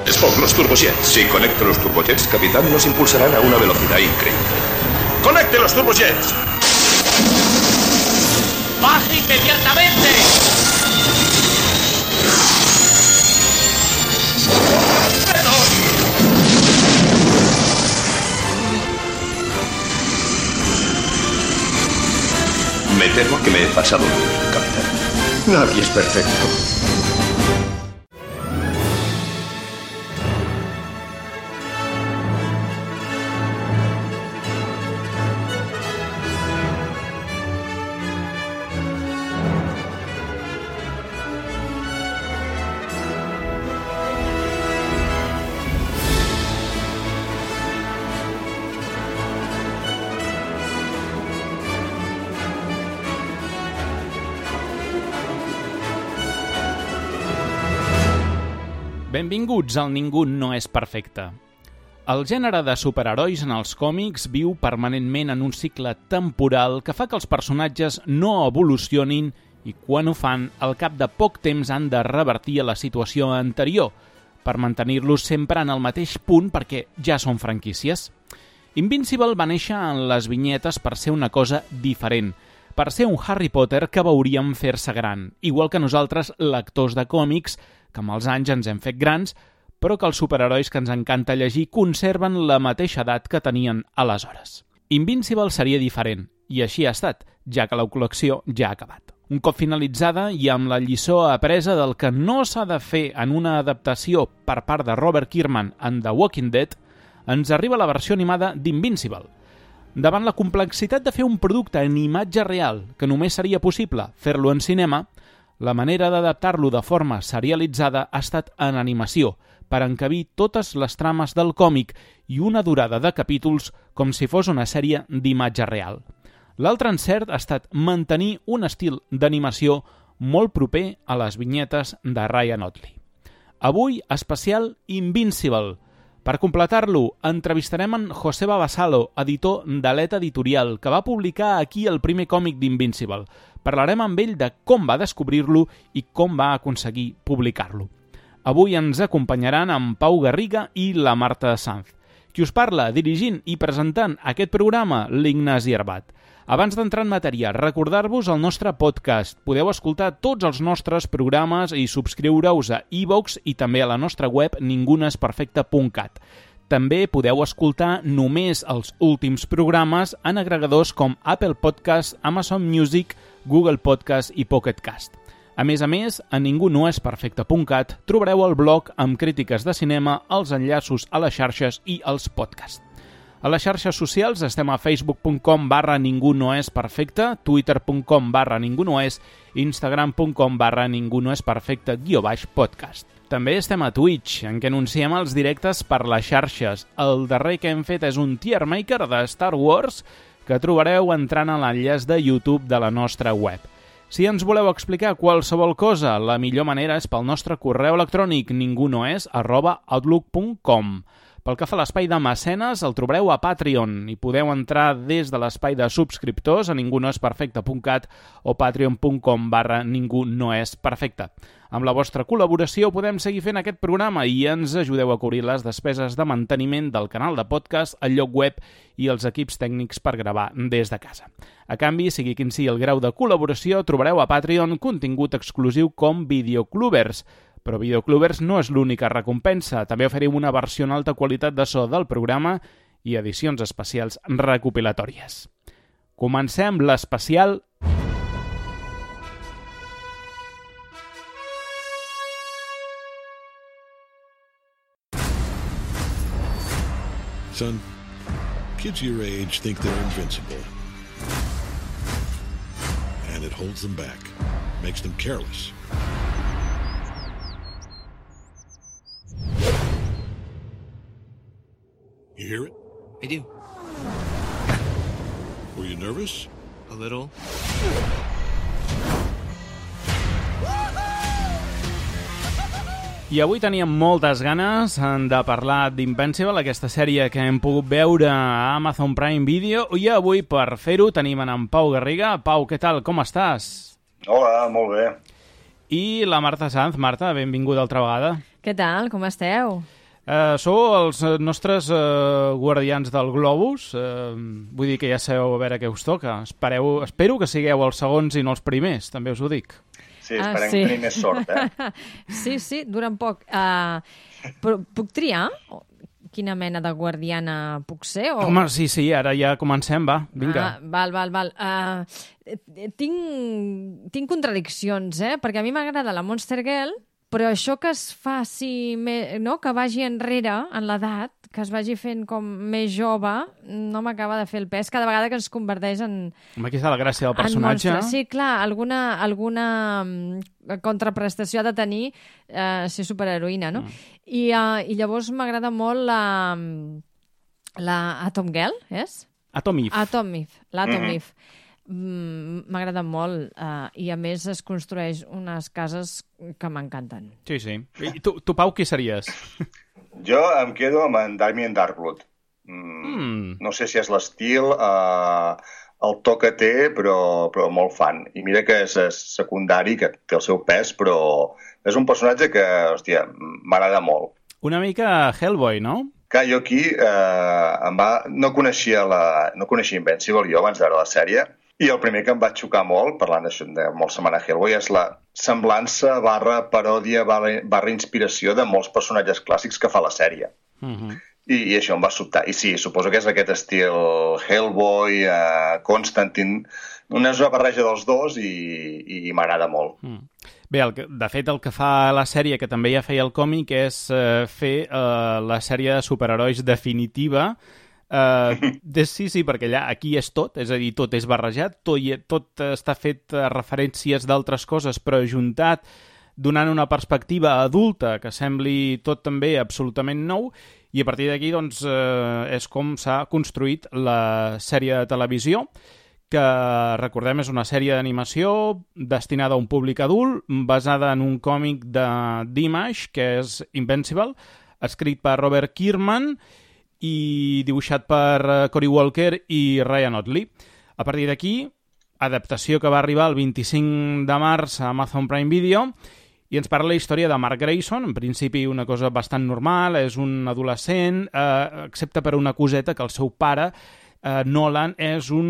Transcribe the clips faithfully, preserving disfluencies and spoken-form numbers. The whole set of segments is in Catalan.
Spock, los turbojets. Si conecto los turbojets, capitán, nos impulsarán a una velocidad increíble. ¡Conecte los turbojets! ¡Baje inmediatamente! Me temo que me he pasado, capitán. Nadie es perfecto. Benvinguts al Ningú no és perfecte. El gènere de superherois en els còmics viu permanentment en un cicle temporal que fa que els personatges no evolucionin i quan ho fan, al cap de poc temps han de revertir a la situació anterior per mantenir-los sempre en el mateix punt perquè ja són franquícies. Invincible va néixer en les vinyetes per ser una cosa diferent, per ser un Harry Potter que veuríem fer-se gran, igual que nosaltres, lectors de còmics, que amb els anys ens hem fet grans, però que els superherois que ens encanta llegir conserven la mateixa edat que tenien aleshores. Invincible seria diferent, i així ha estat, ja que la col·lecció ja ha acabat. Un cop finalitzada i amb la lliçó apresa del que no s'ha de fer en una adaptació per part de Robert Kirkman en The Walking Dead, ens arriba la versió animada d'Invincible. Davant la complexitat de fer un producte en imatge real, que només seria possible fer-lo en cinema, la manera d'adaptar-lo de forma serialitzada ha estat en animació, per encabir totes les trames del còmic i una durada de capítols com si fos una sèrie d'imatge real. L'altre encert ha estat mantenir un estil d'animació molt proper a les vinyetes de Ryan Ottley. Avui, especial Invincible. Per completar-lo, entrevistarem en Joseba Basalo, editor d'Aleta Editorial, que va publicar aquí el primer còmic d'Invincible. Parlarem amb ell de com va descobrir-lo i com va aconseguir publicar-lo. Avui ens acompanyaran en Pau Garriga i la Marta Sanz. Qui us parla, dirigint i presentant aquest programa, l'Ignasi Arbat. Abans d'entrar en matèria, recordar-vos el nostre podcast. Podeu escoltar tots els nostres programes i subscriure-us a iVoox i també a la nostra web ningunesperfecte punt cat. També podeu escoltar només els últims programes en agregadors com Apple Podcast, Amazon Music, Google Podcast i Pocket Cast. A més a més, a ningunoesperfecte punt cat trobareu el blog amb crítiques de cinema, els enllaços a les xarxes i els podcasts. A les xarxes socials estem a facebook punt com barra ningunoesperfecte, twitter punt com barra ningunoes, instagram punt com barra ningunoesperfecte guió baix podcast. També estem a Twitch, en què anunciem els directes per les xarxes. El darrer que hem fet és un tier maker de Star Wars que trobareu entrant a l'enllaç de YouTube de la nostra web. Si ens voleu explicar qualsevol cosa, la millor manera és pel nostre correu electrònic ningunoes arroba outlook punt com. Pel que fa a l'espai de mecenes, el trobareu a Patreon i podeu entrar des de l'espai de subscriptors a ningunoesperfecte punt cat o patreon punt com barra ningunoesperfecte. Amb la vostra col·laboració podem seguir fent aquest programa i ens ajudeu a cobrir les despeses de manteniment del canal de podcast, el lloc web i els equips tècnics per gravar des de casa. A canvi, sigui quin sigui el grau de col·laboració, trobareu a Patreon contingut exclusiu com Videoclubers. Però Videoclubers no és l'única recompensa. També oferim una versió en alta qualitat de so del programa i edicions especials recopilatòries. Comencem l'especial... Son, kids your age think they're invincible. And it holds them back, makes them careless. You hear it? I do. Were you nervous? A little. I avui teníem moltes ganes de parlar d'Invincible, aquesta sèrie que hem pogut veure a Amazon Prime Video, i avui per fer-ho tenim en Pau Garriga. Pau, què tal? Com estàs? Hola, molt bé. I la Marta Sanz. Marta, benvinguda altra vegada. Què tal? Com esteu? Uh, sou els nostres uh, guardians del globus, uh, vull dir que ja sabeu a veure què us toca. Espereu, espero que sigueu els segons i no els primers, també us ho dic. Sí, esperem ah, sí. tenir més sort, eh? Sí, sí, duren poc. Uh, però puc triar quina mena de guardiana puc ser? O... Home, sí, sí, ara ja comencem, va, vinga. Ah, val, val, val. Uh, tinc, tinc contradiccions, eh? Perquè a mi m'agrada la Monster Girl, però això que es faci, no? Que vagi enrere en l'edat, que es vagi fent com més jove, no m'acaba de fer el pes cada vegada que ens converteix en... Home, aquí està la gràcia del personatge. Sí, clar, alguna, alguna contraprestació ha de tenir eh, ser superheroïna, no? Mm. I, uh, I llavors m'agrada molt la, la Atom Girl, és? Atom Eve. Atom Eve, l'Atom Mhm. Eve. Mm, m'agrada molt uh, i a més es construeix unes cases que m'encanten. Sí, sí. I tu, tu, Pau, qui series? Jo em quedo amb en Damien Darkblood. Mm, Mm. No sé si és l'estil, eh, el to que té, però, però molt fan. I mira que és, és secundari, que té el seu pes, però és un personatge que, hòstia, m'agrada molt. Una mica Hellboy, no? Que jo aquí eh, em va... no coneixia la... no coneixia Invincible jo abans de veure la sèrie, i el primer que em va xocar molt, parlant d'això de molt setmana Hellboy, és la semblança barra paròdia barra, barra inspiració de molts personatges clàssics que fa la sèrie. Uh-huh. I, I això em va sobtar. I sí, suposo que és aquest estil Hellboy, eh, Constantine, una barreja dels dos i, i m'agrada molt. Mm. Bé, el que, de fet, el que fa la sèrie, que també ja feia el còmic, és eh, fer eh, la sèrie de superherois definitiva. Eh, de, sí, sí, perquè allà aquí és tot, és a dir, tot és barrejat, tot, tot està fet a referències d'altres coses, però ajuntat, donant una perspectiva adulta que sembli tot també absolutament nou, i a partir d'aquí doncs, eh, és com s'ha construït la sèrie de televisió, que, recordem, és una sèrie d'animació destinada a un públic adult, basada en un còmic de d'Image, que és Invincible, escrit per Robert Kirkman i dibuixat per Cory Walker i Ryan Ottley. A partir d'aquí, adaptació que va arribar el vint-i-cinc de març a Amazon Prime Video, i ens parla la història de Mark Grayson, en principi una cosa bastant normal, és un adolescent, eh, excepte per una coseta que el seu pare, eh, Nolan, és un...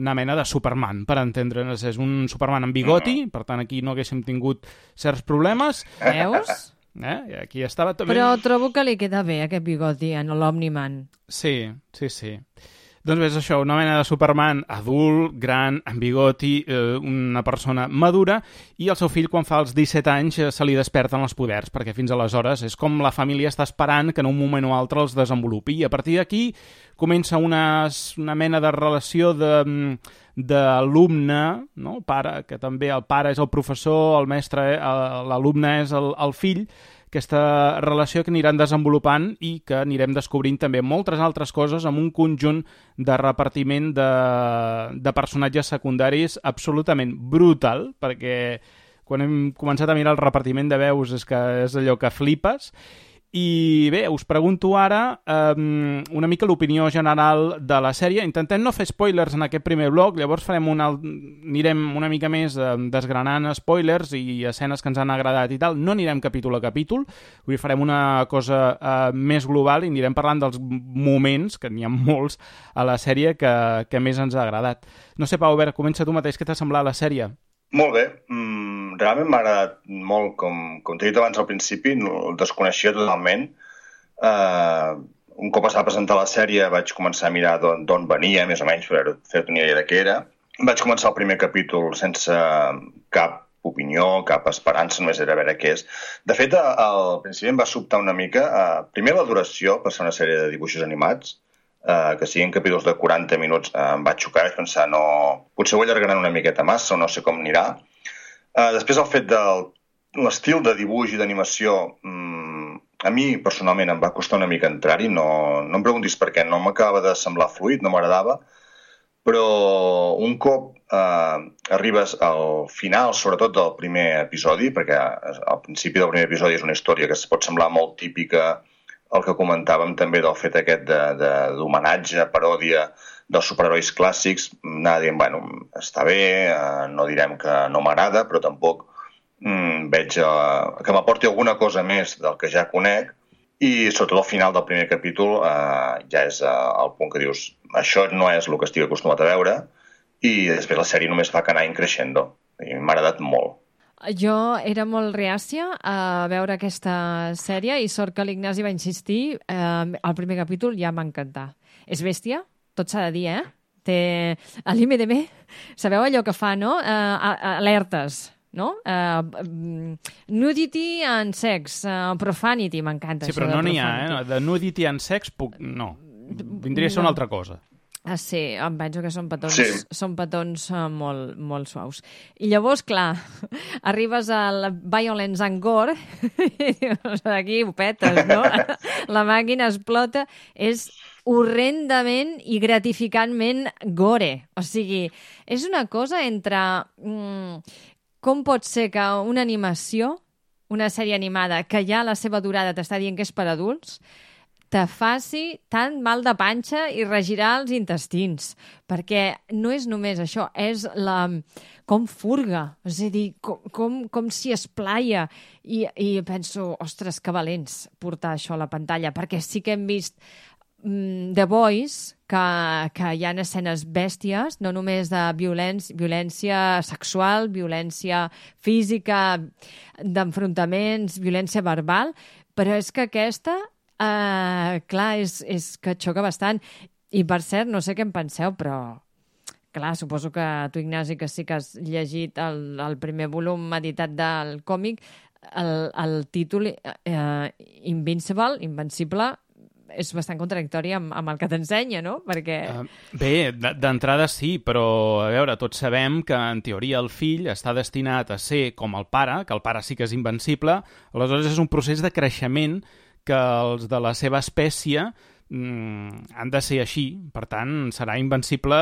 una mena de Superman, per entendre'ns. És un Superman amb bigoti, per tant aquí no haguéssim tingut certs problemes. Veus? Eh? Aquí estava també... Però trobo que li queda bé aquest bigoti en l'Omniman. Sí, sí, sí. Doncs és això, una mena de Superman adult, gran, amb bigoti, eh, una persona madura, i el seu fill, quan fa els disset anys, eh, se li desperten els poders, perquè fins aleshores és com la família està esperant que en un moment o altre els desenvolupi. I a partir d'aquí comença una, una mena de relació de d'alumne, no? Pare, que també el pare és el professor, el mestre, l'alumne és el, el fill, aquesta relació que aniran desenvolupant i que anirem descobrint també moltes altres coses amb un conjunt de repartiment de, de personatges secundaris absolutament brutal, perquè quan hem començat a mirar el repartiment de veus és que és allò que flipes. I bé, us pregunto ara um, una mica l'opinió general de la sèrie. Intentem no fer spoilers en aquest primer bloc, llavors farem una, anirem una mica més um, desgranant spoilers i escenes que ens han agradat i tal. No anirem capítol a capítol, avui farem una cosa uh, més global i anirem parlant dels moments, que n'hi ha molts a la sèrie, que, que més ens ha agradat. No sé, Pau, a veure, comença tu mateix, què t'ha semblat la sèrie? Molt bé. Mm, realment m'ha agradat molt, com, com t'he dit abans al principi, no, el desconeixia totalment. Uh, un cop es va presentar la sèrie vaig començar a mirar d'on venia, més o menys, per fer-te una idea de què era. Vaig començar el primer capítol sense cap opinió, cap esperança, només era a veure què és. De fet, al principi em va sobtar una mica, uh, primer la duració, per ser una sèrie de dibuixos animats, Uh, que siguin capítols de quaranta minuts, uh, em va xocar, vaig pensar, no... potser ho allargaran una miqueta massa, o no sé com anirà. Uh, després el fet de l'estil de dibuix i d'animació, um, a mi personalment em va costar una mica entrar-hi, no, no em preguntis per què, no m'acabava de semblar fluid, no m'agradava, però un cop uh, arribes al final, sobretot del primer episodi, perquè al principi del primer episodi és una història que es pot semblar molt típica, el que comentàvem també del fet aquest d'homenatge, paròdia dels superherois clàssics, anar dient, bueno, està bé, eh, no direm que no m'agrada, però tampoc mm, veig eh, que m'aporti alguna cosa més del que ja conec, i sobretot al final del primer capítol eh, ja és eh, el punt que dius això no és el que estic acostumat a veure, i després la sèrie només fa que anar creixendo, i m'ha agradat molt. Jo era molt reàcia a veure aquesta sèrie i sort que l'Ignasi va insistir. Eh, el primer capítol ja m'ha encantat. És bèstia, tot s'ha de dir, eh? Té a l'I M D B, sabeu allò que fa, no? Uh, alertes, no? Uh, nudity and sex, uh, profanity, m'encanta. Sí, però no n'hi ha, eh? De nudity and sex, puc... no. Vindria a ser una altra cosa. Ah, sí, em penso que són petons, sí. són petons uh, molt, molt suaus. I llavors, clar, arribes al violence and gore i dius, aquí ho petes, no? La màquina explota. És horrendament i gratificantment gore. O sigui, és una cosa entre... Mm, com pot ser que una animació, una sèrie animada, que ja la seva durada t'està dient que és per adults, te faci tant mal de panxa i regirar els intestins. Perquè no és només això, és la... com furga, és a dir, com, com, com s'hi esplaia. I, I penso, ostres, que valents portar això a la pantalla, perquè sí que hem vist mm, The Boys, que, que hi ha escenes bèsties, no només de violència, violència sexual, violència física, d'enfrontaments, violència verbal, però és que aquesta... Uh, clar, és, és que xoca bastant. I, per cert, no sé què en penseu, però... Clar, suposo que tu, Ignasi, que sí que has llegit el, el primer volum editat del còmic, el, el títol uh, Invincible, Invencible, és bastant contradictori amb, amb el que t'ensenya, no? Perquè... Uh, bé, d'entrada sí, però, a veure, tots sabem que, en teoria, el fill està destinat a ser com el pare, que el pare sí que és invencible, aleshores és un procés de creixement que els de la seva espècie mm, han de ser així. Per tant, serà invencible,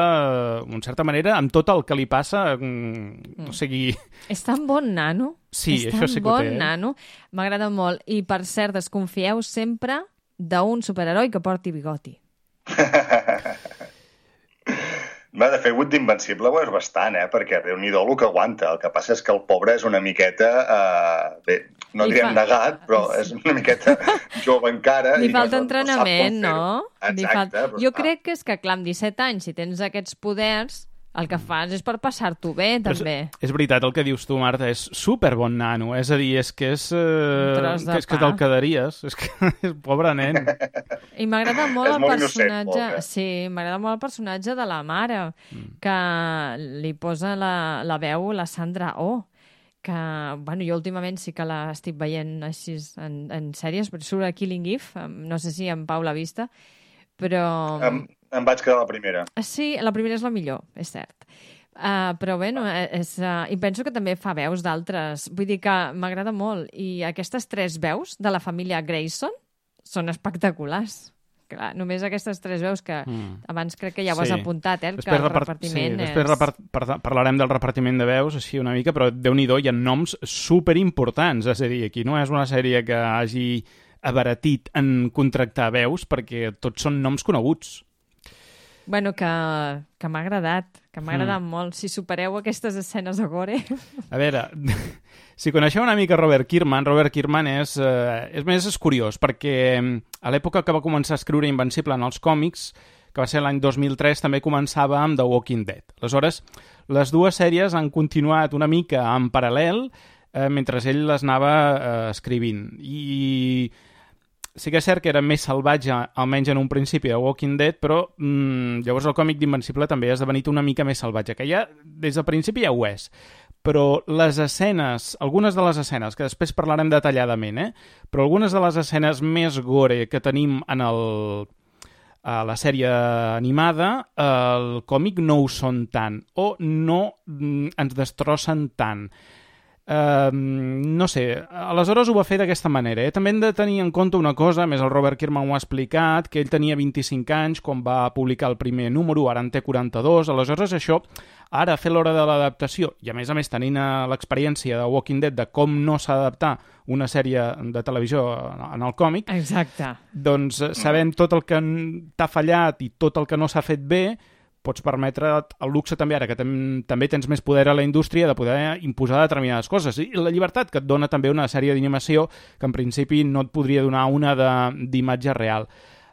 en certa manera, amb tot el que li passa. Mm, o sigui... És tan bon nano. Sí, és això sí que bon ho té. Nano. M'agrada molt. I, per cert, desconfieu sempre d'un superheroi que porti bigoti. Va, de fet, Wood d'Invencible ho és bastant, eh? Perquè Déu-n'hi-do el que aguanta. El que passa és que el pobre és una miqueta... Eh, bé, no Li direm fa... negat, però és una miqueta jove encara. Li i falta no, entrenament, no? no? Li Exacte. falta... Jo crec que és que, clar, amb disset anys, si tens aquests poders, el que fas és per passar-t'ho bé, també. És, és veritat el que dius tu, Marta, és super bon nano. És a dir, és que és... Eh, que és que te'l quedaries. És que és pobre nen. I m'agrada molt el molt personatge... innocent, sí, m'agrada molt el personatge de la mare, mm. que li posa la, la veu la Sandra Oh, que, bueno, jo últimament sí que l'estic veient així en, en sèries, però surt a Killing Eve, no sé si en Pau l'ha vista, però... Em, em vaig quedar la primera. Sí, la primera és la millor, és cert. Uh, però bé, no, és, uh, i penso que també fa veus d'altres. Vull dir que m'agrada molt. I aquestes tres veus de la família Grayson són espectaculars. Clar, només aquestes tres veus que mm. abans crec que ja ho has sí. apuntat, eh? Després que el repart... repartiment sí, és... Després repart... parlarem del repartiment de veus així una mica, però Déu-n'hi-do, hi ha noms superimportants. És a dir, aquí no és una sèrie que hagi abaratit en contractar veus, perquè tots són noms coneguts. Bueno, que, que m'ha agradat, que m'ha agradat mm. molt. Si supereu aquestes escenes de gore... A veure, si coneixeu una mica Robert Kirkman, Robert Kirkman és, eh, és més és curiós, perquè a l'època que va començar a escriure Invencible en els còmics, que va ser l'any dos mil tres, també començava amb The Walking Dead. Aleshores, les dues sèries han continuat una mica en paral·lel eh, mentre ell les anava eh, escrivint. I... sí que és cert que era més salvatge, almenys en un principi, de Walking Dead, però mmm, llavors el còmic d'Invencible també ha esdevenit una mica més salvatge, que ja des del principi ja ho és. Però les escenes, algunes de les escenes, que després parlarem detalladament, eh? però algunes de les escenes més gore que tenim en el, a la sèrie animada, el còmic no ho són tant, o no mm, ens destrossen tant. Uh, no sé, aleshores ho va fer d'aquesta manera. Eh? També hem de tenir en compte una cosa, més el Robert Kirkman ho ha explicat, que ell tenia vint-i-cinc anys quan va publicar el primer número, ara en té quaranta-dos, aleshores això, ara a fer l'hora de l'adaptació, i a més a més tenint l'experiència de Walking Dead de com no s'ha d'adaptar una sèrie de televisió en el còmic, exacte, doncs sabent tot el que t'ha fallat i tot el que no s'ha fet bé, pots permetre el luxe també ara, que tam també tens més poder a la indústria de poder imposar determinades coses. I la llibertat que et dona també una sèrie d'animació que en principi no et podria donar una d'imatge real.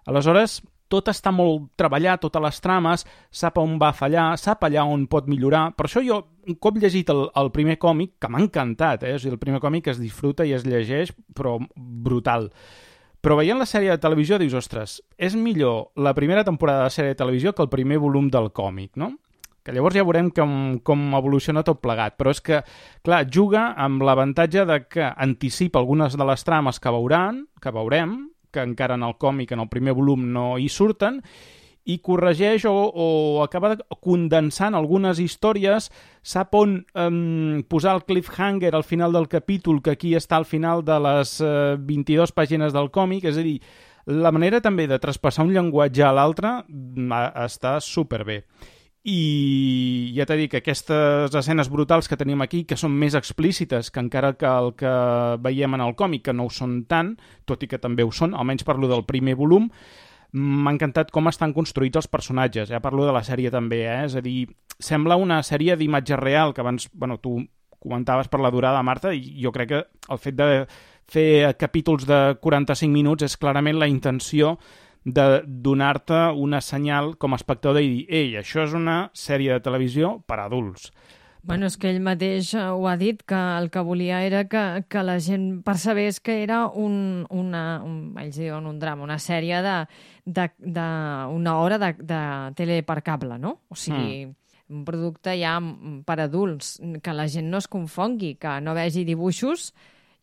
Aleshores, tot està molt treballat, totes les trames, sap on va fallar, sap allà on pot millorar. Per això jo, un cop llegit el, el primer còmic, que m'ha encantat, eh? O sigui, el primer còmic es disfruta i es llegeix, però brutal. Però veient la sèrie de televisió dius, ostres, és millor la primera temporada de la sèrie de televisió que el primer volum del còmic, no? Que llavors ja veurem com, com evoluciona tot plegat. Però és que, clar, juga amb l'avantatge de que anticipa algunes de les trames que veuran, que veurem, que encara en el còmic, en el primer volum, no hi surten, i corregeix o, o acaba condensant algunes històries, sap on um, posar el cliffhanger al final del capítol, que aquí està al final de les uh, vint-i-dues pàgines del còmic, és a dir, la manera també de traspassar un llenguatge a l'altre està superbé. I ja t'he dit que aquestes escenes brutals que tenim aquí, que són més explícites que encara que el que veiem en el còmic, que no ho són tant, tot i que també ho són, almenys parlo del primer volum, m'ha encantat com estan construïts els personatges. Ja parlo de la sèrie també, eh? És a dir, sembla una sèrie d'imatge real, que abans, bueno, tu comentaves per la durada, Marta, i jo crec que el fet de fer capítols de quaranta-cinc minuts és clarament la intenció de donar-te una senyal com a espectador i dir, ei, això és una sèrie de televisió per a adults. Bueno, és que ell mateix ho ha dit, que el que volia era que, que la gent percebés que era un, una, un, ells diuen un drama, una sèrie de, de, de una hora de, de tele per cable, no? O sigui, mm. un producte ja per adults, que la gent no es confongui, que no vegi dibuixos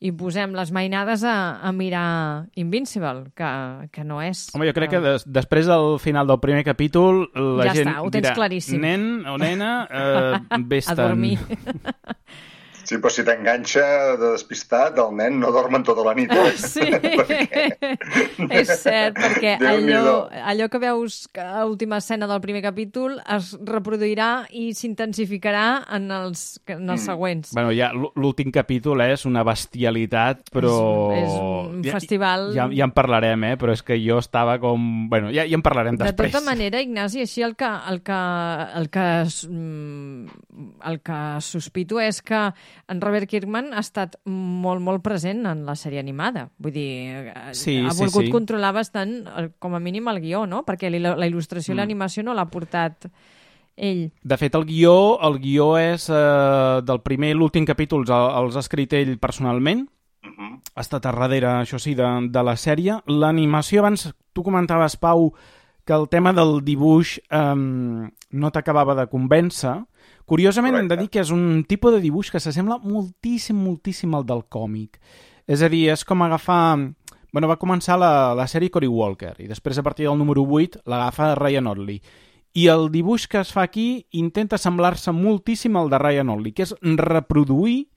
i posem les mainades a, a mirar Invincible, que, que no és... Home, jo crec que des, després del final del primer capítol la ja gent està, ho tens dirà, claríssim. Nen o nena, eh, vés-te'n. A dormir. Sí, però si t'enganxa de despistat, el nen no dorm en tota la nit. Eh? Sí, és cert, perquè allò, allò que veus a l'última escena del primer capítol es reproduirà i s'intensificarà en els, en els mm. següents. Bueno, ja l'últim capítol és una bestialitat, però... És, és un ja, festival... Ja, ja en parlarem, eh? Però és que jo estava com... Bueno, ja, ja en parlarem després. De tota manera, Ignasi, així el que, el que, el que, el que sospito és que en Robert Kirkman ha estat molt, molt present en la sèrie animada. Vull dir, sí, ha volgut sí, sí. controlar bastant, com a mínim, el guió, no? Perquè la, la il·lustració i mm. l'animació no l'ha portat ell. De fet, el guió, el guió és eh, del primer i l'últim capítol, els ha escrit ell personalment. Uh-huh. Ha estat a darrere, això sí, de, de la sèrie. L'animació, abans tu comentaves, Pau, que el tema del dibuix eh, no t'acabava de convèncer. Curiosament, Correcte. Hem de dir que és un tipus de dibuix que s'assembla moltíssim, moltíssim al del còmic. És a dir, és com agafar... Bueno, va començar la, la sèrie Cory Walker i després, a partir del número vuit, l'agafa Ryan Ottley. I el dibuix que es fa aquí intenta semblar-se moltíssim al de Ryan Ottley, que és reproduir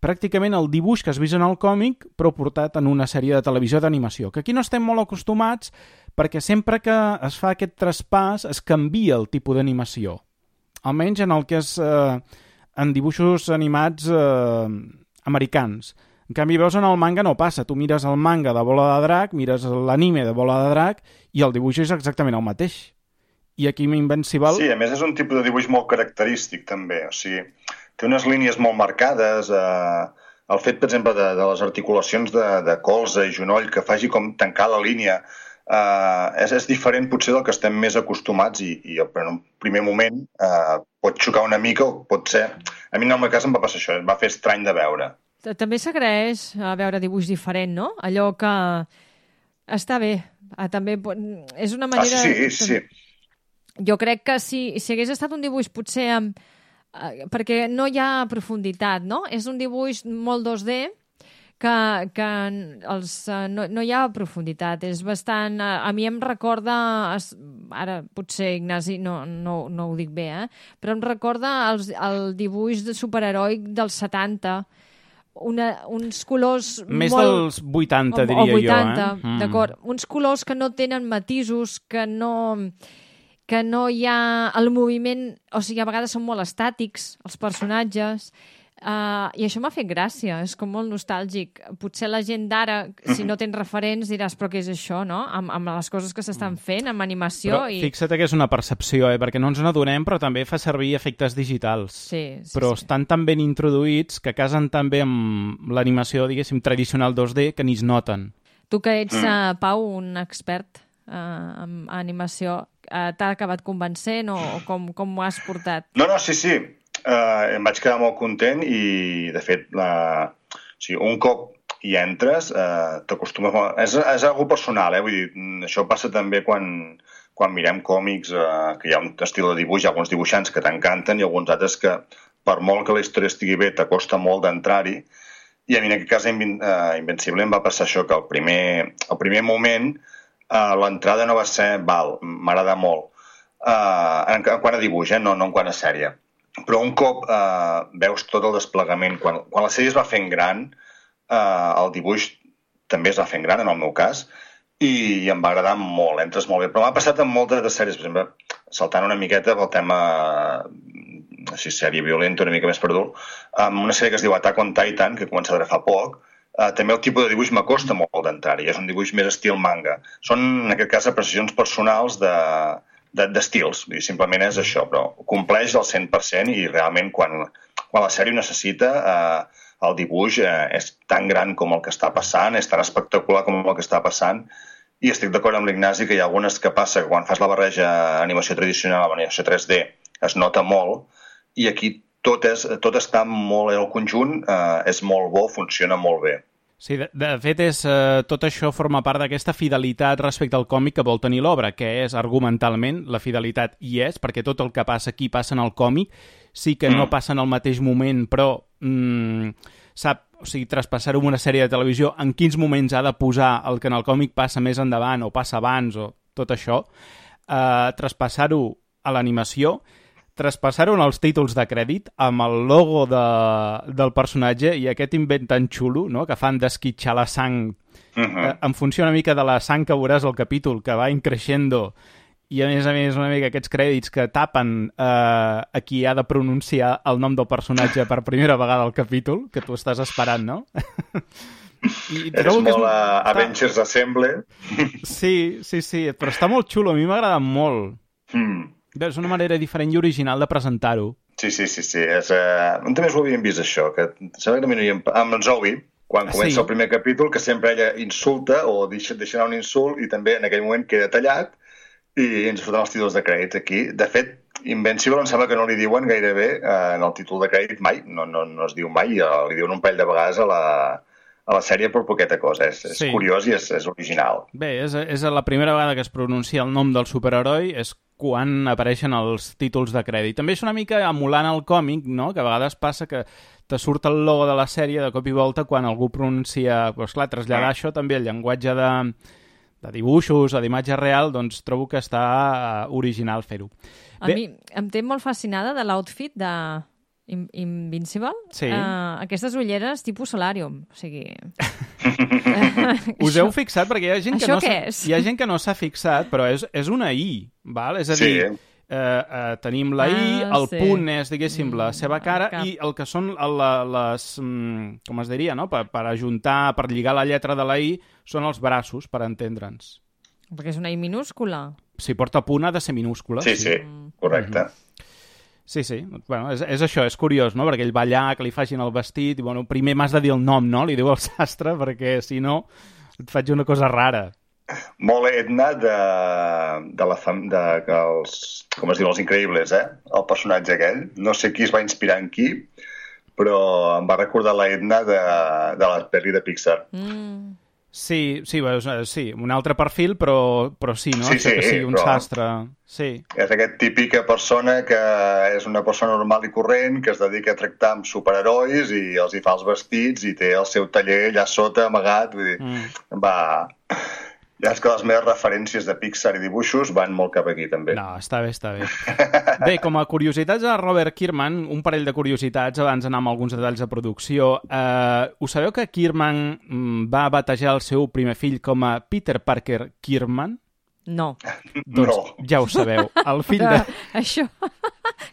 pràcticament el dibuix que has vist en el còmic, però portat en una sèrie de televisió d'animació, que aquí no estem molt acostumats perquè sempre que es fa aquest traspàs es canvia el tipus d'animació. Almenys en el que és eh, en dibuixos animats eh, americans. En canvi, veus en el manga no passa. Tu mires el manga de Bola de Drac, mires l'anime de Bola de Drac i el dibuix és exactament el mateix. I aquí Invincible... Sí, a més és un tipus de dibuix molt característic també. O sigui, té unes línies molt marcades. Eh, el fet, per exemple, de, de les articulacions de, de colze i genoll que faci com tancar la línia Uh, és, és diferent potser del que estem més acostumats i, i en un primer moment uh, pot xocar una mica o pot ser... A mi en el meu cas em va passar això, em va fer estrany de veure. També s'agraeix a veure dibuix diferent, no? Allò que està bé. També és una manera... Ah, sí, sí. Jo crec que si, si hagués estat un dibuix potser amb... perquè no hi ha profunditat, no? És un dibuix molt dos D, que, que els, no, no hi ha profunditat, és bastant... A mi em recorda, ara potser Ignasi no, no, no ho dic bé, eh? Però em recorda els, el dibuix de superheroi dels setanta, una, uns colors més molt... dels vuitanta, o, diria o vuitanta, jo, eh? D'acord. Mm. Uns colors que no tenen matisos, que no... que no hi ha el moviment... O sigui, a vegades són molt estàtics, els personatges... Uh, I això m'ha fet gràcia, és com molt nostàlgic. Potser la gent d'ara, si no tens referents, diràs, però què és això, no? Amb, amb les coses que s'estan fent, amb animació... Però i... fixa't que és una percepció, eh? Perquè no ens n'adonem, però també fa servir efectes digitals. Sí, sí, però sí. estan tan ben introduïts que casen tan bé amb l'animació, diguéssim, tradicional dos D, que ni es noten. Tu que ets, uh, Pau, un expert uh, en animació, uh, t'ha acabat convencent o, o com, com ho has portat? No, no, sí, sí. Uh, em vaig quedar molt content i, de fet, la... o sigui, un cop hi entres, uh, t'acostumes molt... És, és algo personal, eh? Vull dir, això passa també quan, quan mirem còmics, uh, que hi ha un estil de dibuix, hi ha alguns dibuixants que t'encanten i alguns altres que, per molt que la història estigui bé, t'acosta molt d'entrar-hi. I a mi, en aquest cas, Invin uh, Invencible em va passar això, que al primer, al primer moment uh, l'entrada no va ser, val, m'agrada molt, uh, en, en quant a dibuix, eh? no, no en quant a sèrie. Però un cop eh, veus tot el desplegament, quan, quan la sèrie es va fent gran, eh, el dibuix també es va fent gran, en el meu cas, i, i em va agradar molt, entres molt bé. Però m'ha passat amb moltes de sèries, per exemple, saltant una miqueta pel tema, així, sèrie violenta, una mica més per dur, amb una sèrie que es diu Attack on Titan, que he començat a veure fa poc, eh, també el tipus de dibuix m'acosta molt d'entrar-hi, és un dibuix més estil manga. Són, en aquest cas, apreciacions personals de... d'estils, simplement és això, però compleix al cent per cent i realment quan, quan la sèrie ho necessita eh, el dibuix eh, és tan gran com el que està passant, és tan espectacular com el que està passant i estic d'acord amb l'Ignasi que hi ha algunes que passa que quan fas la barreja animació tradicional amb animació tres D es nota molt i aquí tot, és, tot està molt, el conjunt eh, és molt bo, funciona molt bé. Sí, de, de fet, és, eh, tot això forma part d'aquesta fidelitat respecte al còmic que vol tenir l'obra, que és, argumentalment, la fidelitat hi és, perquè tot el que passa aquí passa en el còmic, sí que mm. no passa en el mateix moment, però mm, sap, o sigui, traspassar-ho en una sèrie de televisió, en quins moments ha de posar el que en el còmic passa més endavant, o passa abans, o tot això, eh, traspassar-ho a l'animació, traspassar-ho en els títols de crèdit amb el logo de, del personatge i aquest invent tan xulo, no?, que fan d'esquitxar la sang uh-huh. eh, en funció una mica de la sang que veuràs al capítol, que va increixendo i a més a més una mica aquests crèdits que tapen eh, a qui ha de pronunciar el nom del personatge per primera vegada al capítol, que tu estàs esperant, no? I és molt és... a Avengers està... Assemble. Sí, sí, sí, però està molt xulo, a mi m'ha agradat molt. Mm. És una manera diferent i original de presentar-ho. Sí, sí, sí. sí. És, uh... també ho havíem vist, això, que sembla que també no hi hem... Amb en Zoe, quan comença sí. el primer capítol, que sempre ella insulta o deixa, deixa anar un insult i també en aquell moment queda tallat i ens surten els títols de crèdits aquí. De fet, Invencible em sembla que no li diuen gairebé uh, en el títol de crèdit mai, no, no, no es diu mai, uh, li diuen un parell de vegades a la... a la sèrie per poqueta cosa. És, és sí. curiós i és, és original. Bé, és, és la primera vegada que es pronuncia el nom del superheroi, és quan apareixen els títols de crèdit. També és una mica emulant el còmic, no?, que a vegades passa que te surt el logo de la sèrie de cop i volta quan algú pronuncia... Doncs clar, traslladar això també, el llenguatge de, de dibuixos o d'imatge real, doncs trobo que està original fer-ho. A Bé, mi em té molt fascinada de l'outfit de... Invincible? Sí. Uh, aquestes ulleres tipus Solarium. O sigui... Us heu fixat? Perquè hi ha gent que Això no què és? Hi ha gent que no s'ha fixat, però és, és una I, val? És a dir, sí. eh, eh, tenim la I, ah, el sí. punt és, diguéssim, la seva cara, Cap. i el que són la, les... com es diria, no? Per, per ajuntar, per lligar la lletra de la I, són els braços, per entendre'ns. Perquè és una I minúscula. Si porta punt ha de ser minúscula. Sí, sí, correcte. Mm-hmm. Sí, sí. Bueno, és, és això, és curiós, no? Perquè ell va allà, que li facin el vestit, i bueno, primer m'has de dir el nom, no? Li diu el sastre, perquè si no et faig una cosa rara. Molt Edna de, de la fam... de, que els, com es diu, els Increïbles, eh? El personatge aquell. No sé qui es va inspirar en qui, però em va recordar la Edna de, de la pel·li de Pixar. Mm. Sí, sí, sí, un altre perfil, però, però sí, no? Sí, sí, que sigui un però... sastre. Sí. És aquesta típica persona que és una persona normal i corrent, que es dedica a tractar amb superherois i els hi fa els vestits i té el seu taller allà sota, amagat. Vull dir, mm. va... Ja és que les meves referències de Pixar i dibuixos van molt cap aquí, també. No, està bé, està bé. Bé, com a curiositats de Robert Kirkman, un parell de curiositats abans d'anar amb alguns detalls de producció. Eh, ho sabeu que Kirkman va batejar el seu primer fill com a Peter Parker Kirkman? No. Doncs No. ja ho sabeu. El fill Però de... això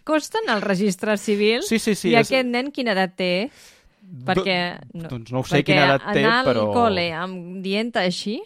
costa en el registre civil Sí, sí, sí. i és... aquest nen quina edat té? Perquè, no, Doncs no ho sé perquè quina edat té, anar però... al col·le amb dient així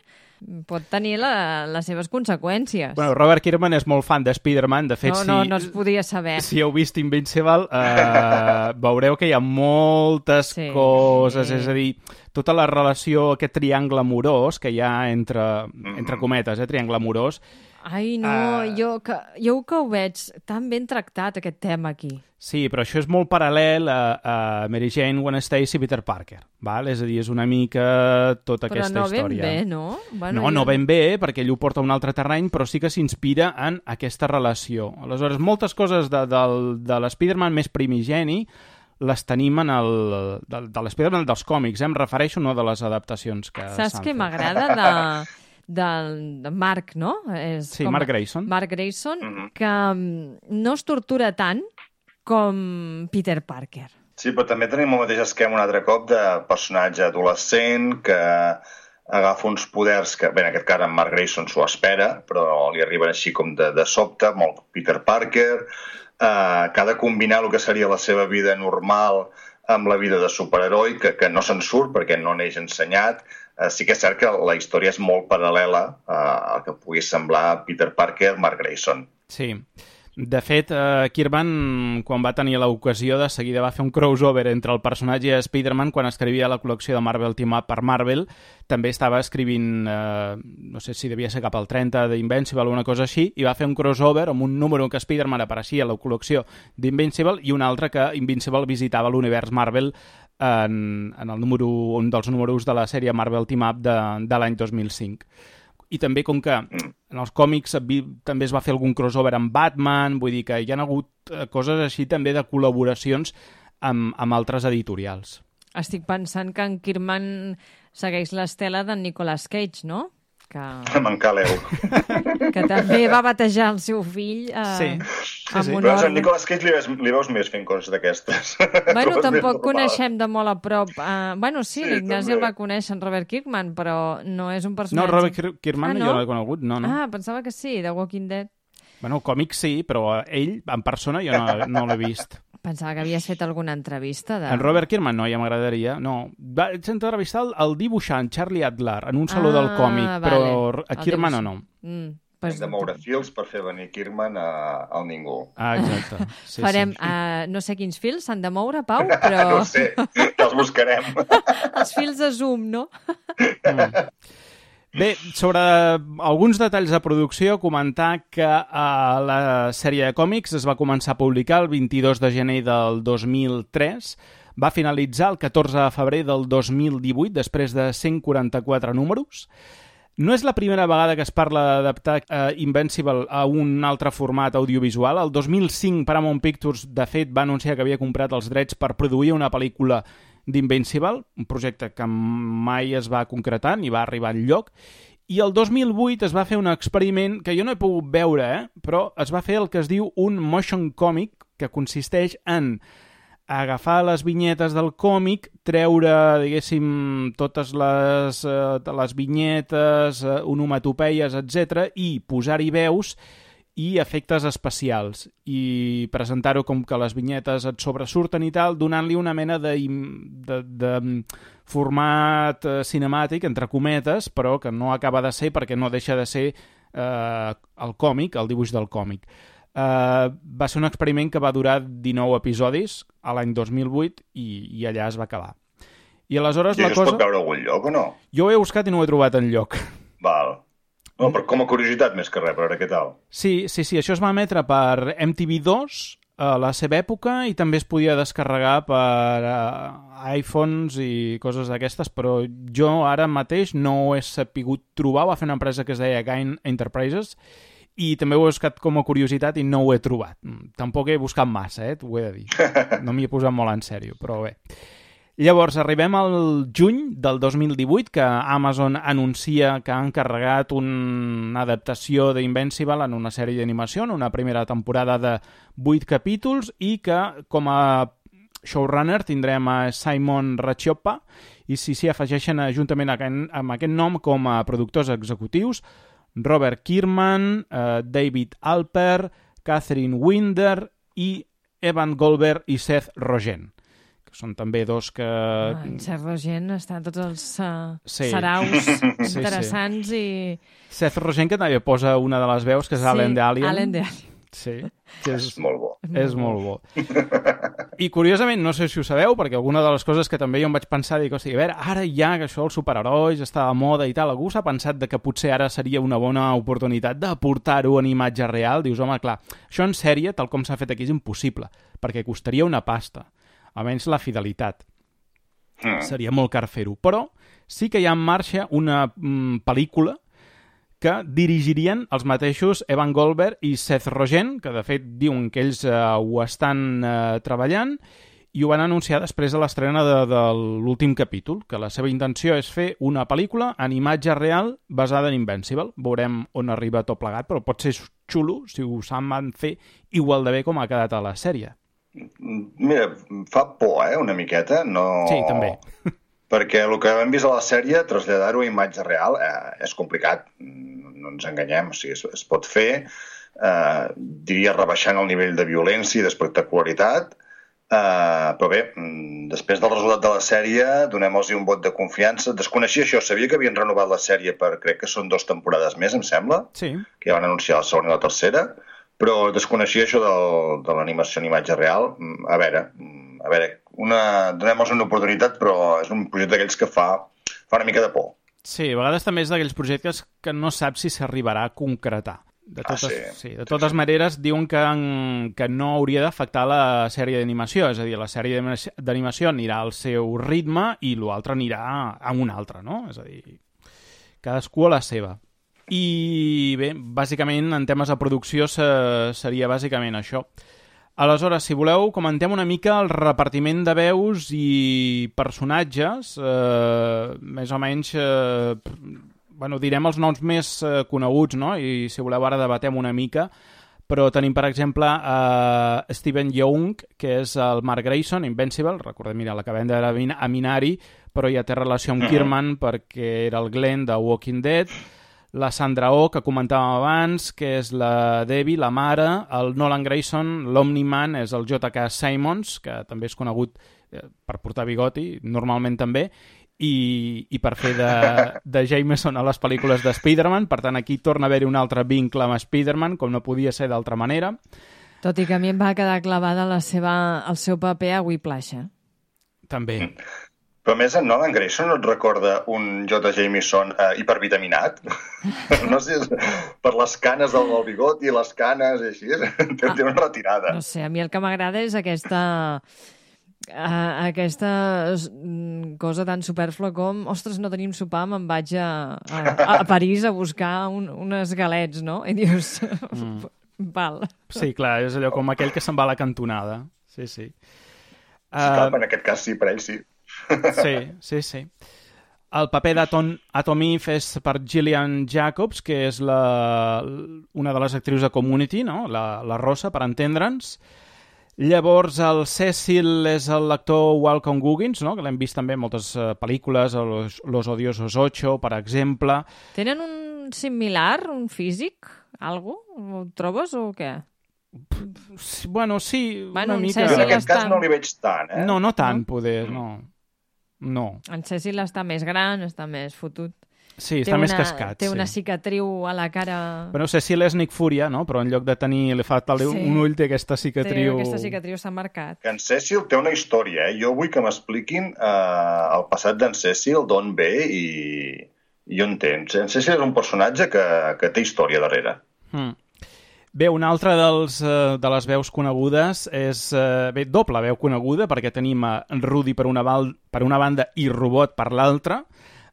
pot tenir la, les seves conseqüències. Bueno, Robert Kirkman és molt fan de Spider-Man. De fet, no, si, no, no es podia saber. si heu vist Invincible, eh, veureu que hi ha moltes Sí, coses, sí. és a dir, tota la relació, aquest triangle amorós que hi ha entre, entre cometes, eh, triangle amorós. Ai, no, Uh, jo, que, jo que ho veig tan ben tractat, aquest tema aquí. Sí, però això és molt paral·lel a, a Mary Jane, Gwen Stacy i Peter Parker, val? És a dir, és una mica tota Però aquesta no ben història. bé, no? Bueno, No, no jo- ben bé, perquè ell ho porta a un altre terreny, però sí que s'inspira en aquesta relació. Aleshores, moltes coses de, de, de l'Spider-Man més primigeni les tenim en el, de, de l'Spider-Man dels còmics, eh? Em refereixo, no de les adaptacions que Saps s'han què fet. m'agrada de, del, de Mark, no? És Sí, Mark Grayson. Mark Grayson, que mm, no es tortura tant com Peter Parker. Sí, però també tenim el mateix esquema un altre cop de personatge adolescent que agafa uns poders que, bé, en aquest cas en Mark Grayson s'ho espera, però li arriben així com de, de sobte, molt Peter Parker, eh, que ha de combinar el que seria la seva vida normal amb la vida de superheroi, que, que no se'n surt perquè no neix ensenyat. Eh, sí que és cert que la història és molt paral·lela eh, al que pugui semblar Peter Parker, Mark Grayson. Sí. De fet, eh, Kirkman, quan va tenir l'ocasió, de seguida va fer un crossover entre el personatge i Spider-Man quan escrivia la col·lecció de Marvel Team Up per Marvel. També estava escrivint, eh, no sé si devia ser cap al trenta d'Invincible o una cosa així, i va fer un crossover amb un número en què Spider-Man apareixia a la col·lecció d'Invincible i un altre que Invincible visitava l'univers Marvel en, en el número, un dels números de la sèrie Marvel Team Up de, de l'any dos mil cinc. I també, com que en els còmics també es va fer algun crossover amb Batman, vull dir que hi ha hagut coses així també de col·laboracions amb, amb altres editorials. Estic pensant que en Kirkman segueix l'estela d'en Nicolas Cage, no? Que, Me'n caleu. que també va batejar el seu fill eh, Sí, sí, amb sí. un Però a ordre. Nicolas Cage li veus, li veus més fent coses d'aquestes. Bueno, Coses més tampoc normals. coneixem de molt a prop. Uh, bueno, sí, Sí, l'Ignasi també. el va conèixer en Robert Kirkman, però no és un No, personatge... Robert Kir- Kirkman Ah, jo no? no l'he conegut, no, no. Ah, pensava que sí, de Walking Dead. Bueno, còmics sí, però ell, en persona, jo no, no l'he vist. Pensava que havies fet alguna entrevista de... En Robert Kirkman no, ja m'agradaria. No, vaig entrevistar el, el dibuixant Charlie Adler en un saló Ah, del còmic, vale. però a El Kirkman o dibuixant. no. Mm, Hem pues, de moure fils per fer venir Kirkman a, al ningú. Ah, exacte. Sí, farem, sí. uh, no sé quins fils s'han de moure, Pau, però No ho sé, que els buscarem. els fils de Zoom, no? Bé, sobre alguns detalls de producció, comentar que uh, la sèrie de còmics es va començar a publicar el vint-i-dos de gener del dos mil tres, va finalitzar el catorze de febrer del dos mil divuit, després de cent quaranta-quatre números. No és la primera vegada que es parla d'adaptar uh, Invincible a un altre format audiovisual. El dos mil cinc Paramount Pictures, de fet, va anunciar que havia comprat els drets per produir una pel·lícula d'Invincible, un projecte que mai es va concretar ni va arribar enlloc. I el dos mil vuit es va fer un experiment que jo no he pogut veure, eh? Però es va fer el que es diu un motion comic, que consisteix en agafar les vinyetes del còmic, treure, diguéssim, totes les, eh, les vinyetes, eh, onomatopeies, etcètera, i posar-hi veus i efectes especials, i presentar-ho com que les vinyetes et sobresurten i tal, donant-li una mena de, de, de format eh, cinemàtic, entre cometes, però que no acaba de ser perquè no deixa de ser eh, el còmic, el dibuix del còmic. Uh, va ser un experiment que va durar dinou episodis a l'any dos mil vuit i, i allà es va acabar. I aleshores I la això cosa... es pot veure a algun lloc o no? Jo ho he buscat i no ho he trobat enlloc. Val. No, però com a curiositat més que res, per veure què tal. Sí, sí, sí, això es va emetre per M T V dos a la seva època i també es podia descarregar per uh, iPhones i coses d'aquestes, però jo ara mateix no ho he sapigut trobar. Va fer una empresa que es deia Gain Enterprises i també ho he buscat com a curiositat i no ho he trobat. Tampoc he buscat massa, eh, t'ho he de dir. No m'hi he posat molt en sèrio, però bé. Llavors, arribem al juny del dos mil divuit, que Amazon anuncia que ha encarregat una adaptació d'Invincible en una sèrie d'animació, en una primera temporada de vuit capítols, i que com a showrunner tindrem a Simon Racioppa, i si s'hi afegeixen juntament amb aquest nom com a productors executius Robert Kierman, eh, David Alper, Catherine Winder i Evan Goldberg i Seth Rogen, que són també dos que... Ah, en Seth Rogen està en tots els uh, sí. saraus sí, interessants sí. i... Seth Rogen, que també posa una de les veus, que és sí, Alan de Alien. Alan de Alien. Sí, que és, és molt bo. És molt bo. I curiosament, no sé si ho sabeu, perquè alguna de les coses que també jo em vaig pensar, dic, hosti, a veure, ara ja que això els superherois està de moda i tal, algú s'ha pensat de que potser ara seria una bona oportunitat de portar-ho en imatge real? Dius, home, clar, això en sèrie, tal com s'ha fet aquí, és impossible, perquè costaria una pasta, almenys la fidelitat. Mm. Seria molt car fer-ho. Però sí que hi ha en marxa una mm, pel·lícula que dirigirien els mateixos Evan Goldberg i Seth Rogen, que de fet diuen que ells eh, ho estan eh, treballant, i ho van anunciar després de l'estrena de, de l'últim capítol, que la seva intenció és fer una pel·lícula en imatge real basada en Invincible. Veurem on arriba tot plegat, però pot ser xulo si ho saben fer igual de bé com ha quedat a la sèrie. Mira, fa por, eh, una miqueta. No... Sí, també. Perquè el que hem vist a la sèrie, traslladar-ho a imatge real, eh, és complicat, no ens enganyem, o sigui, es, es pot fer, eh, diria rebaixant el nivell de violència i d'espectacularitat, eh, però bé, després del resultat de la sèrie, donem-los un vot de confiança. Desconeixia això, sabia que havien renovat la sèrie per, crec que són dues temporades més, em sembla, sí. Que ja van anunciar la segona i la tercera, però desconeixia això del, de l'animació en imatge real. A veure, a veure, una, donem-nos una oportunitat, però és un projecte d'aquells que fa, fa una mica de por. Sí, a vegades també és d'aquells projectes que no saps si s'arribarà a concretar. De totes, ah, sí. Sí, de totes sí, maneres, diuen que, que no hauria d'afectar la sèrie d'animació, és a dir, la sèrie d'animació anirà al seu ritme i l'altre anirà a un altre, no? És a dir, cadascú a la seva. I bé, bàsicament, en temes de producció seria bàsicament això. Aleshores, si voleu, comentem una mica el repartiment de veus i personatges, eh, més o menys, eh, bueno, direm els noms més eh, coneguts, no? I si voleu ara debatem una mica, però tenim, per exemple, eh, Steven Yeun, que és el Mark Grayson, Invincible, recordem, mira, l'acabem de veure a Minari, però ja té relació amb Kierman perquè era el Glenn de Walking Dead, la Sandra Oh, que comentàvem abans, que és la Debbie, la mare, el Nolan Grayson, l'Omni-Man, és el J K Simmons, que també és conegut per portar bigoti, normalment també, i, i per fer de, de Jameson a les pel·lícules de Spider-Man, per tant aquí torna a haver-hi un altre vincle amb Spider-Man, com no podia ser d'altra manera. Tot i que a mi em va quedar clavada la seva, el seu paper a Whiplash, eh? També. Però a més, en Nolan Grayson no et recorda un J. Jameson eh, hipervitaminat? No sé, per les canes del bigot i les canes i així, té una retirada. No sé, a mi el que m'agrada és aquesta... Uh, aquesta cosa tan superflua com ostres, no tenim sopar, me'n vaig a, a, a París a buscar un, unes galets, no? I dius, mm. val. Sí, clar, és allò com aquell que se'n va a la cantonada. Sí, sí. Uh... Sí, clar, en aquest cas sí, per ell sí. Sí, sí, sí. El paper d'Atom Eve és per Gillian Jacobs, que és la, una de les actrius de Community, no? la, la Rosa, per entendre'ns. Llavors, el Cecil és l'actor Walton Goggins, no? Que l'hem vist també en moltes uh, pel·lícules, Los, Los Odiosos ocho, per exemple. Tenen un similar, un físic, algo? Ho trobes o què? Bueno, sí, bueno, una mica. En aquest cas no li veig tant, eh? No, no tant, no? Poder, no. No. En Cecil està més gran, està més fotut. Sí, està té més una, cascat. Té sí. una cicatriu a la cara... Bueno, Cecil és Nick Furia, no? Però en lloc de tenir li fa sí. un ull té aquesta cicatriu... Té aquesta cicatriu, s'ha marcat. En Cecil té una història, eh? Jo vull que m'expliquin eh, el passat d'en Cecil, d'on ve i, i on té. En Cecil és un personatge que, que té història darrere. Hmm. Bé, una altra dels, uh, de les veus conegudes és... Uh, bé, doble veu coneguda, perquè tenim a Rudy per una, val, per una banda i Robot per l'altra.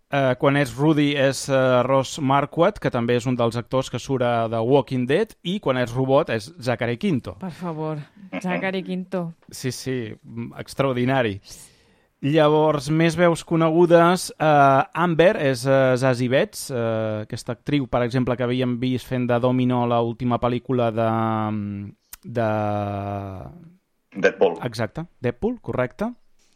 Uh, quan és Rudy és uh, Ross Marquardt, que també és un dels actors que surt de Walking Dead, i quan és Robot és Zachary Quinto. Per favor, Zachary Quinto. Sí, sí, extraordinari. Llavors, més veus conegudes, uh, Amber és uh, Zazie Betts, uh, aquesta actriu, per exemple, que havíem vist fent de Domino l'última pel·lícula de... de... Deadpool. Exacte, Deadpool, correcte.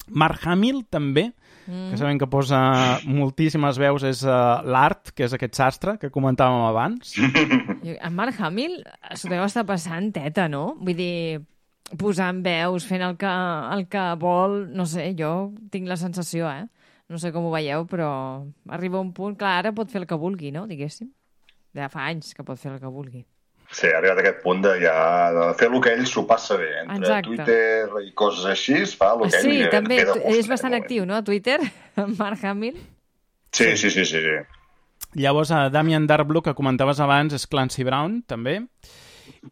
Mark Hamill, també, mm. que sabem que posa moltíssimes veus, és uh, l'Art, que és aquest sastre que comentàvem abans. En Mark Hamill s'ho deu estar passant teta, no? Vull dir, posant veus, fent el que, el que vol, no sé, jo tinc la sensació, eh? No sé com ho veieu, però arriba un punt, clar, ara pot fer el que vulgui, no? Diguéssim. Ja fa anys que pot fer el que vulgui. Sí, ha arribat a aquest punt de, ja, de fer el que ell s'ho passa bé. Entre Exacte. Twitter i coses així, es fa el que sí, ell... Sí, també, és gust, bastant eh, actiu, no?, a Twitter, Mark Hamill. Sí, sí, sí, sí. sí. Llavors, a Damien Darkblue, que comentaves abans, és Clancy Brown, també.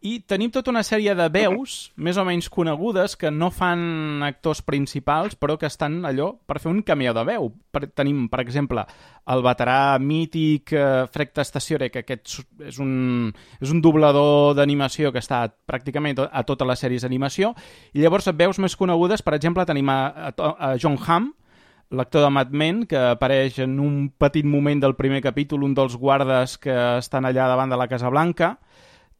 I tenim tota una sèrie de veus, més o menys conegudes, que no fan actors principals, però que estan allò per fer un cameo de veu. Per, tenim, per exemple, el veterà mític eh, Fred Tastaciore, que aquest és un, és un doblador d'animació que està pràcticament a totes les sèries d'animació. I llavors, veus més conegudes, per exemple, tenim a, a, a John Hamm, l'actor de Mad Men, que apareix en un petit moment del primer capítol, un dels guardes que estan allà davant de la Casa Blanca.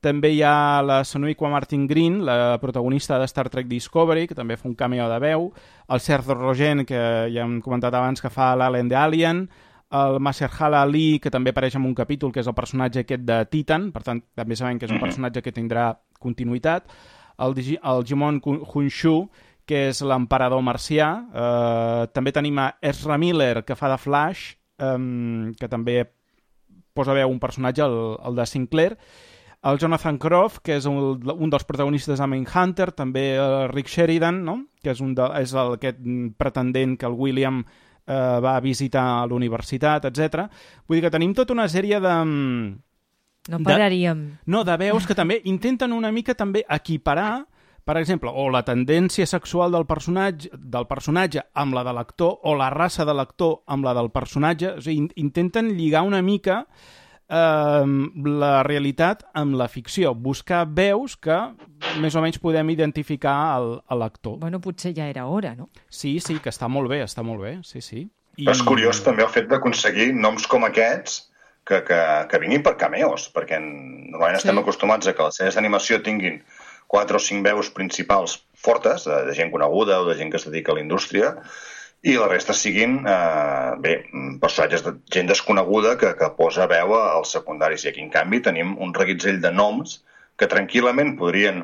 També hi ha la Sonequa Martin Green, la protagonista de Star Trek Discovery, que també fa un cameo de veu, el Sergio Rogen, que ja hem comentat abans, que fa l'Alien de Alien, el Mahershala Ali, que també apareix en un capítol, que és el personatge aquest de Titan, per tant, també sabem que és un personatge que tindrà continuïtat, el, el Jimon Hounshu, que és l'emperador marcià, eh, també tenim a Ezra Miller, que fa de Flash, eh, que també posa veu un personatge, el, el de Sinclair, el Jonathan Groff, que és un, un dels protagonistes de Mindhunter, també el Rick Sheridan, no? Que és, un de, és el, aquest pretendent que el William eh, va visitar a l'universitat, etcètera. Vull dir que tenim tota una sèrie de... No pararíem. De, no, de veus que també intenten una mica també equiparar, per exemple, o la tendència sexual del personatge, del personatge amb la de l'actor, o la raça de l'actor amb la del personatge. O sigui, intenten lligar una mica Uh, la realitat amb la ficció, buscar veus que més o menys podem identificar el, l'actor. Bueno, potser ja era hora, no? Sí, sí, que està molt bé, està molt bé, sí, sí. I... Però és curiós també el fet d'aconseguir noms com aquests que, que, que vinguin per cameos, perquè normalment sí. estem acostumats a que les sèries d'animació tinguin quatre o cinc veus principals fortes, de, de gent coneguda o de gent que es dedica a la indústria, i la resta siguin, eh, bé, personatges de gent desconeguda que, que posa veu als secundaris. I aquí, en canvi, tenim un reguitzell de noms que tranquil·lament podrien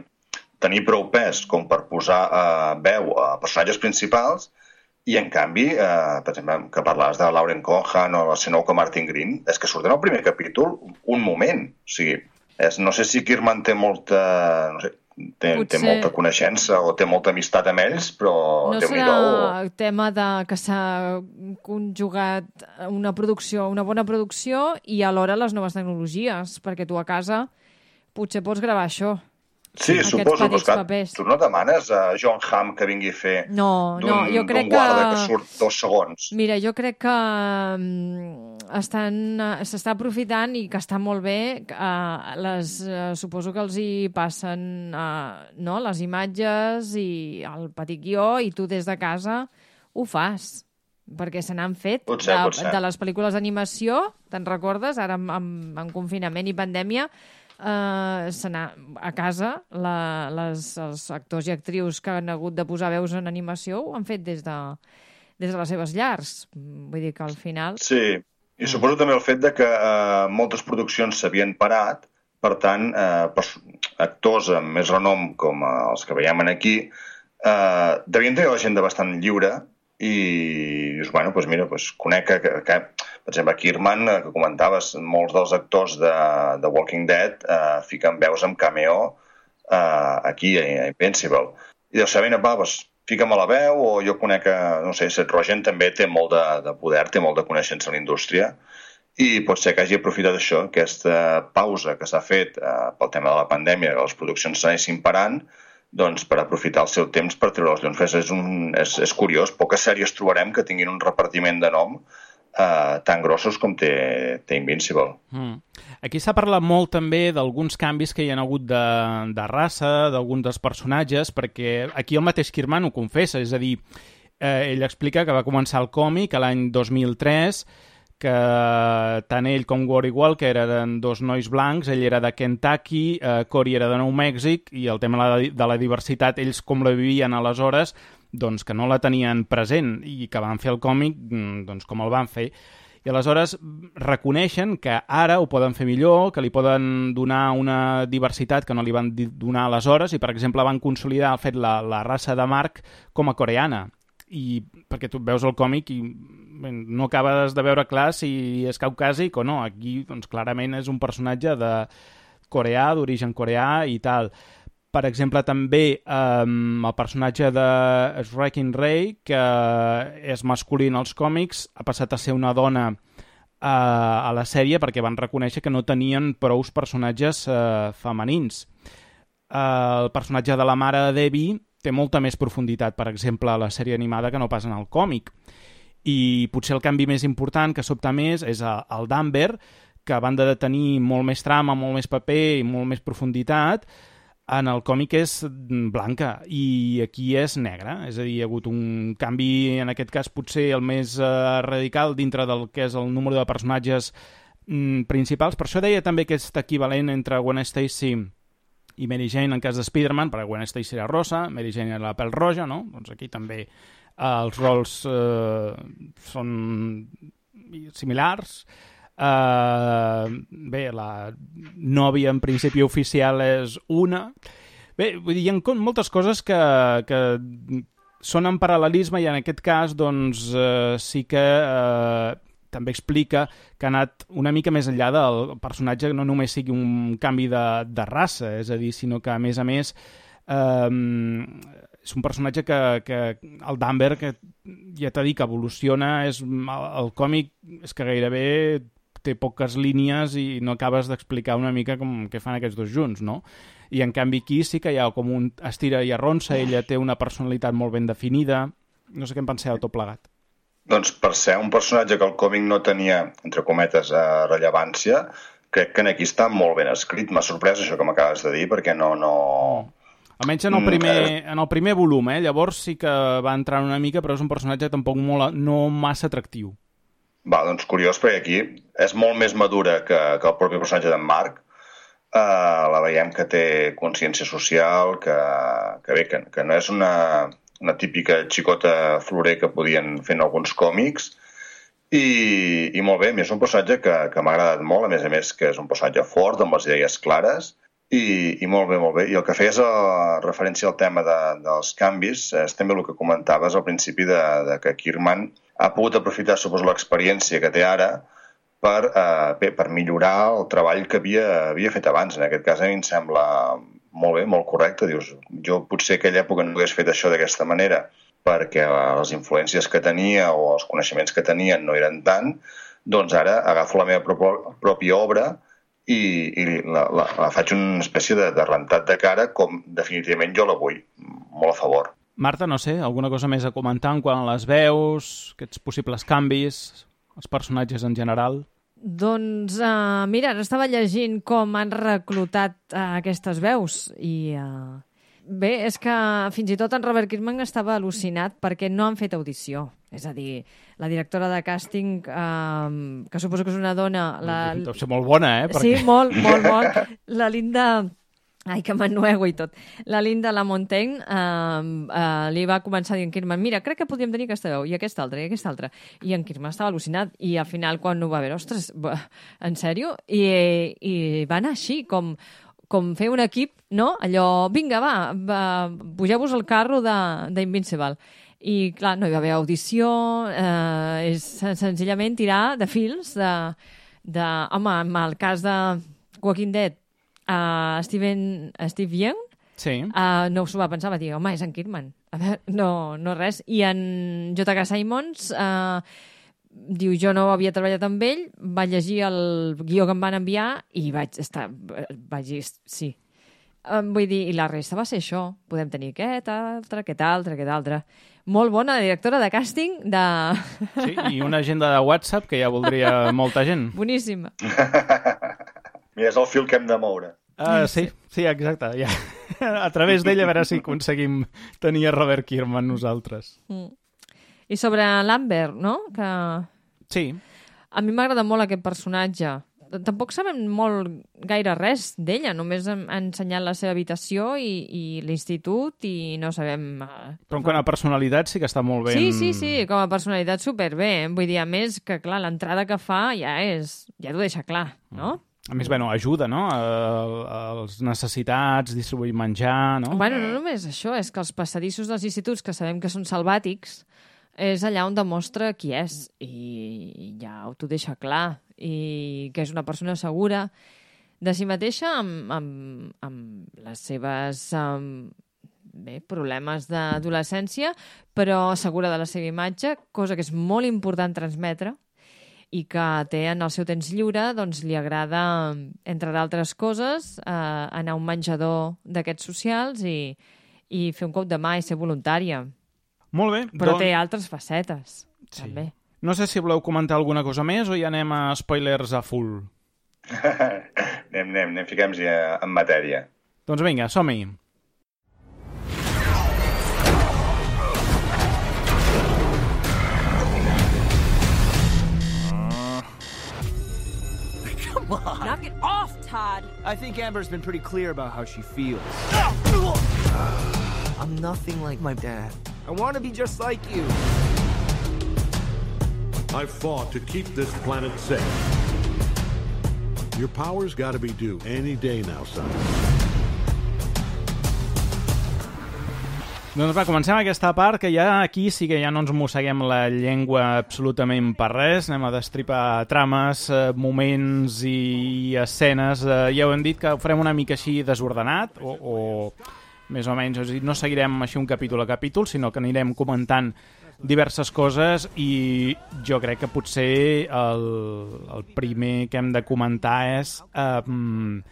tenir prou pes com per posar eh, veu a personatges principals i, en canvi, eh, per exemple, que parlaves de Lauren Cohan o la Sonequa Martin Green, és que surten al primer capítol un moment. O sigui, és, no sé si Kirman té molta... No sé, Té, té molta coneixença o té molta amistat amb ells, però... No serà el tema de que s'ha conjugat una producció, una bona producció i alhora les noves tecnologies, perquè tu a casa potser pots gravar això. Sí, suposo, però esclar, tu no demanes a John Hamm que vingui a fer no, no, jo crec d'un guarda que... que surt dos segons. Mira, jo crec que estan, s'està aprofitant i que està molt bé. Uh, les, uh, suposo que els hi passen uh, no, les imatges i el petit guió i tu des de casa ho fas. Perquè se n'han fet potser, de, potser. de les pel·lícules d'animació, te'n recordes? Ara amb, amb, amb confinament i pandèmia, Uh, a casa la, les, els actors i actrius que han hagut de posar veus en animació ho han fet des de, des de les seves llars. Vull dir que al final... Sí, i suposo també el fet de que uh, moltes produccions s'havien parat, per tant, uh, actors amb més renom com uh, els que veiem aquí uh, devien tenir la gent de bastant lliure i dius, bueno, doncs mira, doncs conec que, que, que per exemple, Kirman, que comentaves, molts dels actors de, de Walking Dead eh, fiquen veus amb cameo eh, aquí, a Invincible. I deus saber, va, doncs, fica'm a la veu, o jo conec que, no sé, Seth Rogen també té molt de, de poder, té molt de coneixença en la indústria, i pot ser que hagi aprofitat això, aquesta pausa que s'ha fet eh, pel tema de la pandèmia, que les produccions s'anessin parant, doncs per aprofitar el seu temps per treure els llums. És, un, és, és curiós, poques sèries trobarem que tinguin un repartiment de nom Uh, tan grossos com té, té Invincible. Mm. Aquí s'ha parlat molt també d'alguns canvis que hi ha hagut de, de raça, d'alguns dels personatges, perquè aquí el mateix Kirman ho confessa, és a dir, eh, ell explica que va començar el còmic a l'any dos mil tres, que tant ell com Wally Walker eren dos nois blancs, ell era de Kentucky, eh, Cory era de Nou Mèxic, i el tema de la, de la diversitat, ells com la vivien aleshores, doncs, que no la tenien present i que van fer el còmic doncs, com el van fer. I aleshores reconeixen que ara ho poden fer millor, que li poden donar una diversitat que no li van donar aleshores i, per exemple, van consolidar el fet la, la raça de Mark com a coreana. I perquè tu veus el còmic i bé, no acabes de veure clar si és caucàsic o no. Aquí, doncs, clarament és un personatge de coreà, d'origen coreà i tal. Per exemple, també eh, el personatge de Wrecking Ray, que és masculí en els còmics, ha passat a ser una dona eh, a la sèrie perquè van reconèixer que no tenien prous personatges eh, femenins. Eh, el personatge de la mare de Debbie té molta més profunditat, per exemple, a la sèrie animada que no pas en el còmic. I potser el canvi més important que sobta més és el d'Amber, que a banda de tenir molt més trama, molt més paper i molt més profunditat, en el còmic és blanca i aquí és negra. És a dir, hi ha hagut un canvi, en aquest cas potser el més eh, radical dintre del que és el número de personatges mm, principals. Per això deia també aquest equivalent entre Gwen Stacy i Mary Jane en cas de Spider-Man, perquè Gwen Stacy era rosa, Mary Jane era la pèl roja, no? Doncs aquí també eh, els rols eh, són similars. Uh, bé, la nòvia en principi oficial és una. Bé, vull dir, hi ha moltes coses que, que són en paral·lelisme i en aquest cas doncs uh, sí que uh, també explica que ha anat una mica més enllà del personatge, no només sigui un canvi de, de raça, és a dir, sinó que a més a més um, és un personatge que, que el d'Amber, que ja t'ha dit que evoluciona, és, el, el còmic és que gairebé té poques línies i no acabes d'explicar una mica com què fan aquests dos junts, no? I en canvi aquí sí que hi ha com un estira i arronsa, ella té una personalitat molt ben definida. No sé què en penseu tot plegat. Doncs per ser un personatge que el còmic no tenia, entre cometes, eh, rellevància, crec que aquí està molt ben escrit. M'ha sorprès això que m'acabes de dir, perquè no... no... Almenys en el primer, en el primer volum, eh? Llavors sí que va entrar una mica, però és un personatge tampoc molt, no massa atractiu. Va, doncs curiós, perquè aquí és molt més madura que, que el propi personatge d'en Mark. Uh, la veiem que té consciència social, que, que bé, que, que no és una, una típica xicota florer que podien fer en alguns còmics. I, i molt bé, és un personatge que, que m'ha agradat molt, a més a més que és un personatge fort, amb les idees clares, i, i molt bé, molt bé. I el que feies a referència al tema de, dels canvis és també el que comentaves al principi de, de que Kirkman ha pogut aprofitar, suposo, l'experiència que té ara per, eh, bé, per millorar el treball que havia, havia fet abans. En aquest cas a mi em sembla molt bé, molt correcte. Dius, jo potser aquella època no hagués fet això d'aquesta manera perquè les influències que tenia o els coneixements que tenien no eren tant, doncs ara agafo la meva prop pròpia obra i, i la, la, la faig una espècie de, de rentat de cara com definitivament jo la vull, molt a favor. Marta, no sé, alguna cosa més a comentar en quant a les veus, aquests possibles canvis, els personatges en general? Doncs, uh, mira, ara estava llegint com han reclutat uh, aquestes veus i... Uh... Bé, és que fins i tot en Robert Kirkman estava al·lucinat perquè no han fet audició. És a dir, la directora de càsting, eh, que suposo que és una dona... La... Deu ser molt bona, eh? Perquè... Sí, molt, molt, molt. La Linda... Ai, que m'ennuego i tot. La Linda Lamontagne eh, eh, li va començar dient Kirkman, mira, crec que podríem tenir aquesta veu, i aquesta altra, i aquesta altra. I en Kirkman estava al·lucinat, i al final, quan ho va veure, ostres, en sèrio? I, i va anar així, com... com fer un equip, no? Allò, vinga, va, va pugeu-vos al carro d'Invincible. I, clar, no hi va haver audició, eh, és senzillament tirar de fils de... de home, en el cas de Walking Dead, uh, Steven, Steve Yeun, sí. uh, no s'ho va pensar, va dir, home, és en Kirkman. A veure, no, no res. I en J K. Simmons... Uh, diu, jo no havia treballat amb ell, vaig llegir el guió que em van enviar i vaig estar... vaig dir, sí. Um, vull dir, i la resta va ser això. Podem tenir aquest altre, aquest altre, aquest altre. Molt bona directora de càsting de... Sí, i una agenda de WhatsApp que ja voldria molta gent. Boníssima. Mira, és el fil que hem de moure. Uh, sí, sí, exacte. Ja. A través d'ell a veure si aconseguim tenir a Robert Kirkman nosaltres. Mm. I sobre l'Amber, no? Que... Sí. A mi m'agrada molt aquest personatge tampoc sabem molt gaire res d'ella, només han ensenyat la seva habitació i, i l'institut i no sabem... Però en quant a personalitat sí que està molt ben... Sí, sí, sí, com a personalitat superbé. Vull dir, a més, que clar, l'entrada que fa ja és... ja t'ho deixa clar, no? A més, bueno, ajuda, no? Els necessitats, distribuir menjar, no? Bueno, no només això, és que els passadissos dels instituts, que sabem que són salvàtics, és allà on demostra qui és, i ja t'ho deixa clar, i que és una persona segura de si mateixa amb, amb, amb les seves um, bé, problemes d'adolescència, però segura de la seva imatge, cosa que és molt important transmetre, i que té en el seu temps lliure, doncs li agrada, entre d'altres coses, eh, anar a un menjador d'aquests socials i, i fer un cop de mà i ser voluntària. Molt bé. Però doncs... té altres facetes, sí. També. No sé si voleu comentar alguna cosa més o ja anem a spoilers a full. anem, anem, anem, fiquem-hi en matèria. Doncs vinga, som-hi. Come on. Knock it off, Todd. I think Amber's been pretty clear about how she feels. I'm nothing like my dad. I want to be just like you. I've fought to keep this planet safe. Your power's got to be due any day now, son. Doncs va, comencem aquesta part, que ja aquí sí que ja no ens mosseguem la llengua absolutament per res, anem a destripar trames, eh, moments i escenes. Eh, ja ho hem dit que ho farem una mica així desordenat, o, o més o menys, és a dir, no seguirem així un capítol a capítol, sinó que anirem comentant diverses coses i jo crec que potser el, el primer que hem de comentar és... Eh,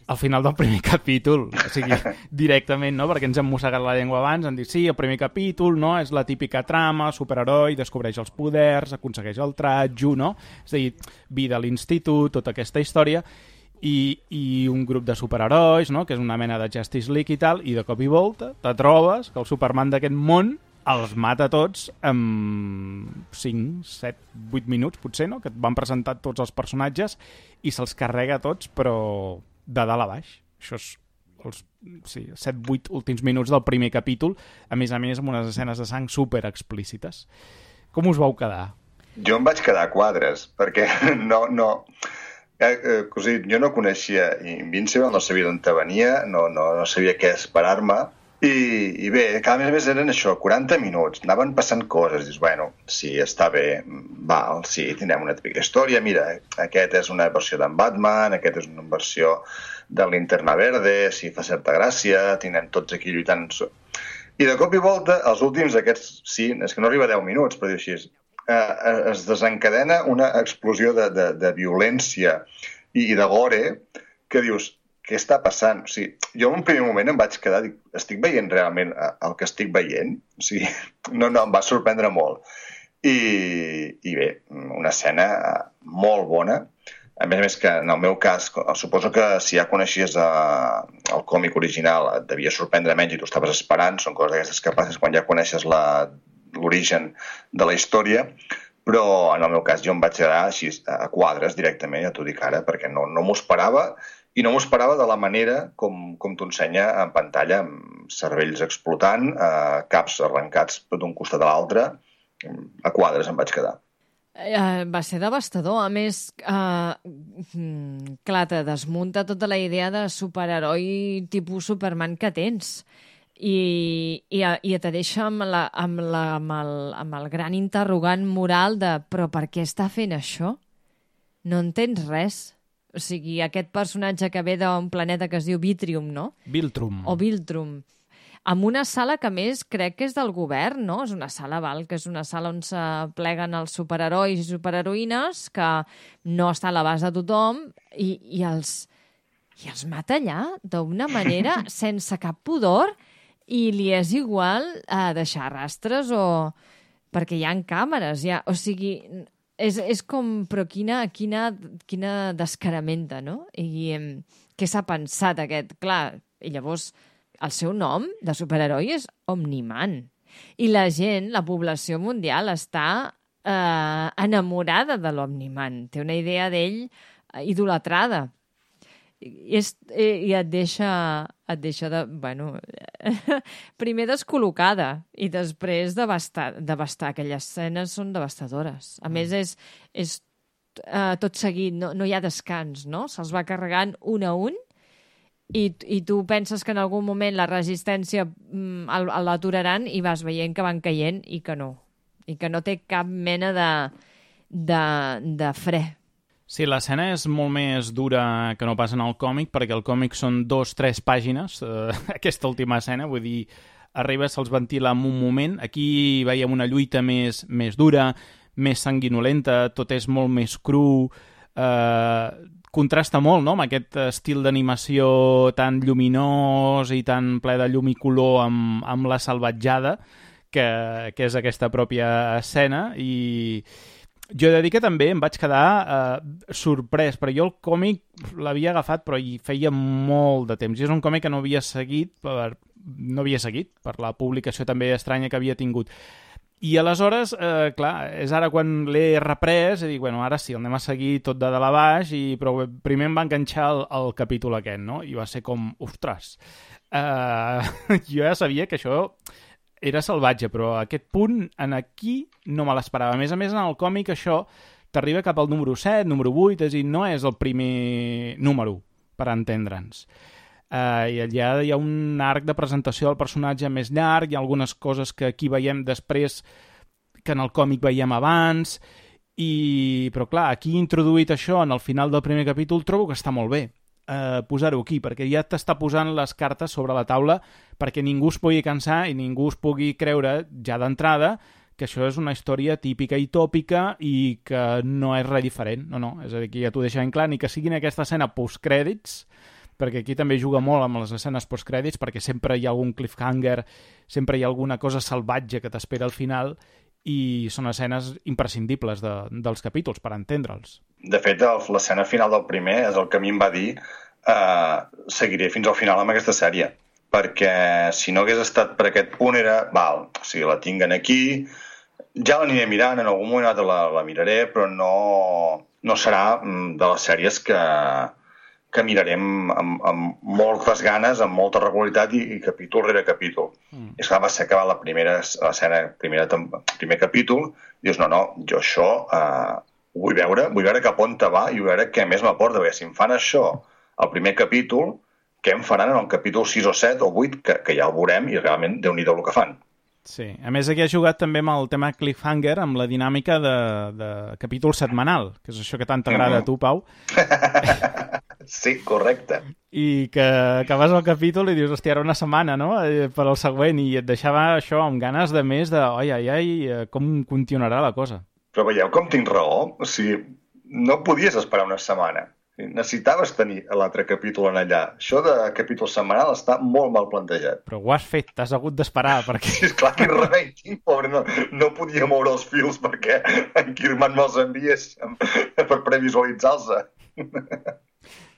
al final del primer capítol, o sigui, directament, no? Perquè ens hem mossegat la llengua abans, han dit, sí, el primer capítol, no?, és la típica trama, superheroi, descobreix els poders, aconsegueix el tratjo, no? És a dir, vida a l'institut, tota aquesta història, i, i un grup de superherois, no?, que és una mena de Justice League i tal, i de cop i volta te trobes que el Superman d'aquest món els mata tots en cinc, set, vuit minuts, potser, no?, que et van presentar tots els personatges i se'ls carrega tots, però... de dalt a baix. Això és els sí, set vuit últims minuts del primer capítol, a més a més amb unes escenes de sang super explícites. Com us vau quedar? Jo em vaig quedar a quadres, perquè no... no... Eh, eh, cosí, jo no coneixia Invincible, no sabia d'on venia, no, no, no sabia què esperar-me, i, i bé, cada mes més eren això, quaranta minuts, anaven passant coses, dius, bueno, sí, està bé, val, sí, tindrem una típica història, mira, aquest és una versió d'en Batman, aquest és una versió de Linterna Verde, sí, fa certa gràcia, tindrem tots aquí lluitant... I de cop i volta, els últims aquests, sí, és que no arriba a deu minuts, però diu així, eh, es desencadena una explosió de, de, de violència i, i de gore que dius, què està passant? O sigui, jo en un primer moment em vaig quedar, dic, estic veient realment el que estic veient? O sigui, no, no, em va sorprendre molt. I, i bé, una escena molt bona. A més a més que, en el meu cas, suposo que si ja coneixies eh, el còmic original et devia sorprendre menys i tu estaves esperant, són coses d'aquestes que passes quan ja coneixes l'origen de la història, però en el meu cas jo em vaig quedar així a quadres directament, ja t'ho dic ara, perquè no, no m'ho esperava. I no m'ho esperava de la manera com, com t'ho ensenya en pantalla, amb cervells explotant, eh, caps arrencats d'un costat a l'altre, a quadres em vaig quedar. Eh, va ser devastador. A més, eh, clar, te desmunta tota la idea de superheroi tipus Superman que tens. I, i, i te deixa amb, la, amb, la, amb, el, amb el gran interrogant moral de però per què està fent això? No entens res. O sigui, aquest personatge que ve d'un planeta que es diu Vitrium, no? Viltrum. O Viltrum. Amb una sala que, més, crec que és del govern, no? És una sala, val, que és una sala on se pleguen els superherois i superheroïnes, que no està a l'abast de tothom, i, i, els, i els mata allà d'una manera sense cap pudor, i li és igual a deixar rastres o... perquè hi ha càmeres, ja... O sigui... És, és com, però quina, quina, quina descaramenta, no? I eh, què s'ha pensat aquest? Clar, i llavors el seu nom de superheroi és Omniman. I la gent, la població mundial, està eh, enamorada de l'Omniman. Té una idea d'ell idolatrada. I, és, i et deixa, et deixa de, bueno, primer descol·locada i després devastar, devastar. Aquelles escenes són devastadores. A més, és, és uh, tot seguit, no, no hi ha descans, no? Se'ls va carregant un a un i, i tu penses que en algun moment la resistència mm, l'aturaran i vas veient que van caient i que no. I que no té cap mena de, de, de fre. Sí, l'escena és molt més dura que no pas en el còmic, perquè el còmic són dos, tres pàgines, eh, aquesta última escena, vull dir, arriba, se'ls ventila en un moment. Aquí veiem una lluita més, més dura, més sanguinolenta, tot és molt més cru, eh, contrasta molt, no?, amb aquest estil d'animació tan lluminós i tan ple de llum i color amb, amb la salvatjada, que, que és aquesta pròpia escena, i jo he de dir que també em vaig quedar eh, sorprès, perquè jo el còmic l'havia agafat però hi feia molt de temps, i és un còmic que no havia seguit per, no havia seguit per la publicació també estranya que havia tingut. I aleshores, eh, clar, és ara quan l'he reprès i dic, bueno, ara sí, el anem a seguir tot de dalt a baix, i, però primer em va enganxar el, el capítol aquest, no? I va ser com, ostres, eh, jo ja sabia que això era salvatge, però a aquest punt en aquí no me l'esperava. A més a més, en el còmic això t'arriba cap al número set, número vuit, és a dir, no és el primer número, per entendre'ns. Uh, I allà hi ha un arc de presentació del personatge més llarg, hi ha algunes coses que aquí veiem després que en el còmic veiem abans, i... però clar, aquí introduït això en el final del primer capítol trobo que està molt bé. Eh, posar-ho aquí, perquè ja t'està posant les cartes sobre la taula perquè ningú es pugui cansar i ningú es pugui creure ja d'entrada que això és una història típica i tòpica i que no és res diferent. No, no, és a dir, que ja t'ho deixa en clar, ni que sigui en aquesta escena postcrèdits, perquè aquí també juga molt amb les escenes postcrèdits, perquè sempre hi ha algun cliffhanger, sempre hi ha alguna cosa salvatge que t'espera al final, i són escenes imprescindibles de, dels capítols, per entendre'ls. De fet, l'escena final del primer és el que a mi em va dir eh, seguiré fins al final amb aquesta sèrie, perquè si no hagués estat per aquest punt era, val, o sigui, la tinguen aquí, ja l'aniré mirant, en algun moment la, la miraré, però no, no serà de les sèries que, que mirarem amb, amb moltes ganes, amb molta regularitat i, i capítol rere capítol. Mm. És clar, va ser acabar la primera escena, primera, primer capítol, i dius, no, no, jo això eh, ho vull veure, vull veure cap on te va i vull veure què més m'aporta, perquè si em fan això al primer capítol, què em faran en el capítol sis o set o vuit, que, que ja el veurem i realment déu-n'hi-do el que fan. Sí, a més aquí ha jugat també amb el tema cliffhanger, amb la dinàmica de, de capítol setmanal, que és això que tant t'agrada mm-hmm. a tu, Pau. Sí, correcte. I que acabes el capítol i dius, hòstia, era una setmana, no?, per al següent, i et deixava això amb ganes de més de, ai, ai, ai, com continuarà la cosa. Però veieu com tinc raó? O sigui, no podies esperar una setmana. Necessitaves tenir l'altre capítol en allà. Això de capítol setmanal està molt mal plantejat. Però ho has fet, t'has hagut d'esperar, perquè... Sí, esclar, quin remei tinc, pobre, no, no podia moure els fils perquè en Kirman me'ls enviés per previsualitzar-los.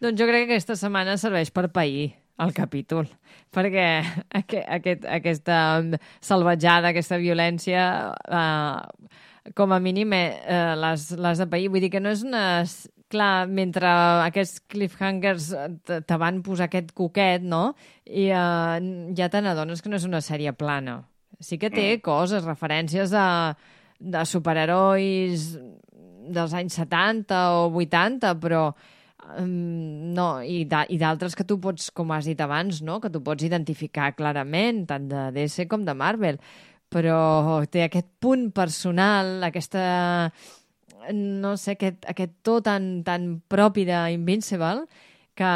Doncs jo crec que aquesta setmana serveix per pair el capítol, perquè aquest, aquest, aquesta salvatjada, aquesta violència, eh, com a mínim eh, les, les de pair. Vull dir que no és una... Clar, mentre aquests cliffhangers te van posar aquest coquet, no? I uh, ja te n'adones que no és una sèrie plana. Sí que té coses, referències de, de superherois dels anys setanta o vuitanta, però um, no, i d'altres que tu pots, com has dit abans, no? Que tu pots identificar clarament, tant de D C com de Marvel. Però té aquest punt personal, aquesta... no sé, aquest, aquest to tan, tan propi d'Invincible que,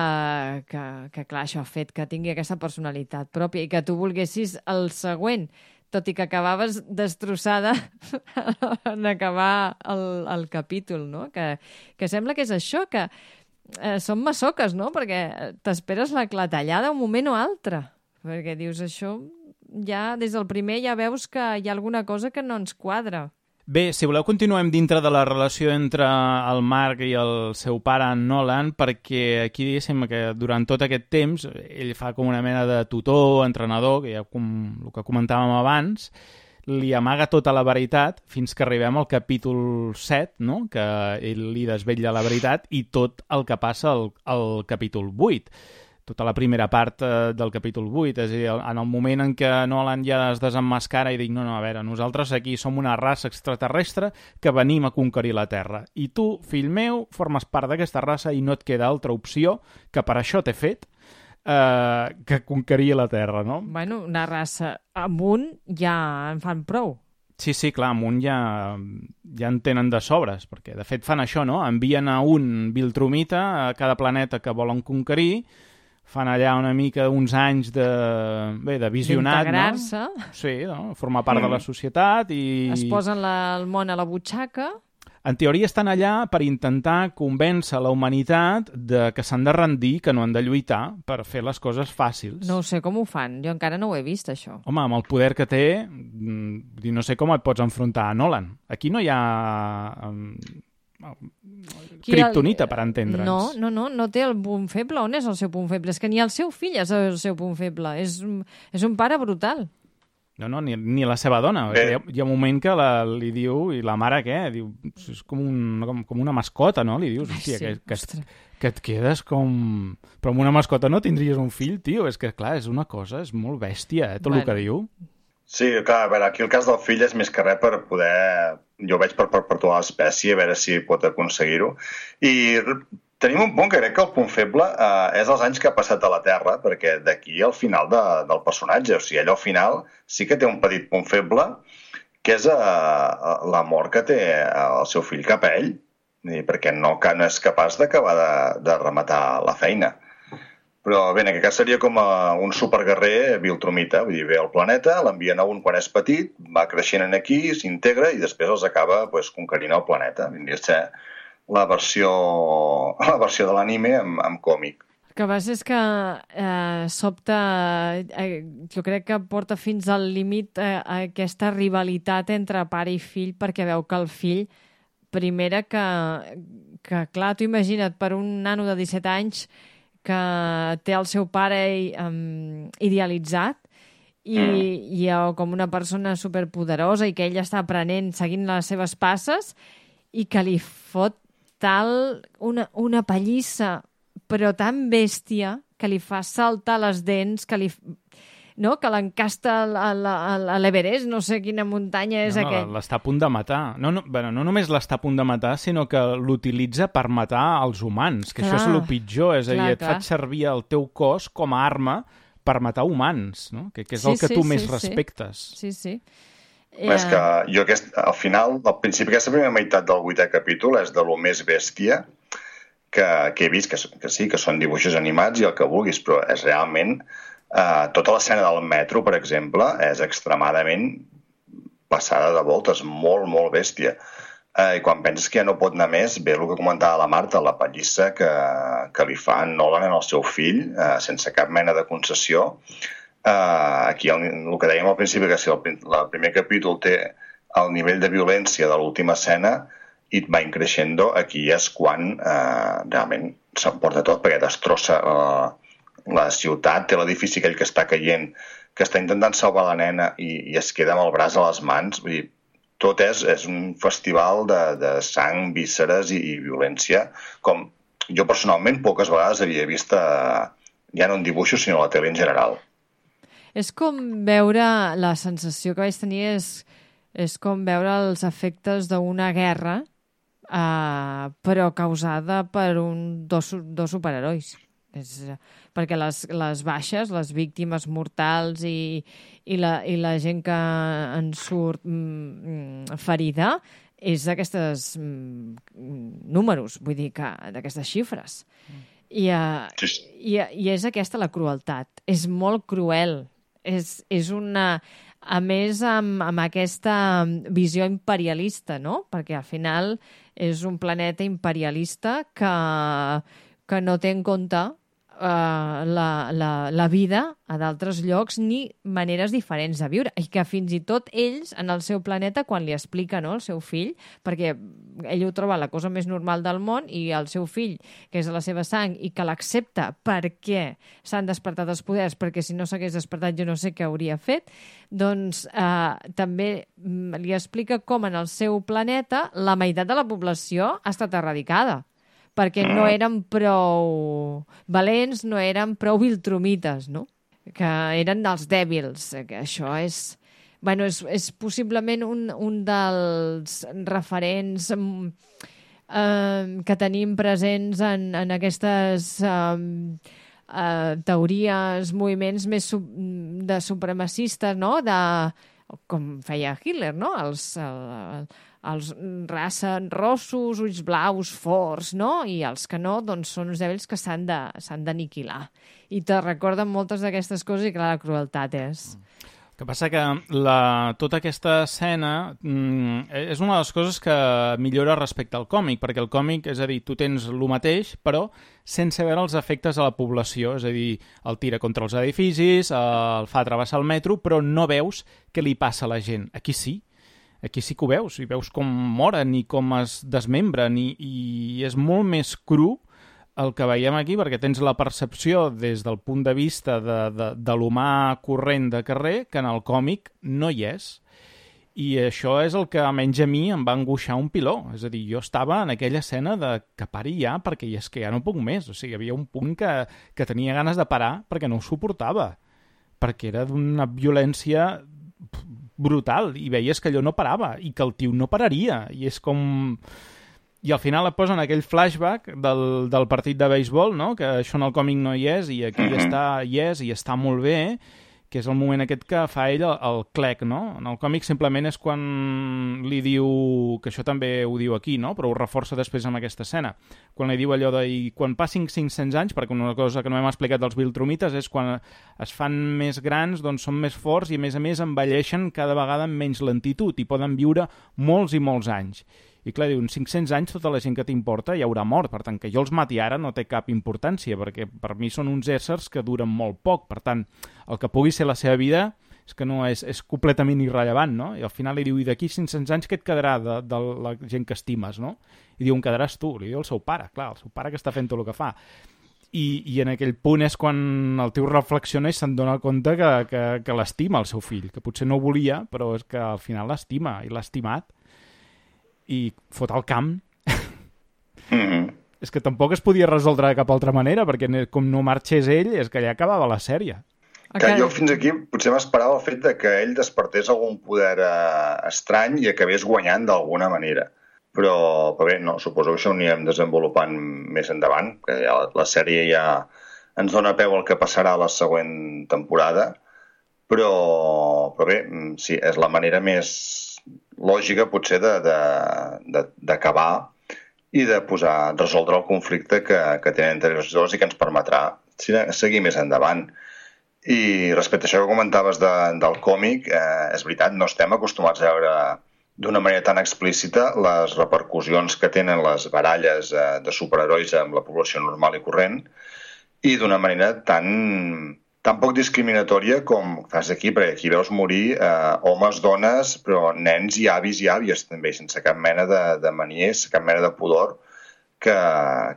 que, que, clar, això ha fet que tingui aquesta personalitat pròpia i que tu volguessis el següent, tot i que acabaves destrossada en acabar el, el capítol, no? Que, que sembla que és això, que eh, són massoques, no? Perquè t'esperes la clatellada un moment o altre, perquè dius això, ja des del primer ja veus que hi ha alguna cosa que no ens quadra. Bé, si voleu continuem dintre de la relació entre el Mark i el seu pare, en Nolan, perquè aquí diguéssim que durant tot aquest temps ell fa com una mena de tutor, entrenador, que ja com el que comentàvem abans. li amaga tota la veritat fins que arribem al capítol set, no? Que ell li desvetlla la veritat i tot el que passa al, al capítol vuit. Tota la primera part eh, del capítol vuit, és a dir, en el moment en què Nolan ja es desemmascara i dic, no, no, a veure, nosaltres aquí som una raça extraterrestre que venim a conquerir la Terra. I tu, fill meu, formes part d'aquesta raça i no et queda altra opció que per això t'he fet eh, que conquerir la Terra, no? Bueno, una raça amunt ja en fan prou. Sí, sí, clar, amunt ja, ja en tenen de sobres, perquè de fet fan això, no? Envien a un Viltrumita a cada planeta que volen conquerir, fan allà una mica uns anys de, bé, de visionat, d'integrar-se. No? Sí, no? Formar part mm. de la societat i... Es posen la, el món a la butxaca. En teoria estan allà per intentar convèncer la humanitat de que s'han de rendir, que no han de lluitar per fer les coses fàcils. No sé com ho fan, jo encara no ho he vist, això. Home, amb el poder que té, no sé com et pots enfrontar a Nolan. Aquí no hi ha... Kryptonita, per entendre'ns. No, no, no, no té el punt feble. On és el seu punt feble? És que ni el seu fill és el seu punt feble. És, és un pare brutal. No, no, ni, ni la seva dona. Hi ha, hi ha un moment que la, li diu, i la mare què? Diu, és com, un, com, com una mascota, no? Li dius, hòstia, sí, que, que, que et quedes com... Però amb una mascota no tindries un fill, tio. És que, clar, és una cosa, és molt bèstia, eh, tot bueno. El que diu. Sí, clar, a veure, aquí el cas del fill és més que res per poder... Jo ho veig per perpetuar l'espècie, a veure si pot aconseguir-ho. I tenim un punt que crec que el punt feble eh, és els anys que ha passat a la Terra, perquè d'aquí al final de, del personatge, o sigui, ell al final sí que té un petit punt feble, que és eh, l'amor que té el seu fill cap a ell, perquè no, no és capaç d'acabar de, de rematar la feina. Però bé, en aquest cas seria com a un superguerrer Viltrumita, vull dir, ve al planeta, l'envien a un quan és petit, va creixent aquí, s'integra i després els acaba pues, conquerint el planeta. Vindria a ser la versió, la versió de l'anime amb, amb còmic. El que passa és que eh, sobta, eh, jo crec que porta fins al límit eh, aquesta rivalitat entre pare i fill, perquè veu que el fill, primera que, que clar, tu imagina't, per un nano de disset anys que té el seu pare um, idealitzat i, i com una persona superpoderosa i que ell està aprenent, seguint les seves passes i que li fot tal una, una pallissa però tan bèstia que li fa saltar les dents, que li... No? Que l'encasta a l'Everest, no sé quina muntanya és no, no, aquell. L'està a punt de matar. No, no, bueno, no només l'està a punt de matar, sinó que l'utilitza per matar els humans, que clar, això és el pitjor, és clar, a dir, et clar. Faig servir el teu cos com a arma per matar humans, no? que, que és sí, el que sí, tu sí, més sí. respectes. Sí, sí. Yeah. És que jo aquest, al final, al principi, aquesta primera meitat del vuitè capítol és de lo més bèstia que, que he vist, que, que sí, que són dibuixos animats i el que vulguis, però és realment... Uh, tota l'escena del metro, per exemple, és extremadament passada de voltes, molt, molt bèstia. Uh, I quan penses que ja no pot anar més, ve el que comentava la Marta, la pallissa que, que li fa Nolan en el seu fill, uh, sense cap mena de concessió. Uh, aquí el, el que dèiem al principi, que si el, el primer capítol té el nivell de violència de l'última escena i va increixendo, aquí és quan uh, realment s'emporta tot, perquè destrossa... Uh, la ciutat, té l'edifici aquell que està caient, que està intentant salvar la nena i, i es queda amb el braç a les mans. Vull dir, tot és, és un festival de, de sang, vísceres i, i violència, com jo personalment poques vegades havia vist a, ja no en dibuixos, sinó a la tele en general. És com veure, la sensació que vaig tenir és, és com veure els efectes d'una guerra, eh, però causada per un, dos, dos superherois. És, perquè les, les baixes, les víctimes mortals i, i, la, i la gent que en surt mm, ferida és d'aquestes mm, números, vull dir, que d'aquestes xifres. Mm. I, uh, i, I és aquesta la crueltat. És molt cruel. És, és una... A més, amb, amb aquesta visió imperialista, no? Perquè al final és un planeta imperialista que, que no té en compte uh, la, la, la vida a d'altres llocs ni maneres diferents de viure. I que fins i tot ells, en el seu planeta, quan li explica, no, el seu fill, perquè ell ho troba la cosa més normal del món i el seu fill, que és de la seva sang i que l'accepta perquè s'han despertat els poders, perquè si no s'hagués despertat jo no sé què hauria fet, doncs uh, també li explica com en el seu planeta la meitat de la població ha estat erradicada, perquè no eren prou valents, no eren prou viltrumites, no? Que eren els dèbils. Que això és... Bueno, és, és possiblement un, un dels referents eh, que tenim presents en, en aquestes eh, eh, teories, moviments més sub, de supremacistes, no? De, com feia Hitler, no? Els... El, els raça rossos, ulls blaus, forts, no? I els que no, doncs són uns dèbils que s'han de, s'han d'aniquilar. I te recorden moltes d'aquestes coses i clar, la crueltat és... El que passa que la, tota aquesta escena mm, és una de les coses que millora respecte al còmic, perquè el còmic, és a dir, tu tens el mateix, però sense veure els efectes a la població, és a dir, el tira contra els edificis, el fa travessar el metro, però no veus què li passa a la gent. Aquí sí. Aquí sí que ho veus, i veus com moren i com es desmembren, i, i és molt més cru el que veiem aquí, perquè tens la percepció des del punt de vista de, de, de l'humà corrent de carrer, que en el còmic no hi és. I això és el que, almenys a mi, em va angoixar un piló. És a dir, jo estava en aquella escena de que pari ja, perquè és que ja no puc més. O sigui, hi havia un punt que, que tenia ganes de parar perquè no ho suportava, perquè era d'una violència brutal, i veies que allò no parava, i que el tio no pararia, i és com... I al final et posen aquell flashback del, del partit de béisbol, no? Que això en el còmic no hi és, i aquí mm-hmm. està, hi és, i està molt bé, que és el moment aquest que fa ell el, el clec, no? En el còmic simplement és quan li diu, que això també ho diu aquí, no? Però ho reforça després amb aquesta escena, quan li diu allò de, i quan passin cinc-cents anys, perquè una cosa que no hem explicat dels viltrumites és quan es fan més grans, doncs són més forts i a més a més envelleixen cada vegada amb menys lentitud i poden viure molts i molts anys. I clar, diuen, cinc-cents anys tota la gent que t'importa ja haurà mort, per tant, que jo els mati ara no té cap importància, perquè per mi són uns éssers que duren molt poc, per tant, el que pugui ser la seva vida és que no és, és completament irrellevant, no? I al final li diu, i d'aquí cinc-cents anys què et quedarà de, de la gent que estimes, no? I diu, em quedaràs tu, li diu el seu pare, clar, el seu pare que està fent tot el que fa. I, i en aquell punt és quan el tio reflexiona i se'n dona compte que, que, que l'estima el seu fill, que potser no volia, però és que al final l'estima, i l'ha estimat, i fot el camp. Mm-hmm. És que tampoc es podia resoldre de cap altra manera, perquè com no marxés ell, és que ja acabava la sèrie. Que jo fins aquí potser m'esperava el fet de que ell despertés algun poder eh, estrany i acabés guanyant d'alguna manera. Però, però bé, no, suposo que això ho anirem desenvolupant més endavant, que ja la, la sèrie ja ens dona peu al que passarà a la següent temporada, però, però bé, sí, és la manera més lògica potser d'acabar i de posar, resoldre el conflicte que, que tenen entre els dos i que ens permetrà seguir més endavant. I respecte a això que comentaves de, del còmic, eh, és veritat, no estem acostumats a veure d'una manera tan explícita les repercussions que tenen les baralles eh, de superherois amb la població normal i corrent, i d'una manera tan... tan poc discriminatòria com fas aquí, perquè aquí veus morir eh, homes, dones, però nens i avis i àvies també, sense cap mena de, de maniers, cap mena de pudor, que,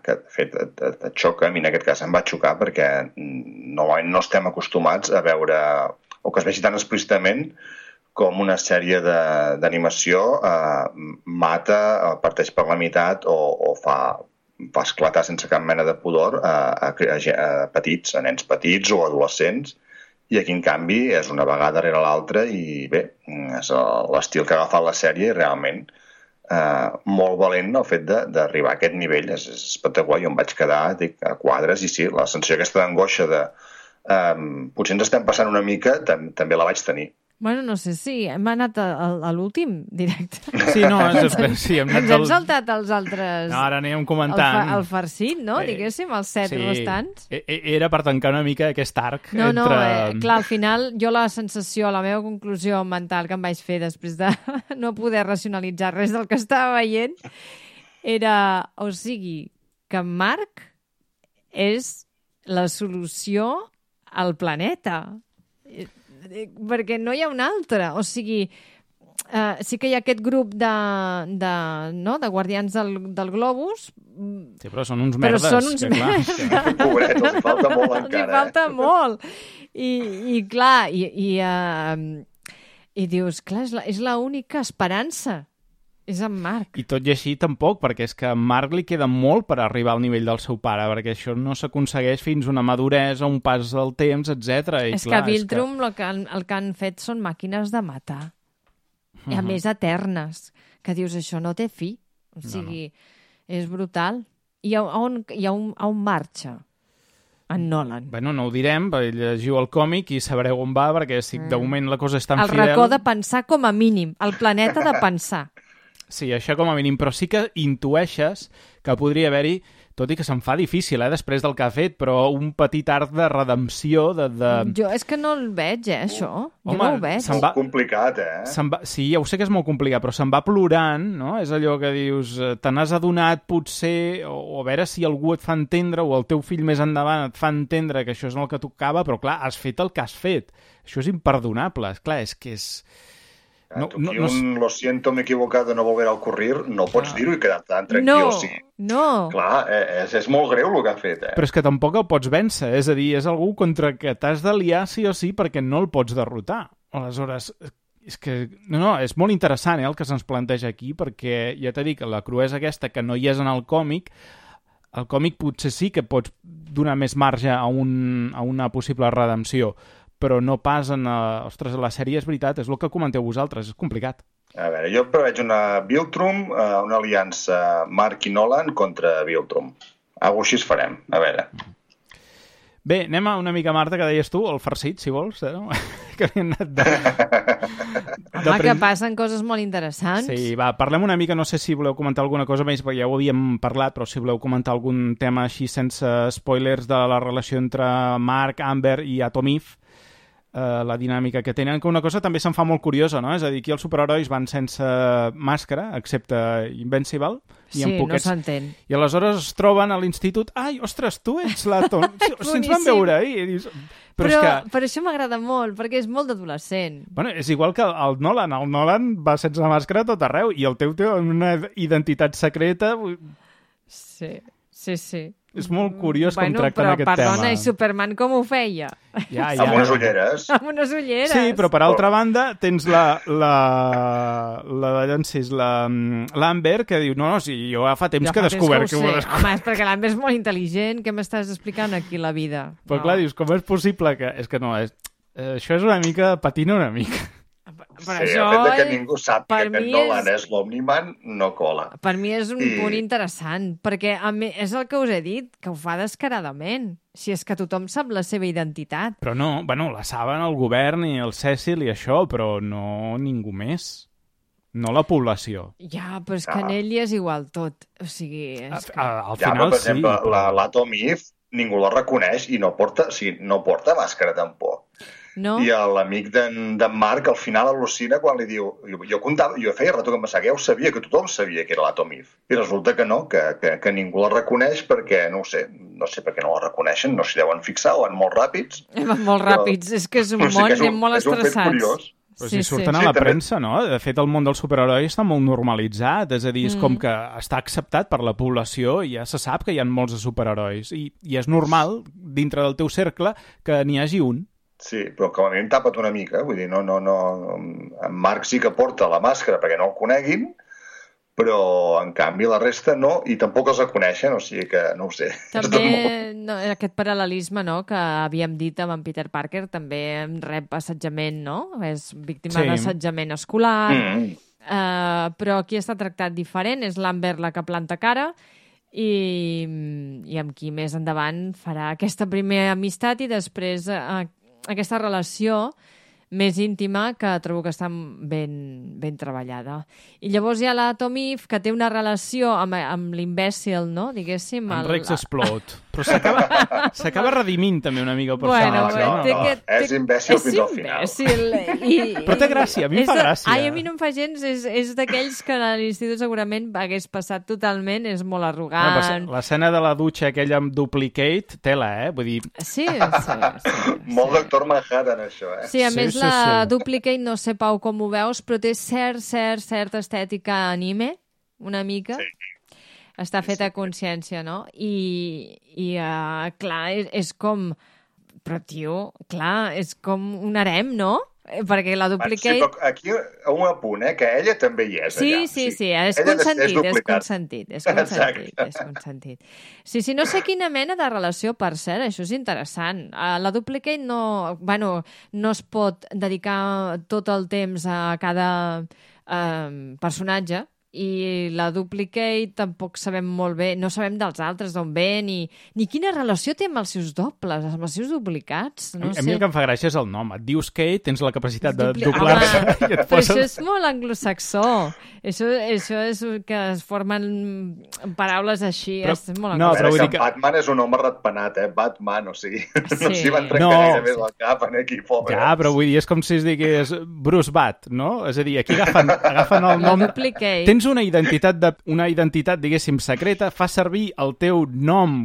que de fet et, et, et xoca. A mi en aquest cas em va xocar perquè normalment no estem acostumats a veure, o que es vegi tan explícitament com una sèrie d'animació eh, mata, parteix per la meitat o, o fa... fa esclatar sense cap mena de pudor a, a, a, a petits, a nens petits o adolescents, i aquí en canvi és una vegada rere l'altra i bé, és l'estil que ha agafat la sèrie i realment eh, molt valent el fet d'arribar a aquest nivell, és, és espectacular. Jo em vaig quedar dic, a quadres i sí, la sensació aquesta d'angoixa de eh, potser ens estem passant una mica, tam també la vaig tenir. Bueno, no sé si hem anat a, a, a l'últim directe. Sí, no, ens, sí, hem ens hem el... saltat els altres... No, ara anem comentant. El, fa, el farcit, no? Eh, Diguéssim, els set sí, restants. Era per tancar una mica aquest arc. No, entre... no, eh, clar, al final jo la sensació, la meva conclusió mental que em vaig fer després de no poder racionalitzar res del que estava veient era, o sigui, que Marc és la solució al planeta. Perquè no hi ha una altra. O sigui, Uh, sí que hi ha aquest grup de, de, no? de guardians del, del globus. Sí, però són uns però merdes. Són uns que, clar, merdes. Que... Pobret, els hi falta molt encara. Els hi falta eh? molt. I, i clar, i, i, uh, i dius, clar, és la, és la única esperança. És en Marc. I tot i així tampoc, perquè és que a Marc li queda molt per arribar al nivell del seu pare, perquè això no s'aconsegueix fins una maduresa, un pas del temps, etcètera. I és clar, que a Viltrum que... el, que han, el que han fet són màquines de matar. I a uh -huh. més eternes, que dius, això no té fi. O sigui, no, no. És brutal. I a on, i a on, a on marxa en Nolan? Bueno, no ho direm, perquè llegiu el còmic i sabreu on va, perquè si mm. de moment la cosa és tan el fidel... El racó de pensar com a mínim, el planeta de pensar. Sí, això com a mínim, però sí que intueixes que podria haver-hi, tot i que se'n fa difícil, eh, després del que ha fet, però un petit arc de redempció de... de... Jo és que no el veig, eh, això. Jo Home, no ho veig. És va... molt complicat, eh? Va... Sí, ja ho sé que és molt complicat, però se'n va plorant, no? És allò que dius, te n'has adonat potser, o, o a veure si algú et fa entendre, o el teu fill més endavant et fa entendre que això és el que tocava, però clar, has fet el que has fet. Això és imperdonable. És clar, és que és... No, tu aquí no, no... un lo siento, m'he equivocat de no volver a ocurrir, no pots ah. dir-ho i quedar tan tranquil. No, o sigui, no. Clar, és, és molt greu el que ha fet. Eh? Però és que tampoc el pots vèncer, és a dir, és algú contra que t'has d'aliar sí o sí perquè no el pots derrotar. Aleshores, és que, no, no, és molt interessant eh, el que se'ns planteja aquí, perquè ja t'he dit que la cruesa aquesta que no hi és en el còmic, el còmic potser sí que pots donar més marge a, un, a una possible redempció, però no pas en... Uh, ostres, la sèrie és veritat, és el que comenteu vosaltres, és complicat. A veure, jo preveig una Viltrum, uh, una aliança Marc i Nolan contra Viltrum. Algo així es farem, a veure. Bé, anem a una mica, Marta, que deies tu, el farcit, si vols, eh? que li han anat de... de Home, que passen coses molt interessants. Sí, va, parlem una mica, no sé si voleu comentar alguna cosa més, perquè ja ho havíem parlat, però si voleu comentar algun tema així sense spoilers de la relació entre Marc, Amber i Atom Eve, Uh, la dinàmica que tenen, que una cosa també se'n fa molt curiosa, no? És a dir, aquí els superherois van sense màscara, excepte Invincible. I sí, poquets... no s'entén. I aleshores es troben a l'institut, ai, ostres, tu ets l'Atom. Si, si ens van veure ahir. I dius... Però, però, però, que... però això m'agrada molt, perquè és molt d'adolescent. Bueno, és igual que el Nolan. El Nolan va sense màscara a tot arreu, i el teu té una identitat secreta. Sí, sí, sí. És molt curiós bueno, com tracten però, aquest perdona, tema. Perdona, i Superman com ho feia? Ja, ja. Amb unes ulleres. Amb unes ulleres. Sí, però per altra banda tens la la la, la, la l'Amber que diu, no, no, sí, jo ja fa temps jo que he descobert que, que ho descobert. Home, és perquè l'Amber és molt intel·ligent, què m'estàs explicant aquí la vida? Però no. clar, dius, com és possible que... És que no, és... Eh, això és una mica... patina una mica. Per sí, això, el fet que ningú sap que Nolan és... és l'Omniman no cola. Per mi és un I... punt interessant, perquè a mi, és el que us he dit, que ho fa descaradament. Si és que tothom sap la seva identitat. Però no, bueno, la saben el govern i el Cecil i això, però no ningú més. No la població. Ja, però és que ah. en ell és igual tot. O sigui, és que... A, a, al ja, final però, per exemple, sí. la, l'Atom Eve ningú la reconeix i no porta, o sigui, no porta màscara tampoc. No? I l'amic d'en Marc al final al·lucina quan li diu... Jo, jo, comptava, jo feia rato que em passava, que ja ho sabia, que tothom sabia que era l'Atom Eve. I resulta que no, que, que, que ningú la reconeix perquè, no ho sé, no sé per què no la reconeixen, no s'hi deuen fixar, o van molt ràpids. Van molt ràpids, però, és que és un món, és un, anem molt estressats. Però si sí, surten sí. a la sí, premsa, no? De fet, el món dels superherois està molt normalitzat, és a dir, és mm. com que està acceptat per la població i ja se sap que hi ha molts de superherois. I, i és normal, dintre del teu cercle, que n'hi hagi un. Sí, però com a mínim tapa't una mica, vull dir, no, no, no... En Marc sí que porta la màscara perquè no el coneguin, però en canvi la resta no, i tampoc els coneixen, o sigui que no ho sé. També molt... no, aquest paral·lelisme, no?, que havíem dit amb en Peter Parker, també rep assetjament, no? És víctima sí. d'assetjament escolar, mm. uh, però aquí està tractat diferent, és l'Amber la que planta cara, i, i amb qui més endavant farà aquesta primera amistat i després uh, aquesta relació més íntima que trobo que està ben, ben treballada. I llavors hi ha la Atom Eve, que té una relació amb, amb l'imbècil, no? Diguéssim. En el, Rex Explode. Però s'acaba s'acaba redimint també una mica el personatge. Bueno, no, té no, que, és té, imbècil és fins al final. imbècil. I, Però té gràcia, a mi em fa de, gràcia. Ai, a mi no em fa gens, és, és d'aquells que a l'institut segurament hagués passat totalment, és molt arrogant. No, l'escena de la dutxa aquella amb Duplicate, tela, eh? Vull dir... Sí, sí, sí. Molt Doctor Manhattan, això, eh? Sí, a Sí, més sí, la sí. Duplicate, no sé, Pau, com ho veus, però té cert, cert, certa estètica anime, una mica. Sí. Està feta a consciència, no? I, i uh, clar, és, és com... Però, tio, clar, és com un harem, no? Eh, Perquè la Duplicate... Sí, però aquí un apunt, eh? Que ella també hi és Sí, allà. sí, sí, és Ella consentit, és duplicat. consentit, és consentit, Exacte. és consentit. Sí, sí, no sé quina mena de relació, per cert, això és interessant. Uh, la Duplicate no, bueno, no es pot dedicar tot el temps a cada uh, personatge, i la Duplicate tampoc sabem molt bé, no sabem dels altres d'on ve, ni, ni quina relació té amb els seus dobles, amb els seus duplicats. No a sé. mi el que em fa gràcia és el nom. Et dius Kate, tens la capacitat de Dupli- doblar-se Home, i et però poses... això és molt anglosaxó. Això, això és que es formen paraules així. Però- és molt no, A però veure, vull que dir que- Batman és un home ratpenat, eh? Batman, o sigui, Sí. no s'hi van trencar No. gaire més el cap en aquí, pobre. Ja, però vull dir, és com si es digués Bruce Bat, no? És a dir, aquí agafen, agafen el La nom... Duplicate. Tens una identitat, de, una identitat, diguéssim, secreta, fa servir el teu nom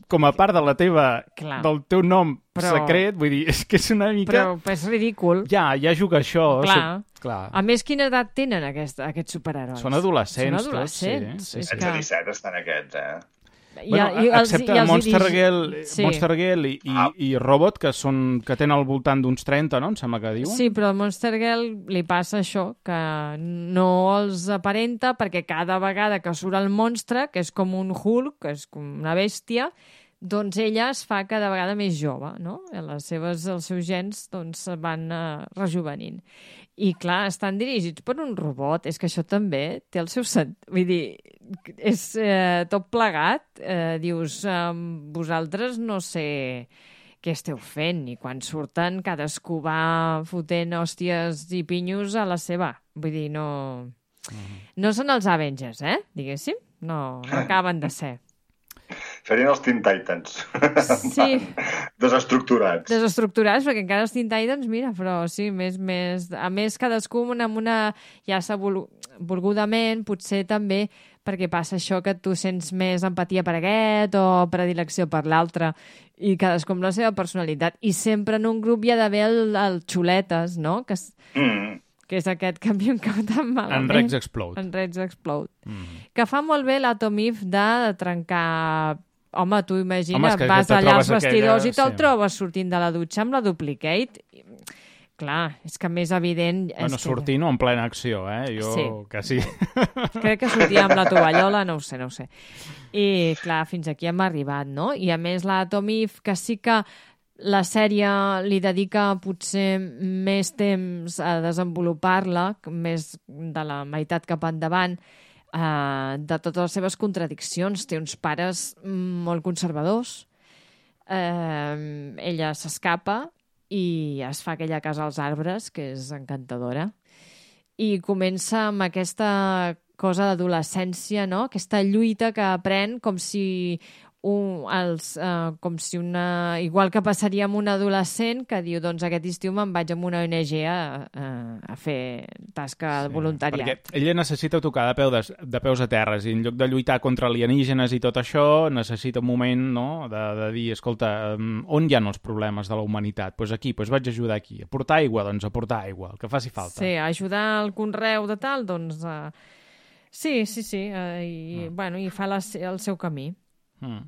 com a part de la teva, Clar. del teu nom Però- secret, vull dir, és que és una mica... Però és ridícul. Ja, ja juga això. Clar. Su- Clar. A més, quina edat tenen aquest, aquests superherois? Són adolescents, Són adolescents. tots, sí, sí, És sí. setze que... disset estan aquests, eh? I, Bueno, i els- excepte i els Monster, dirigi- Girl, Sí. Monster Girl i, i, Ah. i Robot, que són que tenen al voltant d'uns trenta, no? Em sembla que diuen. Sí, però al Monster Girl li passa això, que no els aparenta perquè cada vegada que surt el monstre, que és com un Hulk, que és com una bèstia, doncs ella es fa cada vegada més jove, no? Les seves, els seus gens doncs, van uh, rejuvenint. I, clar, estan dirigits per un robot. És que això també té el seu sentit. Vull dir, és eh, tot plegat. Eh, dius, eh, vosaltres no sé què esteu fent. I quan surten, cadascú va fotent hòsties i pinyos a la seva. Vull dir, no... No són els Avengers, eh? Diguéssim. No, no acaben de ser. Serien els Teen Titans. Sí. Desestructurats. Desestructurats, perquè encara els Teen Titans, mira, però sí, més, més... A més, cadascú amb una... Ja s'ha vol... volgudament, potser també perquè passa això que tu sents més empatia per aquest o predilecció per l'altre i cadascú amb la seva personalitat. I sempre en un grup hi ha d'haver el, el xuletes, no? Que, és- Mm. que és aquest que a mi em cau tan malament. En Rex Explode. En Rex Explode. Mm. Que fa molt bé l'Atomif de trencar... Home, tu imagina, Home, és que vas te allà als trobes vestidors aquella- i te'l sí. trobes sortint de la dutxa amb la Duplicate. I, clar, és que més evident... Bueno, és sortint o en plena acció, eh? Jo Sí. quasi... Que... Crec que sortia amb la tovallola, no ho sé, no ho sé. I, clar, fins aquí hem arribat, no? I, a més, l'Atomif, que sí que la sèrie li dedica potser més temps a desenvolupar-la, més de la meitat cap endavant, eh, de totes les seves contradiccions. Té uns pares molt conservadors, eh, ella s'escapa i es fa aquella casa als arbres, que és encantadora, i comença amb aquesta cosa d'adolescència, no? Aquesta lluita que aprèn com si un, els, uh, com si una... Igual que passaria amb un adolescent que diu, doncs aquest estiu me'n vaig amb una O N G a, a, a fer tasca de voluntariat. Perquè ella necessita tocar de, peu de, de peus a terres i en lloc de lluitar contra alienígenes i tot això, necessita un moment, no?, de, de dir, escolta, um, on hi ha els problemes de la humanitat? Doncs pues aquí, doncs pues vaig ajudar aquí. A portar aigua, doncs a portar aigua, el que faci falta. Sí, ajudar al conreu de tal, doncs... Uh... Sí, sí, sí, uh, i, mm. bueno, i fa la, el seu camí. Mm.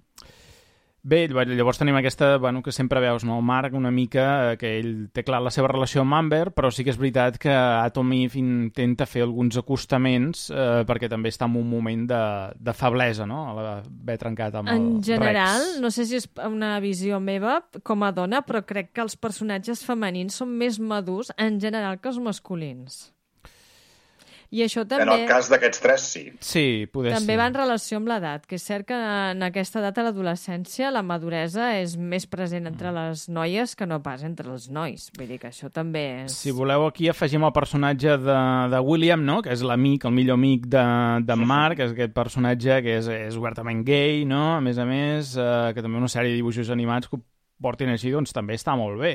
Bé, llavors tenim aquesta, bueno, que sempre veus, no? El Marc una mica, eh, que ell té clar la seva relació amb Amber, però sí que és veritat que Atom Eve intenta fer alguns acostaments eh, perquè també està en un moment de, de feblesa, no? Haver trencat amb en el general, Rex. no sé si és una visió meva com a dona, però crec que els personatges femenins són més madurs en general que els masculins. I això també... En el cas d'aquests tres, sí. Sí, poder També ser. va en relació amb l'edat, que és cert que en aquesta edat a l'adolescència la maduresa és més present entre les noies que no pas entre els nois. Vull dir que això també és... Si voleu, aquí afegim el personatge de, de William, no? Que és l'amic, el millor amic de, de Mark, que és aquest personatge que és, és obertament gay, no? A més a més, eh, que també una sèrie de dibuixos animats que ho portin així, doncs també està molt bé.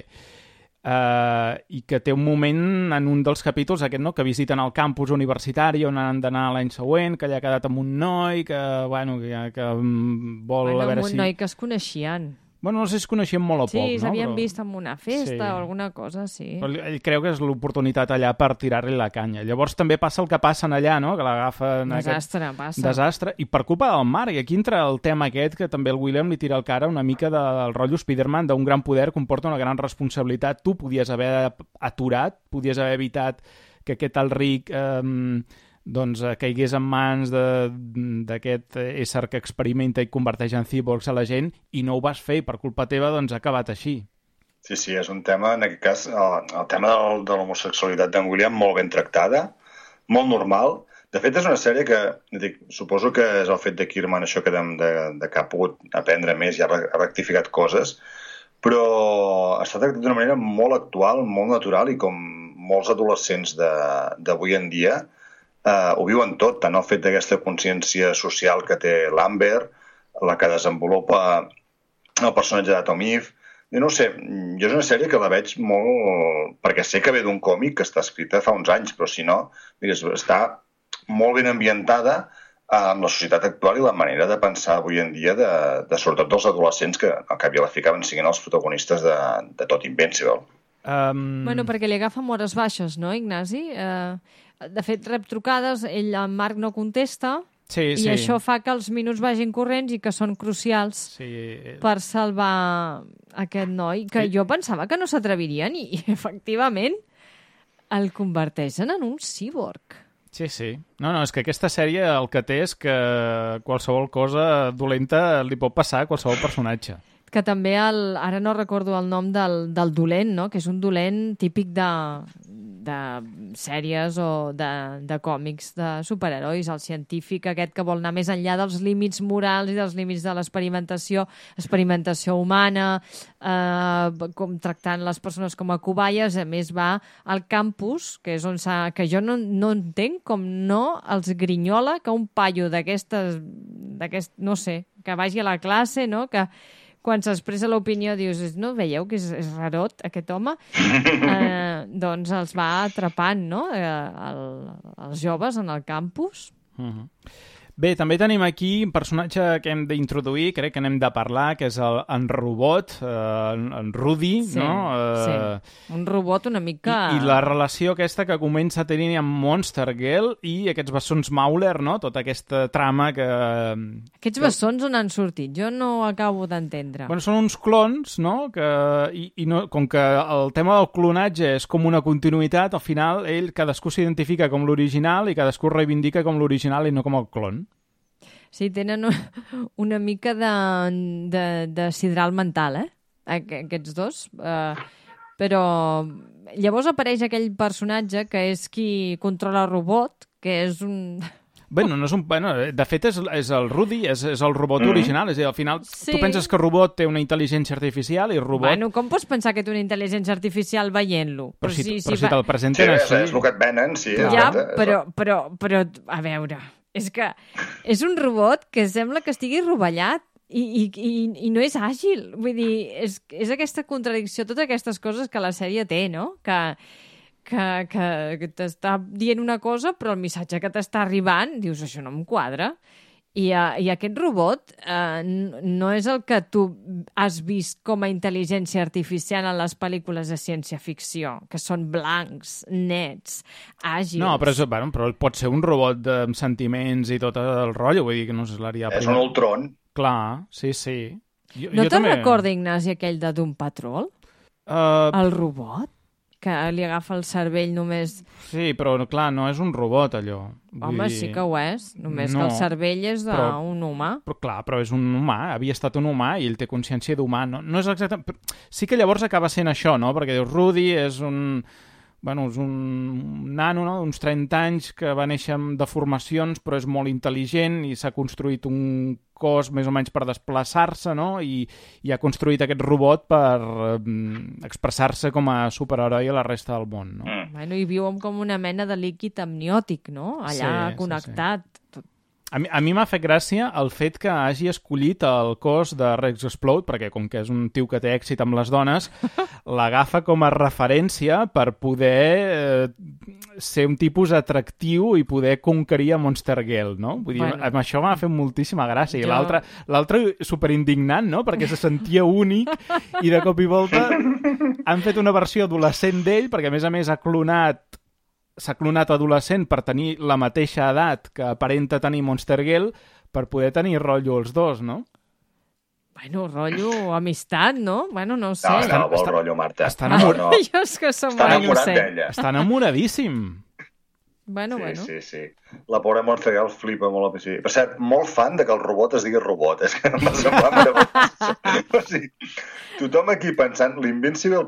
Uh, i que té un moment en un dels capítols aquest, no?, que visiten el campus universitari on han d'anar l'any següent, que allà ha quedat amb un noi que, bueno, que, que vol bueno, a veure amb un si... noi que es coneixien. Bueno, no sé si es coneixien molt o Sí, poc, no? s'havien Però... vist en una festa Sí. o alguna cosa, sí. Però ell creu que és l'oportunitat allà per tirar-li la canya. Llavors també passa el que passa allà, no?, que l'agafen... Desastre, aquest... passa. Desastre, i per culpa del Marc. I aquí entra el tema aquest que també el William li tira al cara una mica del rotllo Spider-Man, d'un gran poder comporta una gran responsabilitat. Tu podies haver aturat, podies haver evitat que aquest tal Rick... Eh, doncs eh, caigués en mans d'aquest ésser que experimenta i converteix en cyborgs a la gent, i no ho vas fer, i per culpa teva doncs ha acabat així. Sí, sí, és un tema, en aquest cas, el, el tema del, de l'homosexualitat d'en William molt ben tractada, molt normal. De fet, és una sèrie que, dic, suposo que és el fet de Kirman, això que de, de, de que ha pogut aprendre més i ha, ha rectificat coses, però està tractat d'una manera molt actual, molt natural, i com molts adolescents d'avui en dia Uh, ho viuen tot, tant el fet d'aquesta consciència social que té l'Amber, la que desenvolupa el personatge de Tom Eve. I no ho sé, jo és una sèrie que la veig molt... perquè sé que ve d'un còmic que està escrita fa uns anys, però si no, mira, està molt ben ambientada amb la societat actual i la manera de pensar avui en dia de, de sobretot dels adolescents que al cap i a la fi acaben siguent els protagonistes de, de tot Invincible. Um... Bueno, perquè li agafa hores baixes, no, Ignasi? Eh... De fet, rep trucades, ell, en Marc, no contesta, sí, i sí. això fa que els minuts vagin corrents i que són crucials sí. per salvar aquest noi, que sí. jo pensava que no s'atrevirien, i, i efectivament el converteixen en un cíborg. Sí, sí. No, no, és que aquesta sèrie el que té és que qualsevol cosa dolenta li pot passar a qualsevol personatge. Que també, el, ara no recordo el nom del, del dolent, no?, que és un dolent típic de, de sèries o de, de còmics de superherois, el científic aquest que vol anar més enllà dels límits morals i dels límits de l'experimentació, experimentació humana, eh, com tractant les persones com a cobayes. A més, va al campus, que és on s'ha... que jo no, no entenc com no els grinyola que un paio d'aquestes... d'aquest, no sé, que vagi a la classe, no?, que quan s'expressa l'opinió dius, no veieu que és, és rarot aquest home? Eh, doncs els va atrapant, no?, eh, el, els joves en el campus. Uh-huh. Bé, també tenim aquí un personatge que hem d'introduir, crec que n'hem de parlar, que és el, en Robot, eh, en, en Rudy, sí, no? Eh, sí. Un robot una mica... I, I la relació aquesta que comença a tenir amb Monster Girl i aquests bessons Mauler, no? Tota aquesta trama que... Aquests bessons on han sortit? Jo no ho acabo d'entendre. Bueno, són uns clons, no? Que, i, i no, com que el tema del clonatge és com una continuïtat, al final ell, cadascú s'identifica com l'original i cadascú reivindica com l'original i no com el clon. Sí, tenen una mica de, de, de sidral mental, eh? Aquests dos. Uh, però llavors apareix aquell personatge que és qui controla el robot, que és un... Bueno, no és un... Bueno, de fet, és, és el Rudy, és, és el robot mm. original. És a dir, al final, sí. Tu penses que el robot té una intel·ligència artificial i el robot... Bueno, com pots pensar que té una intel·ligència artificial veient-lo? Però, però si, si, però si si te'l presenten sí, així... és el que et venen, sí. Ja, però, però, però, a veure... És que és un robot que sembla que estigui rovellat i, i, i, i no és àgil. Vull dir, és, és aquesta contradicció, totes aquestes coses que la sèrie té, no? Que, que, que, que t'està dient una cosa, però el missatge que t'està arribant, dius, això no em quadra. I, uh, i aquest robot uh, no és el que tu has vist com a intel·ligència artificial en les pel·lícules de ciència-ficció, que són blancs, nets, àgils... No, però, és, bueno, però pot ser un robot amb sentiments i tot el rotllo, vull dir que no és l'àrea... És un Ultron. Clar, sí, sí. Jo, no jo te'n també... recorda, Ignasi, aquell de Doom Patrol? Uh... El robot? Que li agafa el cervell només... Sí, però clar, no és un robot, allò. Home, Vull dir... sí que ho és. Només no, que el cervell és d'un humà. Però clar, però és un humà. Havia estat un humà i ell té consciència d'humà. No, no és exactament... Sí que llavors acaba sent això, no? Perquè dius, Rudy és un... bueno, és un nano, no?, d'uns trenta anys que va néixer amb deformacions però és molt intel·ligent i s'ha construït un cos més o menys per desplaçar-se, no?, i, i ha construït aquest robot per eh, expressar-se com a superheroi a la resta del món, no? Mm. Bueno, i viu com una mena de líquid amniòtic, no?, allà Sí, connectat. sí, sí. A mi, a mi m'ha fet gràcia el fet que hagi escollit el cos de Rex Explode, perquè com que és un tio que té èxit amb les dones, l'agafa com a referència per poder eh, ser un tipus atractiu i poder conquerir a Monster Girl, no? Vull dir, Bueno. amb això m'ha fet moltíssima gràcia. I Jo- l'altre, l'altre superindignant, no?, perquè se sentia únic i de cop i volta han fet una versió adolescent d'ell, perquè a més a més ha clonat s'ha clonat adolescent per tenir la mateixa edat que aparenta tenir Monster Girl per poder tenir rotllo els dos, no? Bueno, rotllo amistat, no? Bueno, no ho sé. No, Està- no, vol està- rotllo, Marta. està no, enamor- no. Jo és que som Està molt enamorat innocent. d'ella. Està enamoradíssim. Bueno, Sí, bueno. sí, sí. La pobra Monster Girl flipa molt al principi. Per cert, molt fan de que el robot es digui robot. És que em va semblar meravellós. O sigui, tothom aquí pensant, l'Invincible,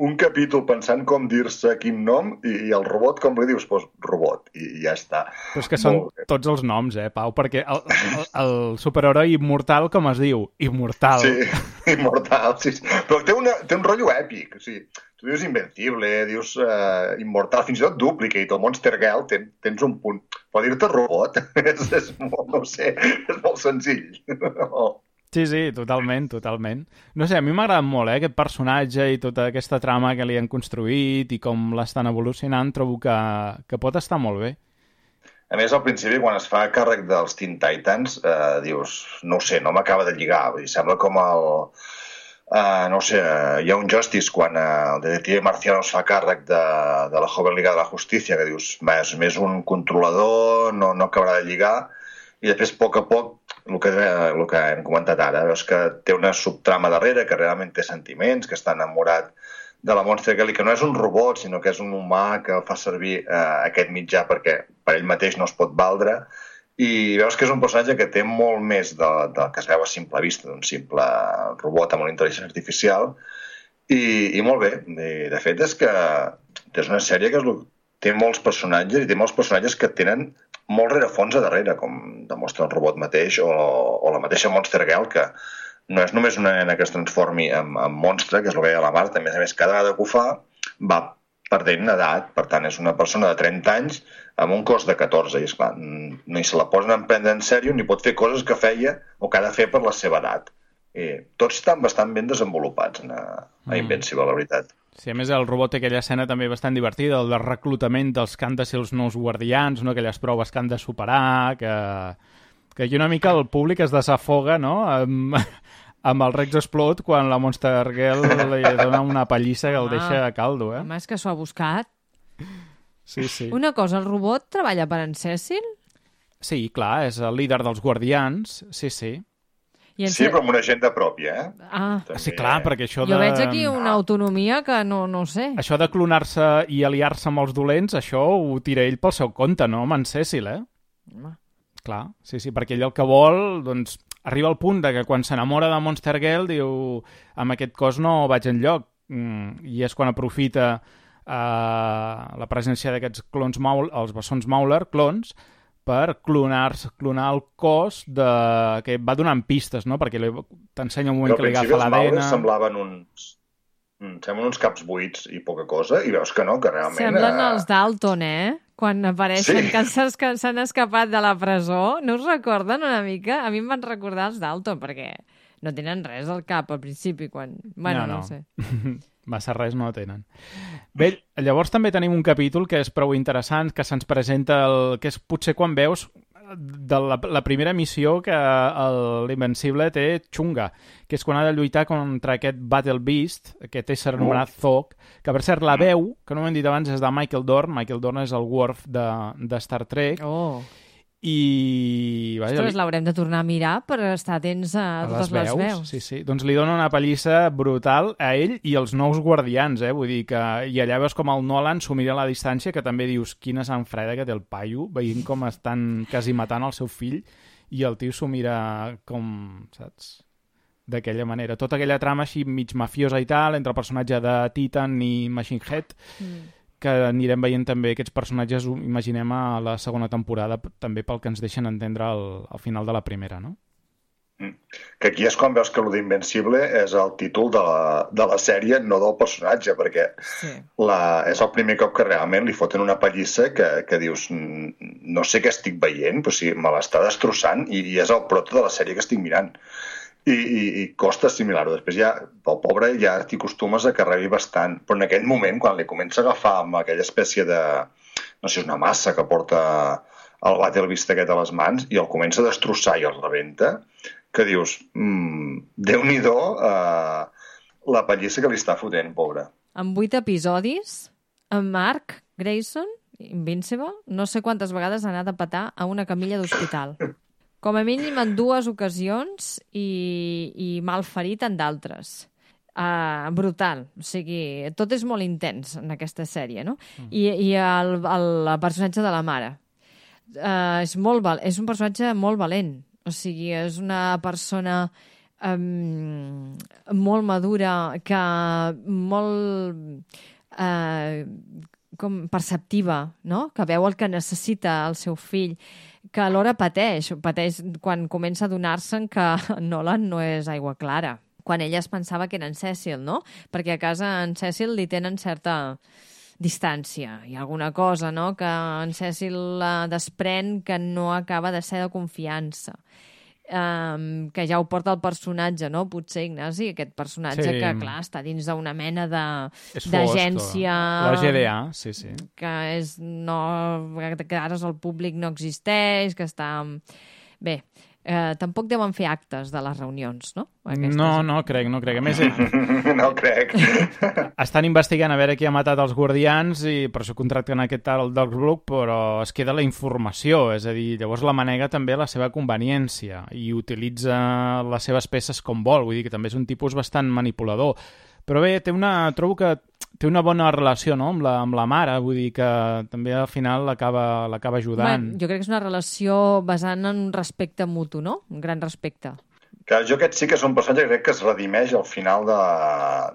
un capítol pensant com dir-se quin nom, i, i el robot, com li dius? Pues robot, i, i ja està. Però és que són Molt bé. tots els noms, eh, Pau? Perquè el, el, el superheroi immortal, com es diu? Immortal. Sí, immortal, sí, sí. Però té, una, té un rotllo èpic. O sigui, tu dius Invencible, dius uh, Immortal, fins i tot Duplicate o Monster Girl, ten, tens un punt. Però dir-te robot és, és molt, no ho sé, és molt senzill. Sí, sí, totalment, totalment. No sé, a mi m'ha agradat molt, eh, aquest personatge i tota aquesta trama que li han construït i com l'estan evolucionant, trobo que, que pot estar molt bé. A més, al principi, quan es fa càrrec dels Teen Titans, eh, dius, no ho sé, no m'acaba de lligar. Vull dir, sembla com el... Uh, no ho sé, uh, hi ha un Justice quan uh, el detective Marciano es fa càrrec de, de la Joven Liga de la Justícia, que dius, va, és més un controlador, no, no acabarà de lligar, i després, a poc a poc, el que, el que hem comentat ara, veus que té una subtrama darrere, que realment té sentiments, que està enamorat de la Monster Girl, i que no és un robot, sinó que és un humà que fa servir eh, aquest mitjà perquè per ell mateix no es pot valdre, i veus que és un personatge que té molt més de, del que es veu a simple vista, d'un simple robot amb una intel·ligència artificial, i, i molt bé. I, de fet, és que és una sèrie que és, té molts personatges, i té molts personatges que tenen molt rerefons a darrere, com demostra el robot mateix o, o la mateixa Monster Girl, que no és només una nena que es transformi en, en monstre, que és el que deia la Marta, a més a més, cada vegada que ho fa va perdent edat, per tant, és una persona de trenta anys amb un cos de catorze, i esclar, ni se la posen a prendre en sèrio ni pot fer coses que feia o que ha de fer per la seva edat. I tots estan bastant ben desenvolupats a, a Invincible, la veritat. Sí, a més el robot té aquella escena també bastant divertida, el de reclutament dels que han de ser els nous guardians, no? Aquelles proves que han de superar, que, que aquí una mica el públic es desafoga, no?, amb, amb el Rex Explode quan la Monster Girl li dona una pallissa que el Home. deixa a caldo, eh? Home, és que s'ho ha buscat. Sí, sí. Una cosa, el robot treballa per en Cecil? Sí, clar, és el líder dels guardians, sí, sí. I en Sí, Ce- però amb una agenda pròpia, eh? Ah, També, Sí, clar, perquè això de... jo veig aquí una autonomia que no, no ho sé. Això de clonar-se i aliar-se amb els dolents, això ho tira ell pel seu compte, no? Amb en Cecil, eh? Home. Clar, sí, sí, perquè ell el que vol, doncs, arriba al punt de que quan s'enamora de Monster Girl diu, amb aquest cos no vaig enlloc, mm, i és quan aprofita eh, la presència d'aquests clons Maul, els bessons Mauler, clons, per clonar, clonar el cos de... que va donant pistes, no? Perquè li- t'ensenya un moment Però que al li principi agafa els l'A D N... Maulers semblaven uns... mm, Semblen uns caps buits i poca cosa, i veus que no, que realment... Semblen eh, els Dalton, eh? Quan apareixen, Sí. que s'han que s'han escapat de la presó. No us recorden una mica? A mi em van recordar els Dalton, perquè no tenen res al cap al principi, quan... Bueno, no, No, no. no sé. Massa res no tenen. Bé, llavors també tenim un capítol que és prou interessant, que se'ns presenta el, que és potser quan veus de la, la primera missió que l'Invencible té xunga, que és quan ha de lluitar contra aquest Battle Beast, aquest ésser anomenat Zog, que per cert la veu, que no ho hem dit abans, és de Michael Dorn. Michael Dorn és el Worf de, de Star Trek. Oh, I... Vaja, ostres, l'haurem de tornar a mirar per estar atents a, a totes les veus. Sí, sí. Doncs li dona una pallissa brutal a ell i als nous guardians, eh? Vull dir que... I allà veus com el Nolan s'ho mira a la distància, que també dius quina sang freda que té el paio, veient com estan quasi matant el seu fill, i el tio s'ho mira com, saps, d'aquella manera. Tota aquella trama així mig mafiosa i tal, entre el personatge de Titan i Machine Head, mm. que anirem veient també aquests personatges, imaginem, a la segona temporada, també pel que ens deixen entendre al, al final de la primera, no? Que aquí és quan veus que lo d'Invencible és el títol de la, de la sèrie, no del personatge, perquè sí. la, és el primer cop que realment li foten una pallissa que, que dius, no sé què estic veient, però sí, me l'està destrossant i, i és el proto de la sèrie que estic mirant. I, i, i costa assimilar-ho. Després ja, pel pobre, ja t'hi acostumes a que rebi bastant. Però en aquell moment, quan li comença a agafar amb aquella espècie de, no sé, una massa que porta el Battlevist aquest a les mans i el comença a destrossar i el rebenta, que dius, mmm, Déu-n'hi-do eh, la pallissa que li està fotent, pobre. En vuit episodis, en Mark Grayson, Invincible, no sé quantes vegades ha anat a petar a una camilla d'hospital. Com a mínim en dues ocasions i, i mal ferit en d'altres. Uh, brutal. O sigui, tot és molt intens en aquesta sèrie, no? Mm. I, i el, el, el personatge de la mare. Uh, és, molt val és un personatge molt valent. O sigui, és una persona um, molt madura, que molt uh, com perceptiva, no? Que veu el que necessita el seu fill, que alhora pateix, pateix quan comença a donar-se'n que Nolan no és aigua clara, quan ella es pensava que era en Cecil, no? Perquè a casa en Cecil li tenen certa distància. Hi ha alguna cosa, no?, que en Cecil uh, desprèn que no acaba de ser de confiança. Um, que ja ho porta el personatge, no? Potser, Ignasi, aquest personatge sí. que, clar, està dins d'una mena d'agència... La G D A, sí, sí. Que és no... que ara el públic no existeix, que està... Bé, eh, tampoc deuen fer actes de les reunions, no? Aquestes... No, no crec, no crec. A més, no crec. Estan investigant a veure qui ha matat els guardians i per això contracten aquest tal Darkblood, però es queda la informació, és a dir, llavors la manega també la seva conveniència i utilitza les seves peces com vol, vull dir que també és un tipus bastant manipulador. Però bé, té una, trobo que té una bona relació, no?, amb la, amb la mare, vull dir que també al final l'acaba l'acaba ajudant. Bé, jo crec que és una relació basant en un respecte mutu, no? Un gran respecte. Que jo aquest sí que és un personatge que crec que es redimeix al final de,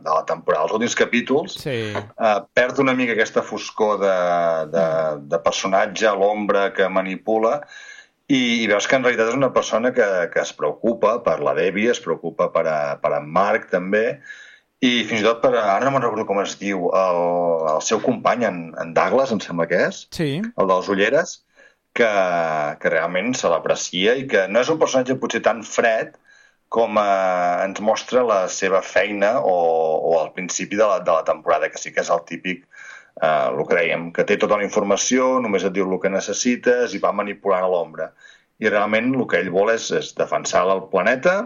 de la temporada. Els últims capítols sí. eh, perd una mica aquesta foscor de, de, de personatge a l'ombra que manipula i, i veus que en realitat és una persona que, que es preocupa per la Debbie, es preocupa per, a, per en Mark també, i fins i tot per, ara no me'n recordo com es diu, el, el seu company, en, en Douglas, em sembla que és, sí. el dels ulleres, que, que realment se l'aprecia i que no és un personatge potser tan fred com eh, ens mostra la seva feina o, o al principi de la, de la temporada, que sí que és el típic, eh, el que dèiem, que té tota la informació, només et diu el que necessites i va manipulant a l'ombra. I realment el que ell vol és, és defensar el planeta,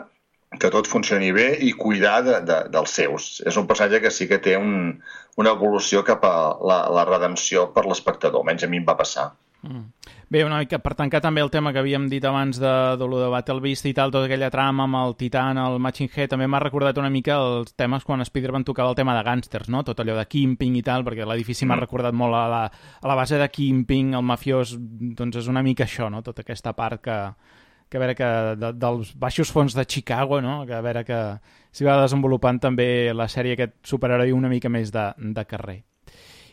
que tot funcioni bé i cuidar de, de, dels seus. És un personatge que sí que té un, una evolució cap a la, la redempció per l'espectador, almenys a mi em va passar. Mm. Bé, una mica per tancar també el tema que havíem dit abans de, de lo de Battlevist i tal, tota aquella trama amb el Titan, el Machine Head, també m'ha recordat una mica els temes quan Spider-Man tocava el tema de gàngsters, no? Tot allò de Kingpin i tal, perquè l'edifici mm. m'ha recordat molt a la, a la base de Kingpin, el mafiós, doncs és una mica això, no? Tota aquesta part que... que a veure que de, dels baixos fons de Chicago, no? Que a veure que s'hi va desenvolupant també la sèrie aquest superheroi una mica més de, de carrer.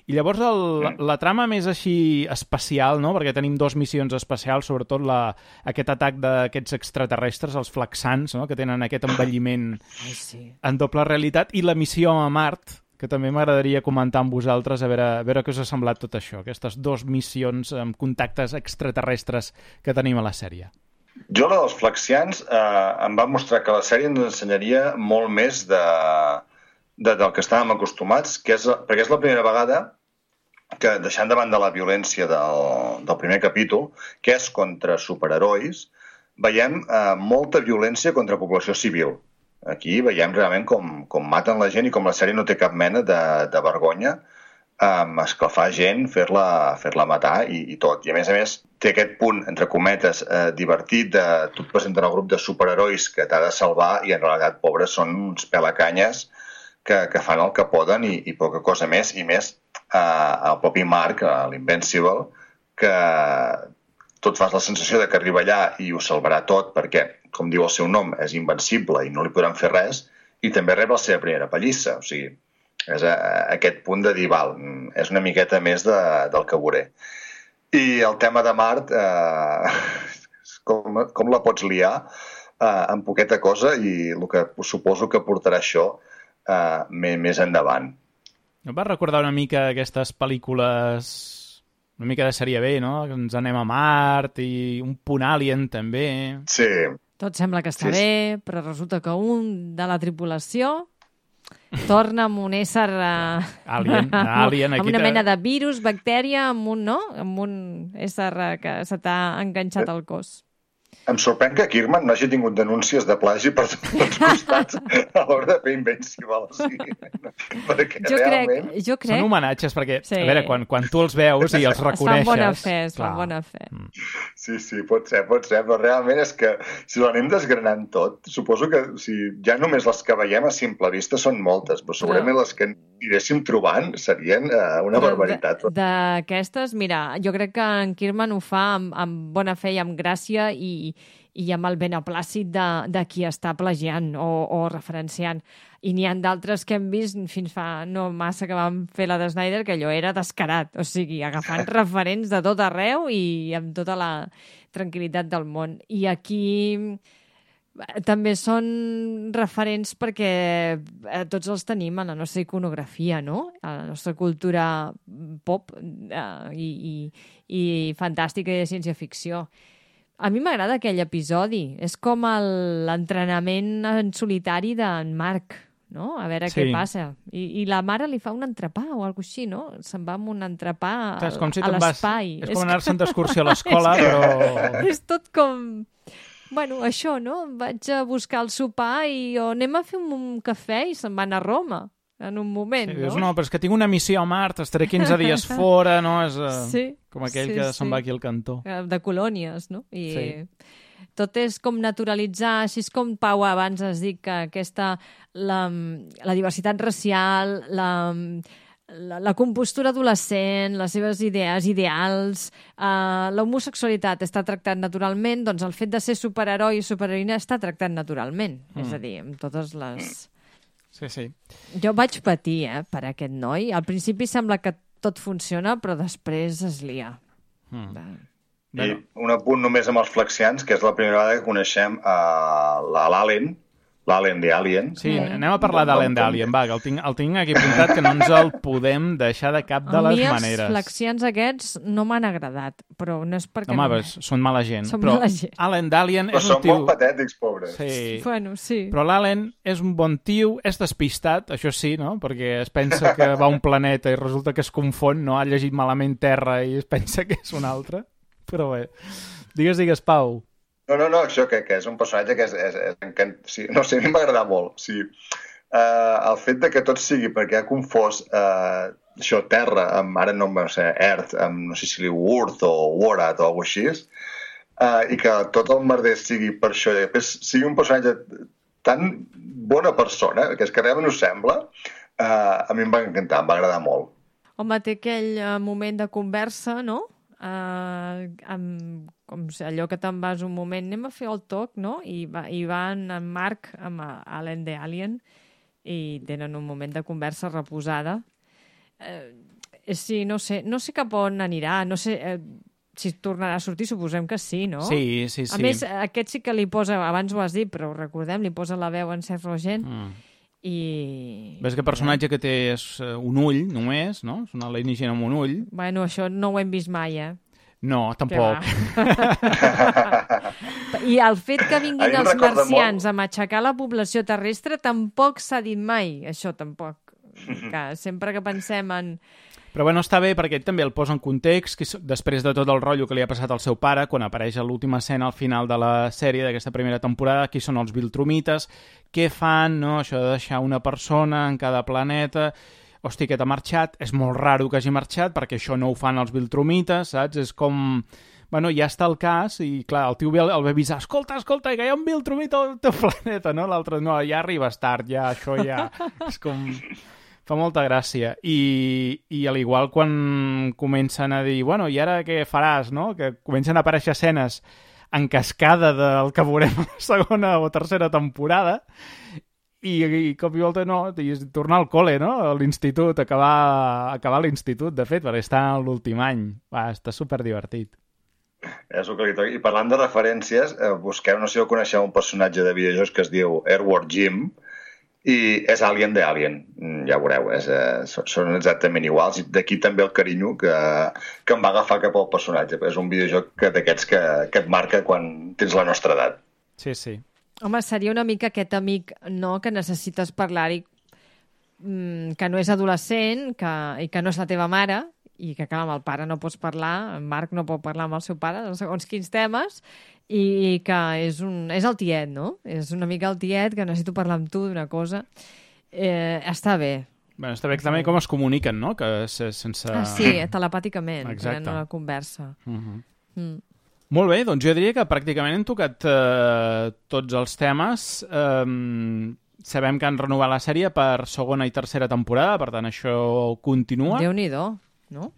I llavors el, la, la trama més així especial, no? Perquè tenim dos missions especials, sobretot la, aquest atac d'aquests extraterrestres, els Flaxans, no? Que tenen aquest envelliment Ai, sí. en doble realitat, i la missió a Mart, que també m'agradaria comentar amb vosaltres a veure, a veure què us ha semblat tot això, aquestes dues missions amb contactes extraterrestres que tenim a la sèrie. Jo, la dels Flaxians, eh, em va mostrar que la sèrie ens ensenyaria molt més de, de, del que estàvem acostumats, que és, perquè és la primera vegada que, deixant de banda la violència del, del primer capítol, que és contra superherois, veiem eh, molta violència contra població civil. Aquí veiem realment com, com maten la gent i com la sèrie no té cap mena de, de vergonya um, esclafar gent, fer-la fer-la matar i, i tot. I a més a més té aquest punt, entre cometes, eh, divertit de tu et presenten el grup de superherois que t'ha de salvar i en realitat, pobres, són uns pelacanyes que, que fan el que poden i, i poca cosa més. I més eh, el propi Mark, eh, l'Invincible, que tot fas la sensació de que arriba allà i ho salvarà tot perquè, com diu el seu nom, és invencible i no li podran fer res, i també rep la seva primera pallissa. O sigui, És a, a aquest punt de dir, val, és una miqueta més de, del que veuré. I el tema de Mart, eh, com, com la pots liar eh, amb poqueta cosa i el que suposo que portarà això eh, més endavant. Em va recordar una mica aquestes pel·lícules, una mica de sèrie B, no? Que ens anem a Mart i un punt Alien, també. Sí. Tot sembla que està Sí, sí. bé, però resulta que un de la tripulació torna amb un ésser... Uh, Alien, alien, amb aquí una te- mena de virus, bactèria, amb un, no? Amb un ésser uh, que se t'ha enganxat al cos. Em sorprèn que Kirkman no hagi tingut denúncies de plagi per tots els costats a l'hora de fer Invincible. O sigui, perquè Jo crec, realment... jo crec... Són homenatges, perquè, Sí. a veure, quan, quan tu els veus i els Es fan reconeixes... bona fe, es fan clar. bona fe. Sí, sí, pot ser, pot ser, però realment és que si l'anem desgranant tot, suposo que o sigui, ja només les que veiem a simple vista són moltes, però segurament les que aniréssim trobant serien eh, una Però barbaritat. de- D'aquestes, mira, jo crec que en Kirkman ho fa amb, amb bona fe i amb gràcia i, i amb el beneplàcit de, de qui està plagiant o, o referenciant. I n'hi ha d'altres que hem vist fins fa no massa que vam fer la de Snyder, que allò era descarat, o sigui, agafant referents de tot arreu i amb tota la tranquil·litat del món. I aquí eh, també són referents perquè eh, tots els tenim a la nostra iconografia, no? A la nostra cultura pop eh, i, i, i fantàstica i de ciència-ficció. A mi m'agrada aquell episodi. És com el- l'entrenament en solitari d'en Marc, no? A veure Sí. què passa. I, I la mare li fa un entrepà o alguna cosa així, no? Se'n va amb un entrepà Clar, és com si a te'n vas... l'espai. És com anar-se'n d'excursió a l'escola, És que- però... És tot com... Bueno, això, no? Vaig a buscar el sopar i o anem a fer un, un cafè i se'n van a Roma en un moment, Sí, no? dius, no, però és que tinc una missió a Mart, estaré quinze dies fora, no? És uh, Sí, com aquell sí, que sí. se'n va aquí al cantó. Eh, de colònies, no? I Sí. tot és com naturalitzar, així és com Pau abans has dit que aquesta, la, la diversitat racial, la, la, la compostura adolescent, les seves idees, ideals, eh, l'homosexualitat està tractat naturalment, doncs el fet de ser superheroi i superheroïna està tractat naturalment. Mm. És a dir, amb totes les... Sí, sí. Jo vaig patir, eh, per aquest noi. Al principi sembla que tot funciona, però després es lia. Mm. I un apunt només amb els flexians, que és la primera vegada que coneixem uh, l'Alien, l'Alien de Alien. Sí, anem a parlar d'Alien d'Alien, va, que el tinc, el tinc aquí apuntat, que no ens el podem deixar de cap de A les mi els maneres. flexians aquests no m'han agradat, però no és perquè... Home, no... pues, són mala gent. Són però mala gent. Alien d'Alien Però és un són tio... molt patètics, pobres. Sí. Bueno, sí. Però l'Allen és un bon tio, és despistat, això sí, no? Perquè es pensa que va a un planeta i resulta que es confon, no? Ha llegit malament Terra i es pensa que és un altre. Però bé, digues, digues, Pau. No, no, no, això que, que és un personatge que és... és, és encant... sí, no sé, a mi m'agrada molt. Sí. Uh, el fet de que tot sigui perquè ha confós uh, això, Terra, amb, ara no em sé, Earth, amb no sé si li diu Urth o Warat o alguna cosa així, uh, i que tot el merder sigui per això, i després sigui un personatge tan bona persona, que és que realment ho sembla, uh, a mi em va encantar, em va agradar molt. Home, té aquell uh, moment de conversa, no? Uh, amb, com si allò que te'n vas un moment, anem a fer el toc, no? I, va, i van en Marc amb uh, Alien de Alien i tenen un moment de conversa reposada. Uh, sí, no sé, no sé cap on anirà, no sé uh, si tornarà a sortir, suposem que sí, no? Sí, sí, sí. A més, aquest sí que li posa, abans ho has dit, però ho recordem, li posa la veu en Seth Rogen Mm. i... Ves que el personatge que té és eh, un ull, només, no? És un alienígena amb un ull. Bueno, això no ho hem vist mai, eh? No, tampoc. I el fet que A mi vinguin em els recorda marcians a matxacar la població terrestre tampoc s'ha dit mai, això tampoc. Que sempre que pensem en... Però bueno, està bé perquè ell també el posa en context, que s- després de tot el rotllo que li ha passat al seu pare, quan apareix a l'última escena al final de la sèrie d'aquesta primera temporada, qui són els Viltrumites, què fan, no? Això de deixar una persona en cada planeta... Hosti, aquest ha marxat, és molt raro que hagi marxat, perquè això no ho fan els Viltrumites, saps? És com... Bueno, ja està el cas, i clar, el tio ve, el ve avisar, escolta, escolta, que hi ha un Viltrumita al teu planeta, no? L'altre, no, ja arribes tard, ja, això ja... És com... Fa molta gràcia. I, i al igual quan comencen a dir, bueno, i ara què faràs, no? Que comencen a aparèixer escenes en cascada del que veurem a la segona o tercera temporada, i, i cop i volta no, i tornar al col·le, no? A l'institut, acabar, acabar l'institut, de fet, perquè està en l'últim any. Va, està superdivertit. És el que li toca. I parlant de referències, eh, busqueu, no sé si ho coneixeu, un personatge de videojocs que es diu Airward Jim, i és Alien de Alien. Ja ho veureu, és, eh, són exactament iguals. I d'aquí també el carinyo que, que em va agafar cap al personatge. És un videojoc que, d'aquests que, que et marca quan tens la nostra edat. Sí, sí. Home, seria una mica aquest amic, no?, que necessites parlar-hi, que no és adolescent que, i que no és la teva mare, i que, clar, amb el pare no pots parlar, en Marc no pot parlar amb el seu pare de segons quins temes, i que és, un, és el tiet, no? És una mica el tiet que necessito parlar amb tu d'una cosa. Eh, està bé. Bé, està bé també com es comuniquen, no? Que sense... Ah, sí, telepàticament, exacte, tenen una conversa. Uh-huh. Mm. Molt bé, doncs jo diria que pràcticament hem tocat eh, tots els temes. Eh, sabem que han renovat la sèrie per segona i tercera temporada, per tant això continua. Déu-n'hi-do, no?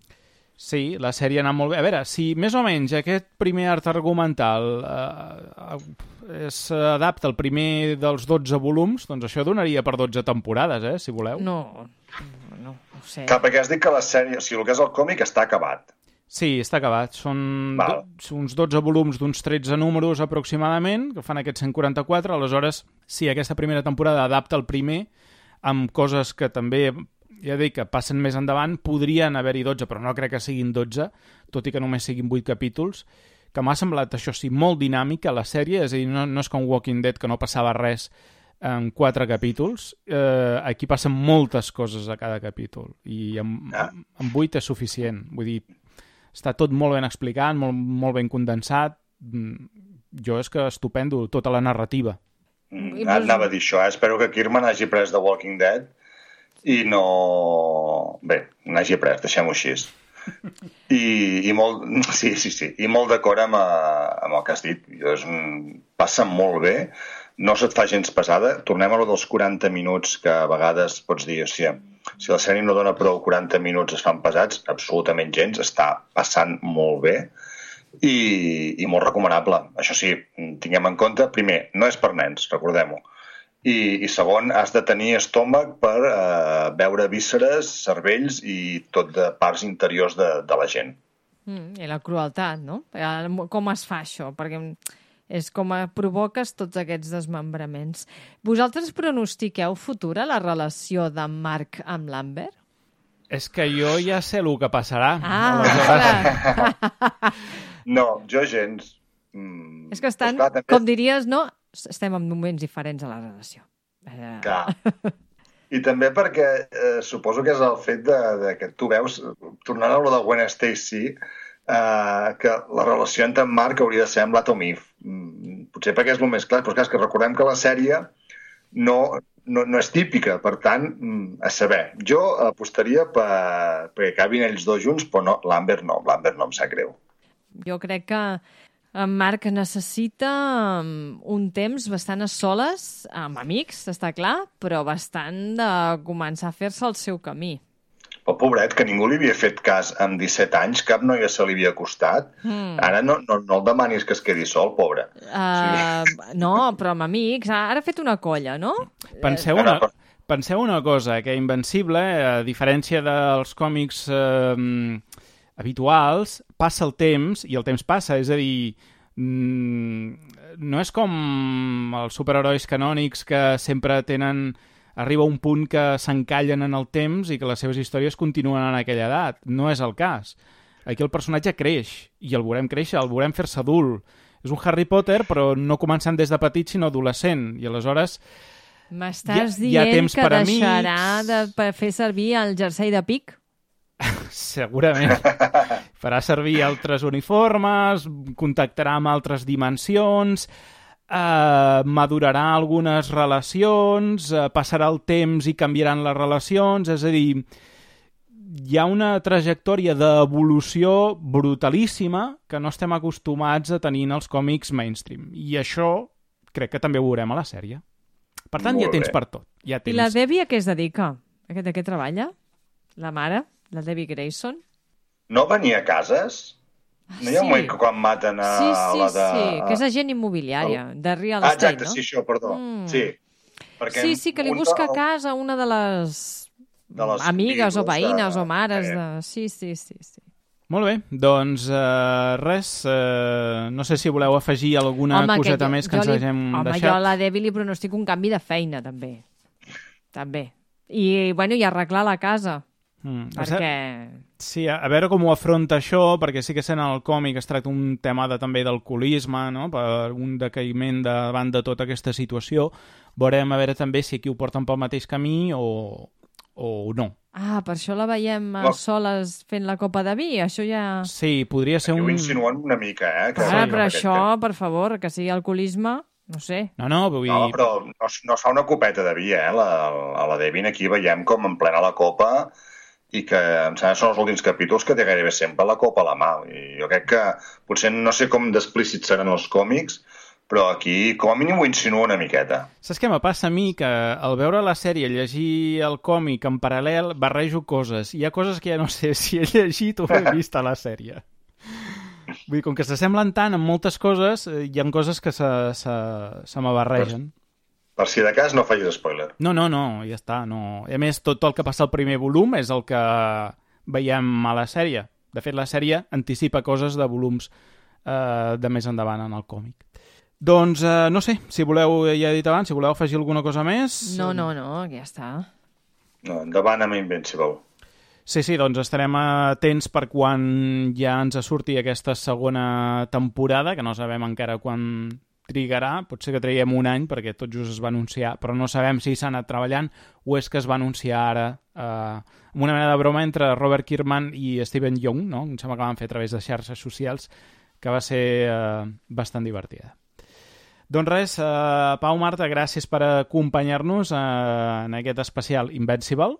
Sí, la sèrie ha anat molt bé. A veure, si més o menys aquest primer art argumental eh, s'adapta al primer dels dotze volums, doncs això donaria per dotze temporades, eh, si voleu. No, no, no ho sé. Clar, perquè has dit que la sèrie, o sigui, el que és el còmic està acabat. Sí, està acabat. Són do, uns dotze volums d'uns tretze números aproximadament, que fan aquests cent quaranta-quatre. Aleshores, sí, aquesta primera temporada adapta el primer amb coses que també, ja dic, que passen més endavant. Podrien haver-hi dotze, però no crec que siguin dotze, tot i que només siguin vuit capítols, que m'ha semblat, això sí, molt dinàmica la sèrie, és a dir, no, no és com Walking Dead, que no passava res en quatre capítols. Eh, aquí passen moltes coses a cada capítol, i amb, amb vuit és suficient. Vull dir, està tot molt ben explicat, molt, molt ben condensat. Jo és que estupendo, tota la narrativa. Mm, anava a dir això, eh? Espero que Kirman hagi pres The Walking Dead i no... Bé, n'hagi pres, deixem-ho així. I, i molt... Sí, sí, sí. I molt d'acord amb, amb el que has dit. És un... Passa molt bé, no se't fa gens pesada. Tornem a lo dels quaranta minuts, que a vegades pots dir, o sigui, si la sèrie no dona prou quaranta minuts es fan pesats, absolutament gens, està passant molt bé i, i molt recomanable. Això sí, tinguem en compte, primer, no és per nens, recordem-ho, i, i segon, has de tenir estómac per eh, veure vísceres, cervells i tot de parts interiors de, de la gent. Mm, i la crueltat, no? Com es fa això? Perquè és com provoques tots aquests desmembraments. Vosaltres pronostiqueu futura la relació de Marc amb l'Amber? És que jo ja sé el que passarà. Ah, no, jo gens. Mm, és que estan, clar, també... com diries, no? Estem en moments diferents a la relació. Clar. I també perquè eh, suposo que és el fet de, de que tu veus, tornant a lo de Gwen Stacy, Uh, que la relació entre en Marc hauria de ser amb l'Atom Eve. Mm, potser perquè és el més clar, però és que recordem que la sèrie no, no, no és típica, per tant, mm, a saber, jo apostaria per, perquè acabin ells dos junts, però no, l'Amber no, l'Amber no em sap greu. Jo crec que en Marc necessita un temps bastant a soles, amb amics, està clar, però bastant de començar a fer-se el seu camí. Però pobret, que ningú li havia fet cas amb disset anys, cap noia se li havia acostat. Mm. Ara no, no, no el demanis que es quedi sol, pobre. Uh, sí. No, però amb amics. Ara ha fet una colla, no? Penseu una, penseu una cosa, que Invencible, a diferència dels còmics eh, habituals, passa el temps, i el temps passa, és a dir, mm, no és com els superherois canònics que sempre tenen... arriba un punt que s'encallen en el temps i que les seves històries continuen en aquella edat. No és el cas. Aquí el personatge creix, i el veurem créixer, el veurem fer-se adult. És un Harry Potter, però no començant des de petit, sinó adolescent. I aleshores... M'estàs dient ha temps que deixarà amics. De fer servir el jersei de pic? Segurament. Farà servir altres uniformes, contactarà amb altres dimensions... Uh, madurarà algunes relacions, uh, passarà el temps i canviaran les relacions, és a dir, hi ha una trajectòria d'evolució brutalíssima que no estem acostumats a tenir en els còmics mainstream, i això crec que també ho veurem a la sèrie. Per tant, Molt hi ha temps bé. Per tot. Hi ha temps. I la Debbie a què es dedica? A què, a què treballa? La mare? La Debbie Grayson? No venia a cases? No hi ha un moment que quan maten a sí, sí, la de... Sí, que és agent immobiliària, de real ah, estate, exacte, no? Sí, això, perdó. Mm. Sí. Perquè Sí, sí, que li un busca de- casa una de les, de les amigues o vídues veïnes de- o mares eh. de... Sí, sí, sí, sí. Molt bé, doncs uh, res, uh, no sé si voleu afegir alguna Home, coseta jo- més que jo ens li- hagem Home, deixat. jo a la Debbie li pronostico un canvi de feina, també. També. I, bueno, i arreglar la casa, Mm, perquè... Sí, a, a veure com ho afronta això, perquè sí que sent el còmic es tracta un tema de, també d'alcoholisme, no? Per un decaïment davant de tota aquesta situació. Veurem a veure també si aquí ho porten pel mateix camí o, o no. Ah, per això la veiem a No. soles fent la copa de vi, això ja... Sí, podria ser Aquí ho un... insinuen una mica, eh? Que Ara, que però aquest això, tema- per favor, que sigui alcoholisme, no sé. No, no, vull dir... No, però no, es- no es fa una copeta de vi, eh? La, a la Devin aquí veiem com en plena la copa i que em sembla que són els últims capítols que té gairebé sempre la copa a la mà. I jo crec que potser no sé com d'explícits seran els còmics, però aquí com a mínim ho insinua una miqueta. Saps què me passa a mi? Que al veure la sèrie, llegir el còmic en paral·lel, barrejo coses. Hi ha coses que ja no sé si he llegit o he vist a la sèrie. Vull dir, com que s'assemblen tant en moltes coses, eh, hi ha coses que se, se, se me barregen. Per si de cas no facis spoiler. No, no, no, ja està. No. A més, tot el que passa al primer volum és el que veiem a la sèrie. De fet, la sèrie anticipa coses de volums eh, de més endavant en el còmic. Doncs, eh, no sé, si voleu, ja he dit abans, si voleu afegir alguna cosa més... No, no, no, ja està. No, endavant amb Invincible. Sí, sí, doncs estarem atents per quan ja ens surti aquesta segona temporada, que no sabem encara quan trigarà, potser que traiem un any perquè tot just es va anunciar, però no sabem si s'ha anat treballant o és que es va anunciar ara eh, amb una mena de broma entre Robert Kirkman i Steven Yeun, no? Em sembla que van fer a través de xarxes socials, que va ser eh, bastant divertida. Doncs res, eh, Pau, Marta, gràcies per acompanyar-nos eh, en aquest especial Invincible.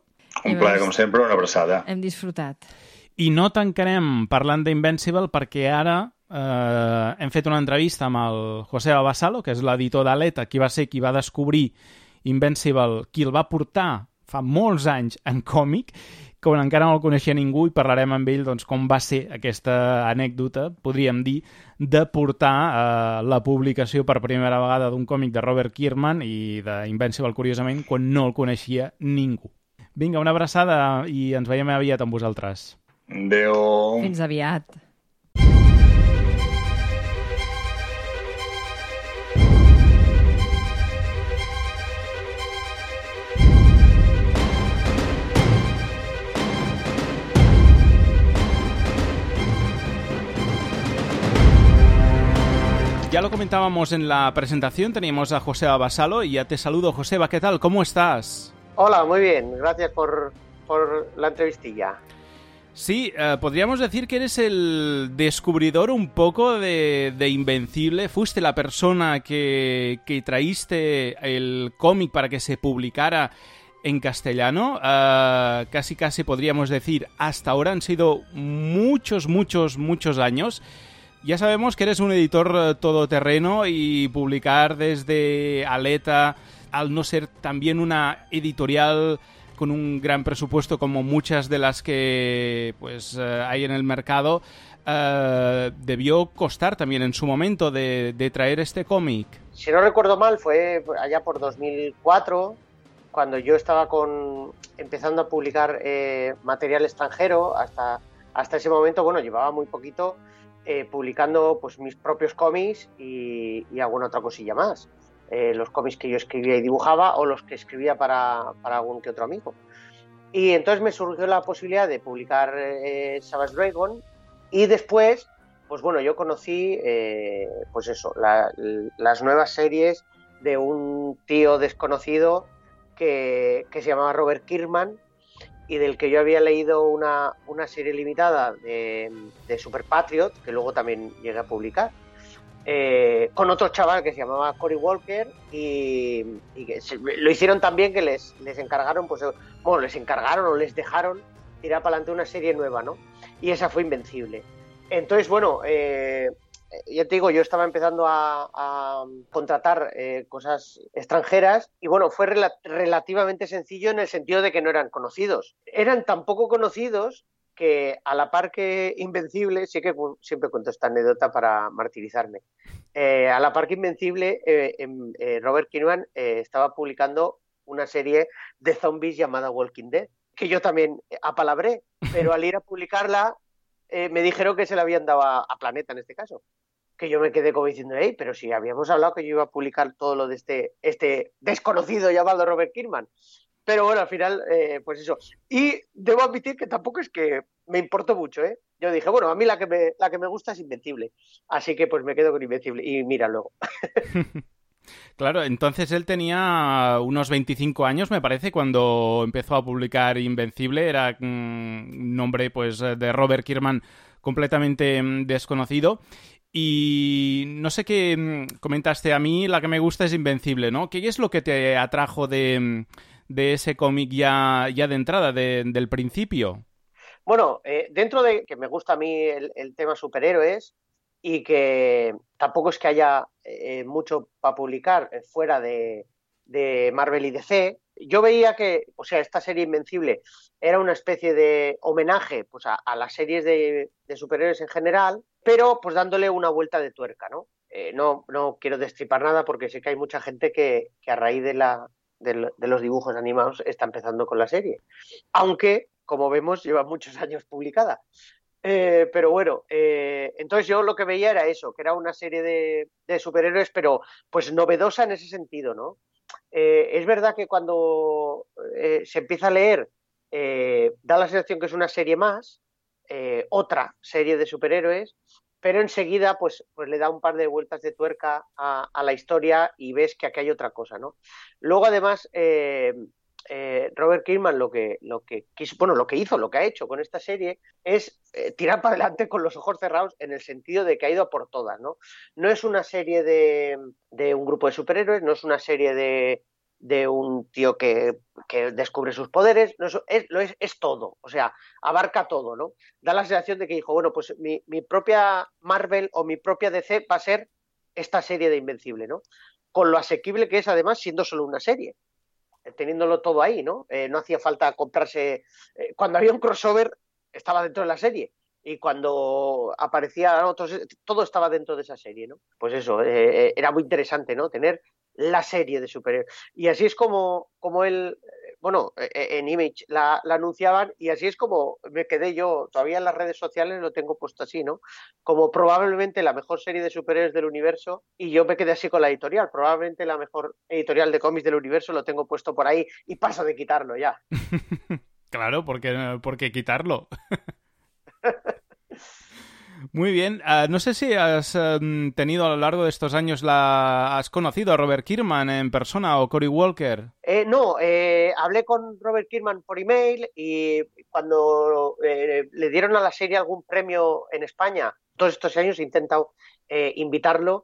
Un plaer, com sempre, una abraçada. Hem disfrutat. I no tancarem parlant d'Invincible perquè ara eh, hem fet una entrevista amb el José Abasalo, que és l'editor d'Aleta, qui va ser qui va descobrir Invincible, qui el va portar fa molts anys en còmic, quan encara no el coneixia ningú, i parlarem amb ell doncs, com va ser aquesta anècdota, podríem dir, de portar eh, la publicació per primera vegada d'un còmic de Robert Kirkman i d'Invincible, curiosament, quan no el coneixia ningú. Vinga, una abraçada i ens veiem aviat amb vosaltres. Adéu. Fins aviat. Ya lo comentábamos en la presentación, teníamos a José Abasalo y ya te saludo. Joseba, ¿qué tal? ¿Cómo estás? Hola, muy bien. Gracias por, por la entrevistilla. Sí, eh, podríamos decir que eres el descubridor un poco de, de Invencible. Fuiste la persona que, que traíste el cómic para que se publicara en castellano. Uh, casi, casi podríamos decir, hasta ahora han sido muchos, muchos, muchos años. Ya sabemos que eres un editor todoterreno y publicar desde Aleta, al no ser también una editorial con un gran presupuesto como muchas de las que pues uh, hay en el mercado, uh, debió costar también en su momento de, de traer este cómic. Si no recuerdo mal, fue allá por dos mil cuatro, cuando yo estaba con empezando a publicar eh, material extranjero. Hasta, hasta ese momento, bueno, llevaba muy poquito eh, publicando pues mis propios cómics y, y alguna otra cosilla más. Eh, los cómics que yo escribía y dibujaba o los que escribía para, para algún que otro amigo. Y entonces me surgió la posibilidad de publicar eh, Savage Dragon, y después, pues bueno, yo conocí eh, pues eso, la, las nuevas series de un tío desconocido que, que se llamaba Robert Kirkman, y del que yo había leído una, una serie limitada de, de Super Patriot, que luego también llegué a publicar. Eh, con otro chaval que se llamaba Cory Walker, y, y que se, lo hicieron tan bien que les, les encargaron, pues bueno, les encargaron o les dejaron tirar para adelante una serie nueva, ¿no? Y esa fue Invencible. Entonces, bueno, eh, ya te digo, yo estaba empezando a, a contratar eh, cosas extranjeras, y bueno, fue rela- relativamente sencillo en el sentido de que no eran conocidos. Eran tan poco conocidos que a la par que Invencible, sí que siempre cuento esta anécdota para martirizarme, eh, a la par que Invencible, eh, eh, Robert Kirkman eh, estaba publicando una serie de zombies llamada Walking Dead, que yo también apalabré, pero al ir a publicarla eh, me dijeron que se la habían dado a, a Planeta en este caso. Que yo me quedé como diciendo, hey, pero si habíamos hablado que yo iba a publicar todo lo de este, este desconocido llamado Robert Kirkman. Pero bueno, al final, eh, pues eso. Y debo admitir que tampoco es que me importó mucho, ¿eh? Yo dije, bueno, a mí la que me, la que me gusta es Invencible. Así que pues me quedo con Invencible. Y mira luego. Claro, entonces él tenía unos veinticinco años, me parece, cuando empezó a publicar Invencible. Era un mm, nombre, pues, de Robert Kirkman completamente mm, desconocido. Y no sé qué mm, comentaste, a mí la que me gusta es Invencible, ¿no? ¿Qué es lo que te atrajo de, de ese cómic ya, ya de entrada, de, del principio? Bueno, eh, dentro de que me gusta a mí el, el tema superhéroes y que tampoco es que haya eh, mucho para publicar fuera de, de Marvel y D C, yo veía que, o sea, esta serie Invencible era una especie de homenaje pues, a, a las series de, de superhéroes en general, pero pues dándole una vuelta de tuerca, ¿no? Eh, no, no quiero destripar nada porque sé que hay mucha gente que, que a raíz de, la, de, de los dibujos animados está empezando con la serie. Aunque, como vemos, lleva muchos años publicada. Eh, pero bueno, eh, entonces yo lo que veía era eso, que era una serie de, de superhéroes, pero pues novedosa en ese sentido, ¿no? Eh, es verdad que cuando eh, se empieza a leer eh, da la sensación que es una serie más, eh, otra serie de superhéroes, pero enseguida pues, pues le da un par de vueltas de tuerca a, a la historia y ves que aquí hay otra cosa, ¿no? Luego además eh, eh, Robert Kirkman lo que, lo que quiso, bueno, lo que hizo, lo que ha hecho con esta serie es eh, tirar para adelante con los ojos cerrados en el sentido de que ha ido a por todas, ¿no? No es una serie de, de un grupo de superhéroes, no es una serie de, de un tío que, que descubre sus poderes, no es, es, lo es, es todo, o sea, abarca todo, ¿no? Da la sensación de que dijo, bueno, pues mi, mi propia Marvel o mi propia D C va a ser esta serie de Invencible, ¿no? Con lo asequible que es además siendo solo una serie, teniéndolo todo ahí, ¿no? Eh, no hacía falta comprarse... Eh, cuando había un crossover, estaba dentro de la serie. Y cuando aparecía otros, todo estaba dentro de esa serie, ¿no? Pues eso, eh, era muy interesante, ¿no? Tener la serie de superhéroes. Y así es como, como él... Bueno, en Image la, la anunciaban y así es como me quedé yo, todavía en las redes sociales lo tengo puesto así, ¿no? Como probablemente la mejor serie de superhéroes del universo y yo me quedé así con la editorial, probablemente la mejor editorial de cómics del universo, lo tengo puesto por ahí y paso de quitarlo ya. Claro, ¿por qué, por qué quitarlo? Muy bien. Uh, no sé si has um, tenido a lo largo de estos años, la has conocido a Robert Kirkman en persona o Cory Walker. Eh, no, eh, hablé con Robert Kirkman por email y cuando eh, le dieron a la serie algún premio en España, todos estos años he intentado eh, invitarlo.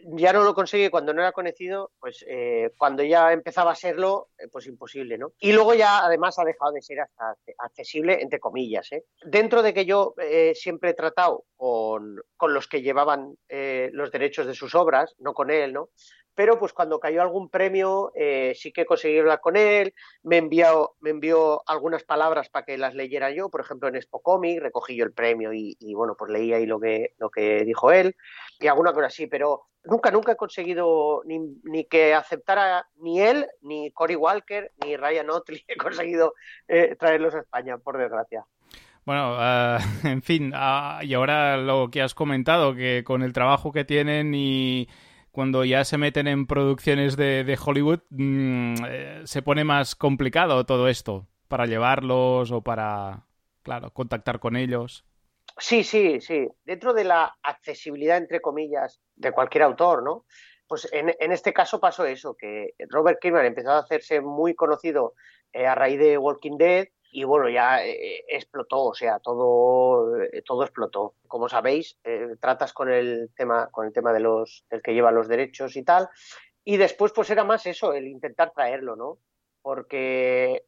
Ya no lo conseguí cuando no era conocido, pues eh, cuando ya empezaba a serlo, eh, pues imposible, ¿no? Y luego ya además ha dejado de ser hasta accesible, entre comillas, ¿eh? Dentro de que yo eh, siempre he tratado con, con los que llevaban eh, los derechos de sus obras, no con él, ¿no? Pero pues cuando cayó algún premio eh, sí que conseguí hablar con él, me envió, me envió algunas palabras para que las leyera yo, por ejemplo en Expo Comic, recogí yo el premio y, y bueno, pues leí ahí lo que, lo que dijo él y alguna cosa así, pero nunca, nunca he conseguido ni, ni que aceptara ni él, ni Cory Walker, ni Ryan Otley, he conseguido eh, traerlos a España, por desgracia. Bueno, uh, en fin, uh, y ahora lo que has comentado, que con el trabajo que tienen y cuando ya se meten en producciones de, de Hollywood, mmm, eh, se pone más complicado todo esto para llevarlos o para, claro, contactar con ellos. Sí, sí, sí. Dentro de la accesibilidad, entre comillas, de cualquier autor, ¿no? Pues en, en este caso pasó eso, que Robert Kirkman empezó a hacerse muy conocido eh, a raíz de Walking Dead y bueno, ya eh, explotó, o sea, todo, eh, todo explotó. Como sabéis, eh, tratas con el tema, con el tema de los, del que lleva los derechos y tal, y después pues era más eso, el intentar traerlo, ¿no? Porque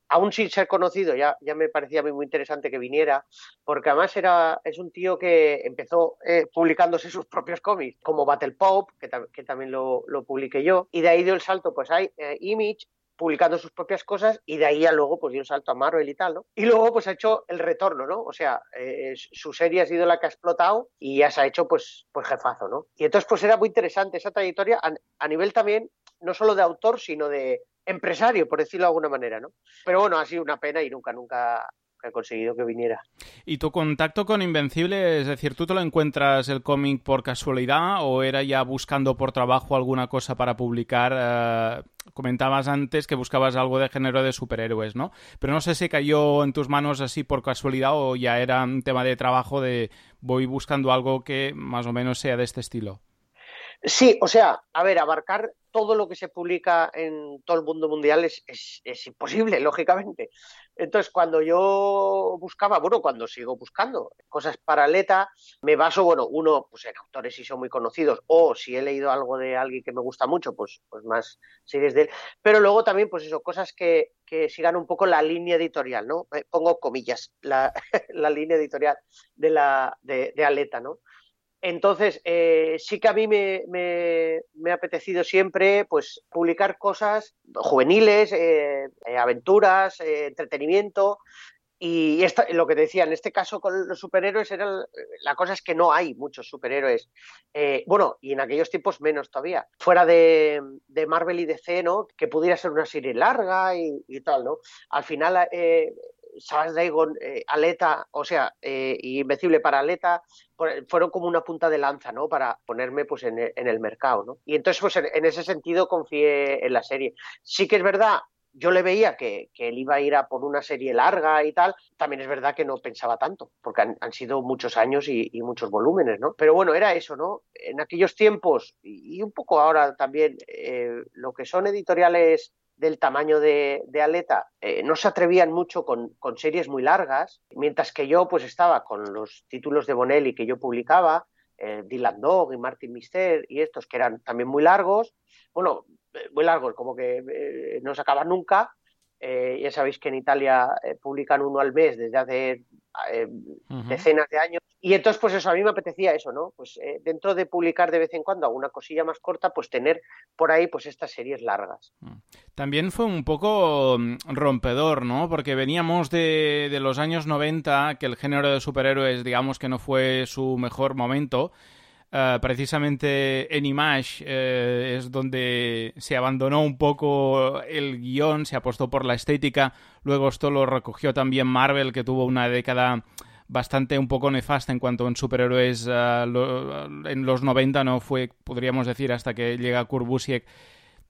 aún sin ser conocido, ya, ya me parecía a mí muy interesante que viniera, porque además era, es un tío que empezó eh, publicándose sus propios cómics, como Battle Pop, que, tam- que también lo, lo publiqué yo, y de ahí dio el salto pues hay eh, Image, publicando sus propias cosas y de ahí a luego pues dio un salto a Marvel y tal, ¿no? Y luego pues ha hecho el retorno, ¿no? O sea, eh, su serie ha sido la que ha explotado y ya se ha hecho pues, pues jefazo, ¿no? Y entonces pues era muy interesante esa trayectoria a, a nivel también, no solo de autor, sino de empresario, por decirlo de alguna manera, ¿no? Pero bueno, ha sido una pena y nunca, nunca he conseguido que viniera. ¿Y tu contacto con Invencible, es decir, tú te lo encuentras el cómic por casualidad o era ya buscando por trabajo alguna cosa para publicar? Eh, comentabas antes que buscabas algo de género de superhéroes, ¿no? Pero no sé si cayó en tus manos así por casualidad o ya era un tema de trabajo de voy buscando algo que más o menos sea de este estilo. Sí, o sea, a ver, abarcar todo lo que se publica en todo el mundo mundial es, es, es imposible, lógicamente. Entonces, cuando yo buscaba, bueno, cuando sigo buscando cosas para Aleta, me baso, bueno, uno, pues en autores si son muy conocidos, o si he leído algo de alguien que me gusta mucho, pues, pues más series de él. Pero luego también, pues eso, cosas que, que sigan un poco la línea editorial, ¿no? Eh, pongo comillas, la, la línea editorial de, la, de, de Aleta, ¿no? Entonces, eh, sí que a mí me, me, me ha apetecido siempre pues, publicar cosas juveniles, eh, eh, aventuras, eh, entretenimiento. Y esta, lo que te decía, en este caso con los superhéroes, era, la cosa es que no hay muchos superhéroes. Eh, bueno, y en aquellos tiempos menos todavía. Fuera de, de Marvel y D C, ¿no? Que pudiera ser una serie larga y, y tal, ¿no? Al final... Eh, Charles Daygon, eh, Aleta, o sea, eh, y Invencible para Aleta, fueron como una punta de lanza, ¿no? Para ponerme pues en el, en el mercado, ¿no? Y entonces, pues en, en ese sentido confié en la serie. Sí que es verdad, yo le veía que, que él iba a ir a por una serie larga y tal, también es verdad que no pensaba tanto, porque han, han sido muchos años y, y muchos volúmenes, ¿no? Pero bueno, era eso, ¿no? En aquellos tiempos, y, y un poco ahora también, eh, lo que son editoriales del tamaño de, de Aleta, eh, no se atrevían mucho con, con series muy largas, mientras que yo pues estaba con los títulos de Bonelli que yo publicaba, eh, Dylan Dog y Martin Mister y estos que eran también muy largos, bueno, eh, muy largos, como que eh, no se acaban nunca. Eh, ya sabéis que en Italia eh, publican uno al mes desde hace eh, uh-huh. decenas de años. Y entonces, pues eso, a mí me apetecía eso, ¿no? Pues eh, dentro de publicar de vez en cuando alguna cosilla más corta, pues tener por ahí pues estas series largas. También fue un poco rompedor, ¿no? Porque veníamos de, de los años noventa, que el género de superhéroes, digamos que no fue su mejor momento. Uh, precisamente en Image eh, es donde se abandonó un poco el guión, se apostó por la estética, luego esto lo recogió también Marvel, que tuvo una década bastante un poco nefasta en cuanto a superhéroes. Uh, lo, en los noventa no fue, podríamos decir, hasta que llega Kurt Busiek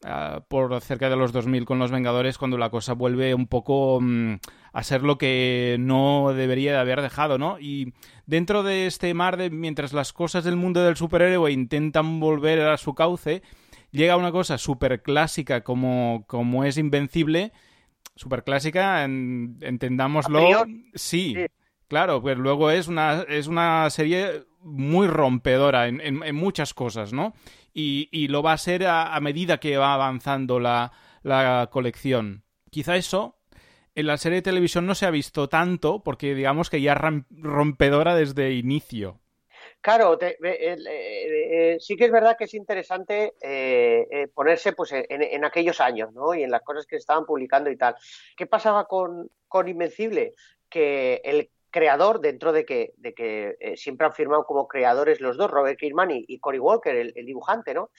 uh, por cerca de los dos mil con Los Vengadores, cuando la cosa vuelve un poco um, a ser lo que no debería de haber dejado, ¿no? Y dentro de este mar de mientras las cosas del mundo del superhéroe intentan volver a su cauce, llega una cosa súper clásica como, como es Invencible, súper clásica, en, entendámoslo. Sí, sí, claro, pues luego es una, es una serie muy rompedora en, en, en muchas cosas, ¿no? Y, y lo va a ser a, a medida que va avanzando la, la colección. Quizá eso en la serie de televisión no se ha visto tanto porque digamos que ya es rompedora desde inicio. Claro, te, eh, eh, eh, sí que es verdad que es interesante eh, eh, ponerse pues en, en aquellos años, ¿no? Y en las cosas que se estaban publicando y tal. ¿Qué pasaba con, con Invencible? Que el creador, dentro de que, de que eh, siempre han firmado como creadores los dos, Robert Kirkman y, y Cory Walker, el, el dibujante, ¿no?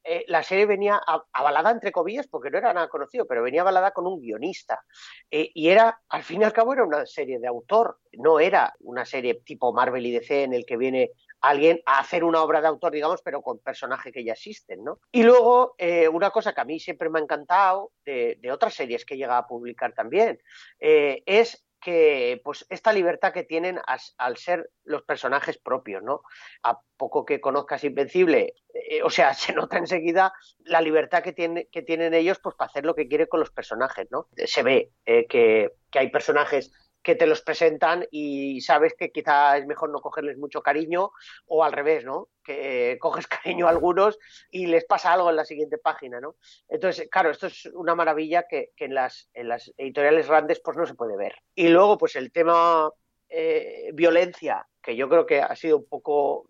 Eh, la serie venía avalada, entre comillas, porque no era nada conocido, pero venía avalada con un guionista. Eh, y era, al fin y al cabo, era una serie de autor. No era una serie tipo Marvel y D C en el que viene alguien a hacer una obra de autor, digamos, pero con personajes que ya existen, ¿no? Y luego, eh, una cosa que a mí siempre me ha encantado de, de otras series que he llegado a publicar también, eh, es que pues esta libertad que tienen as, al ser los personajes propios, ¿no? A poco que conozcas Invencible, eh, o sea, se nota enseguida la libertad que, tiene, que tienen ellos pues para hacer lo que quieren con los personajes, ¿no? Se ve eh, que, que hay personajes que te los presentan y sabes que quizá es mejor no cogerles mucho cariño, o al revés, ¿no? Que eh, coges cariño a algunos y les pasa algo en la siguiente página, ¿no? Entonces, claro, esto es una maravilla que, que en, las, en las editoriales grandes pues no se puede ver. Y luego, pues el tema eh, violencia que yo creo que ha sido un poco,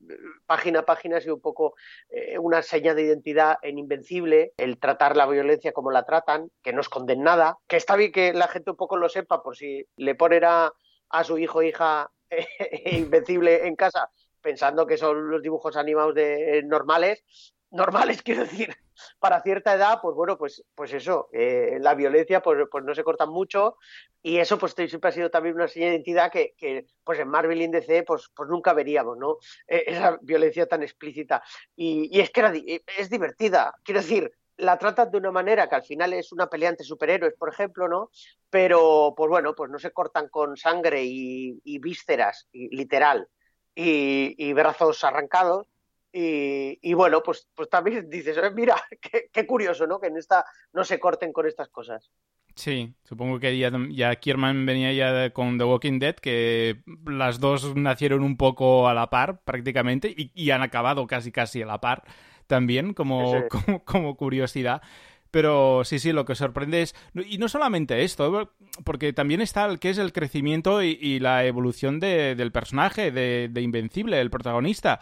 página a página, ha sido un poco eh, una seña de identidad en Invencible, el tratar la violencia como la tratan, que no esconden nada, que está bien que la gente un poco lo sepa por si le ponen a, a su hijo o hija eh, Invencible en casa pensando que son los dibujos animados de, eh, normales, normales quiero decir, para cierta edad, pues bueno, pues, pues eso, eh, la violencia pues, pues no se corta mucho y eso pues siempre ha sido también una señal de identidad que, que pues en Marvel y en D C pues, pues nunca veríamos, ¿no? Eh, esa violencia tan explícita. Y, y es que era, es divertida, quiero decir, la tratan de una manera que al final es una pelea entre superhéroes, por ejemplo, ¿no? Pero pues bueno, pues no se cortan con sangre y, y vísceras, y, literal, y, y brazos arrancados. Y, y bueno, pues, pues también dices, eh, mira, qué, qué curioso, ¿no? Que en esta no se corten con estas cosas. Sí, supongo que ya, ya Kirman venía ya de, con The Walking Dead, que las dos nacieron un poco a la par prácticamente y, y han acabado casi casi a la par también, como, sí, sí. como, como curiosidad. Pero sí, sí, lo que sorprende es... Y no solamente esto, porque también está el que es el crecimiento y, y la evolución de, del personaje, de, de Invencible, el protagonista.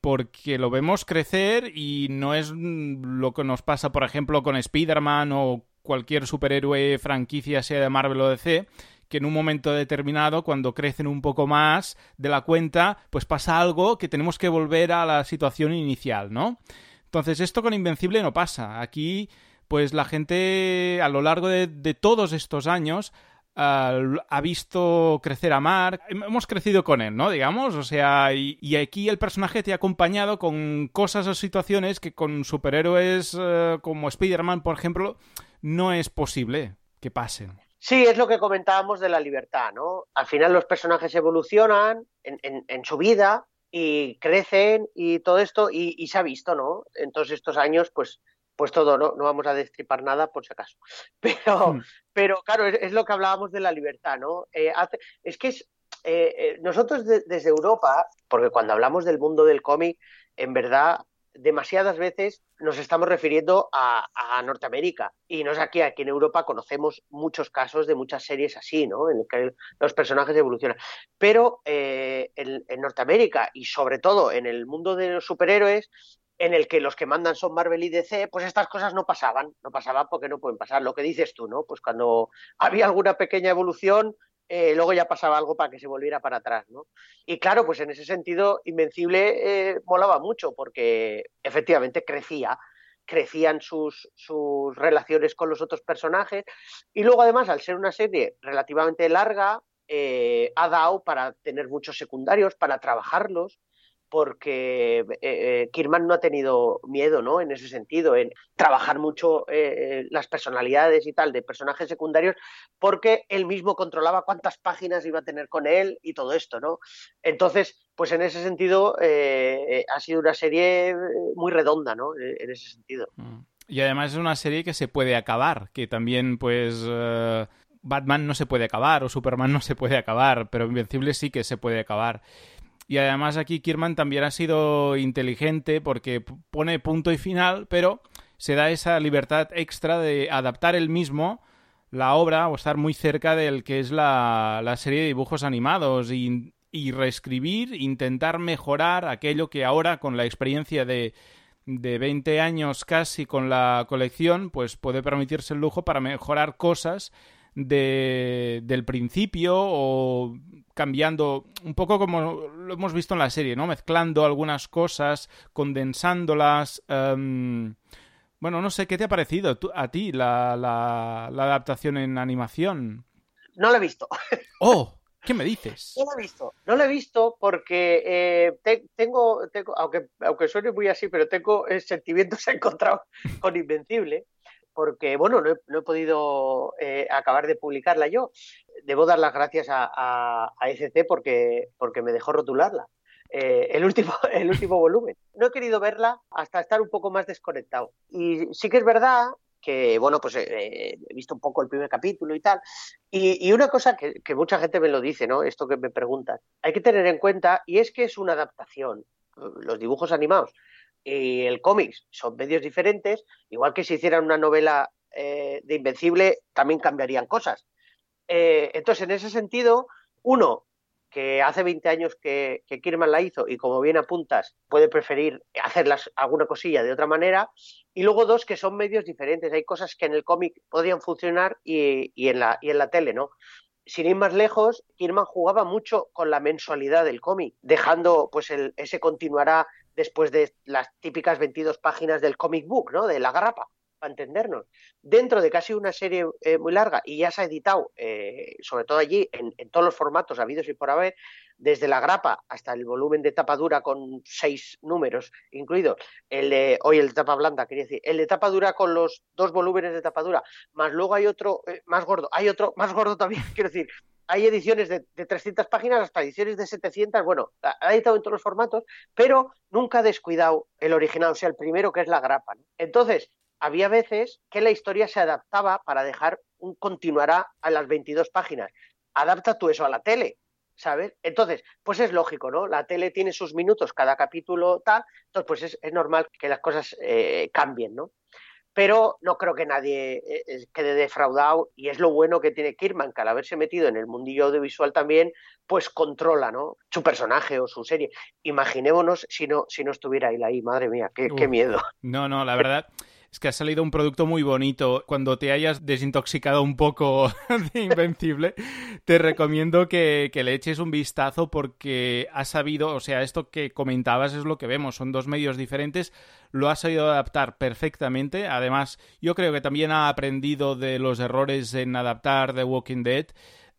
Porque lo vemos crecer y no es lo que nos pasa, por ejemplo, con Spider-Man o cualquier superhéroe franquicia, sea de Marvel o D C, que en un momento determinado, cuando crecen un poco más de la cuenta, pues pasa algo que tenemos que volver a la situación inicial, ¿no? Entonces, esto con Invencible no pasa. Aquí, pues la gente, a lo largo de, de todos estos años... Uh, ha visto crecer a Mark, hemos crecido con él, ¿no? Digamos, o sea, y, y aquí el personaje te ha acompañado con cosas o situaciones que con superhéroes uh, como Spider-Man, por ejemplo, no es posible que pasen. Sí, es lo que comentábamos de la libertad, ¿no? Al final los personajes evolucionan en, en, en su vida y crecen y todo esto, y, y se ha visto, ¿no? En todos estos años, pues... pues todo, ¿no? No vamos a destripar nada por si acaso. Pero, hmm. pero claro, es, es lo que hablábamos de la libertad, ¿no? Eh, hace, es que es, eh, eh, nosotros de, desde Europa, porque cuando hablamos del mundo del cómic, en verdad, demasiadas veces nos estamos refiriendo a, a Norteamérica. Y no es aquí, aquí en Europa conocemos muchos casos de muchas series así, ¿no? En el que los personajes evolucionan. Pero eh, en, en Norteamérica y sobre todo en el mundo de los superhéroes, en el que los que mandan son Marvel y D C, pues estas cosas no pasaban, no pasaban porque no pueden pasar. Lo que dices tú, ¿no? Pues cuando había alguna pequeña evolución, eh, luego ya pasaba algo para que se volviera para atrás, ¿no? Y claro, pues en ese sentido, Invencible eh, molaba mucho porque efectivamente crecía, crecían sus, sus relaciones con los otros personajes y luego además, al ser una serie relativamente larga, eh, ha dado para tener muchos secundarios, para trabajarlos, porque eh, Kirman no ha tenido miedo, ¿no? En ese sentido, en trabajar mucho eh, las personalidades y tal de personajes secundarios, porque él mismo controlaba cuántas páginas iba a tener con él y todo esto, ¿no? Entonces, pues en ese sentido eh, ha sido una serie muy redonda, ¿no? En ese sentido. Y además es una serie que se puede acabar, que también, pues... Uh... Batman no se puede acabar o Superman no se puede acabar, pero Invencible sí que se puede acabar. Y además aquí Kirman también ha sido inteligente porque pone punto y final, pero se da esa libertad extra de adaptar él mismo la obra o estar muy cerca del que es la, la serie de dibujos animados y, y reescribir, intentar mejorar aquello que ahora con la experiencia de, de veinte años casi con la colección, pues puede permitirse el lujo para mejorar cosas de, del principio o cambiando un poco como lo hemos visto en la serie, ¿no? Mezclando algunas cosas, condensándolas. Um, bueno, no sé, ¿qué te ha parecido tú, a ti la, la, la adaptación en animación? No la he visto. ¡Oh! ¿Qué me dices? No la he visto. No la he visto porque eh, te, tengo, tengo aunque, aunque suene muy así, pero tengo eh, sentimientos encontrados con Invencible. Porque, bueno, no he, no he podido eh, acabar de publicarla yo. Debo dar las gracias a, a, a E C C porque, porque me dejó rotularla, eh, el, último, el último volumen. No he querido verla hasta estar un poco más desconectado. Y sí que es verdad que, bueno, pues eh, he visto un poco el primer capítulo y tal. Y, y una cosa que, que mucha gente me lo dice, ¿no? Esto que me preguntan, hay que tener en cuenta, y es que es una adaptación. Los dibujos animados y el cómic son medios diferentes, igual que si hicieran una novela eh, de Invencible también cambiarían cosas. Eh, entonces, en ese sentido, uno, que hace veinte años que, que Kirkman la hizo y como bien apuntas, puede preferir hacerlas alguna cosilla de otra manera. Y luego dos, que son medios diferentes. Hay cosas que en el cómic podrían funcionar y, y, en la, y en la tele, ¿no? Sin ir más lejos, Kirkman jugaba mucho con la mensualidad del cómic, dejando pues el, ese continuará después de las típicas veintidós páginas del comic book, ¿no? De la grapa, para entendernos. Dentro de casi una serie eh, muy larga, y ya se ha editado, eh, sobre todo allí, en, en todos los formatos habidos y por haber, desde la grapa hasta el volumen de tapa dura con seis números incluidos, el de, hoy el de tapa blanda, quería decir, el de tapa dura con los dos volúmenes de tapa dura, más luego hay otro eh, más gordo, hay otro más gordo también, quiero decir, hay ediciones de, de trescientas páginas hasta ediciones de setecientas, bueno, ha editado en todos los formatos, pero nunca ha descuidado el original, o sea, el primero que es la grapa, ¿no? Entonces, había veces que la historia se adaptaba para dejar un continuará a las veintidós páginas. Adapta tú eso a la tele, ¿sabes? Entonces, pues es lógico, ¿no? La tele tiene sus minutos, cada capítulo tal, entonces pues es, es normal que las cosas eh, cambien, ¿no? Pero no creo que nadie eh, quede defraudado, y es lo bueno que tiene Kirkman, que al haberse metido en el mundillo audiovisual también, pues controla, ¿no? Su personaje o su serie. Imaginémonos si no, si no estuviera él ahí, madre mía, qué, qué miedo. No, no, la verdad es que ha salido un producto muy bonito. Cuando te hayas desintoxicado un poco de Invencible, te recomiendo que, que le eches un vistazo, porque has sabido, o sea, esto que comentabas es lo que vemos, son dos medios diferentes, lo ha sabido adaptar perfectamente. Además, yo creo que también ha aprendido de los errores en adaptar The Walking Dead.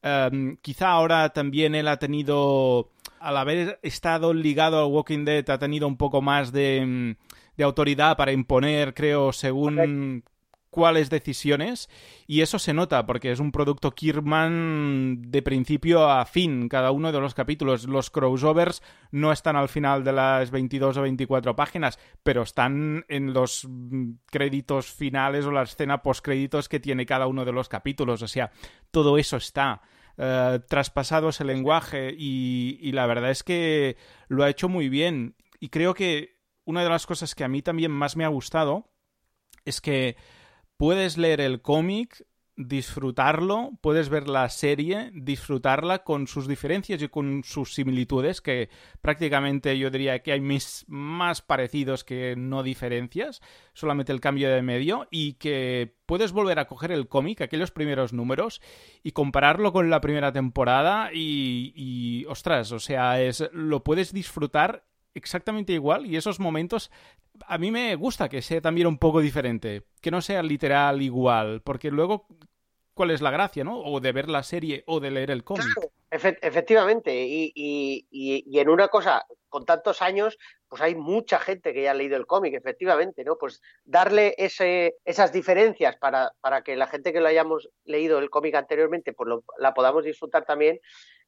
Um, quizá ahora también él ha tenido, al haber estado ligado al Walking Dead, ha tenido un poco más de... de autoridad para imponer, creo, según cuáles decisiones, y eso se nota porque es un producto Kirkman de principio a fin, cada uno de los capítulos. Los crossovers no están al final de las veintidós o veinticuatro páginas, pero están en los créditos finales o la escena postcréditos que tiene cada uno de los capítulos. O sea, todo eso está uh, traspasado ese lenguaje, y, y la verdad es que lo ha hecho muy bien. Y creo que una de las cosas que a mí también más me ha gustado es que puedes leer el cómic, disfrutarlo, puedes ver la serie, disfrutarla con sus diferencias y con sus similitudes, que prácticamente yo diría que hay mis, más parecidos que no diferencias, solamente el cambio de medio, y que puedes volver a coger el cómic, aquellos primeros números, y compararlo con la primera temporada y, y ostras, o sea, es, lo puedes disfrutar exactamente igual, y esos momentos a mí me gusta que sea también un poco diferente, que no sea literal igual, porque luego ¿cuál es la gracia, no? O de ver la serie o de leer el cómic. Claro, efe- efectivamente, y, y, y, y en una cosa, con tantos años, pues hay mucha gente que ya ha leído el cómic, efectivamente, ¿no? Pues darle ese, esas diferencias para, para que la gente que lo hayamos leído el cómic anteriormente, pues lo, la podamos disfrutar también,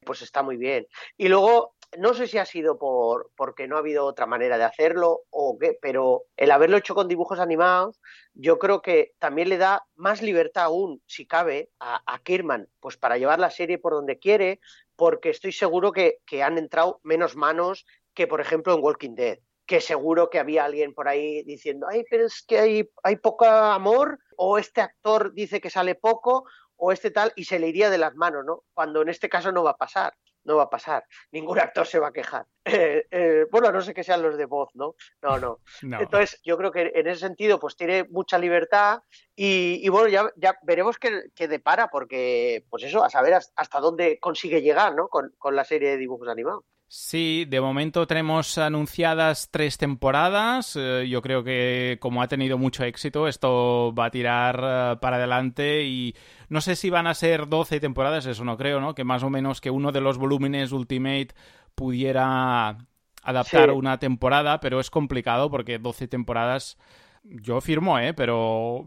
pues está muy bien. Y luego, no sé si ha sido por porque no ha habido otra manera de hacerlo o qué, pero el haberlo hecho con dibujos animados, yo creo que también le da más libertad aún, si cabe, a, a Kirkman, pues para llevar la serie por donde quiere, porque estoy seguro que, que han entrado menos manos que, por ejemplo, en Walking Dead, que seguro que había alguien por ahí diciendo, ay, pero es que hay, hay poco amor, o este actor dice que sale poco, o este tal, y se le iría de las manos, ¿no? Cuando en este caso no va a pasar. No va a pasar, ningún actor se va a quejar. Eh, eh, bueno, a no ser que sean los de voz, ¿no? No, no. no. Entonces, yo creo que en ese sentido, pues tiene mucha libertad y, y bueno, ya, ya veremos qué, qué depara, porque, pues eso, a saber hasta dónde consigue llegar, ¿no? Con, con la serie de dibujos animados. Sí, de momento tenemos anunciadas tres temporadas. Eh, yo creo que como ha tenido mucho éxito, esto va a tirar uh, para adelante, y no sé si van a ser doce temporadas, eso no creo, ¿no? Que más o menos que uno de los volúmenes Ultimate pudiera adaptar sí. una temporada, pero es complicado porque doce temporadas yo firmo, ¿eh? Pero...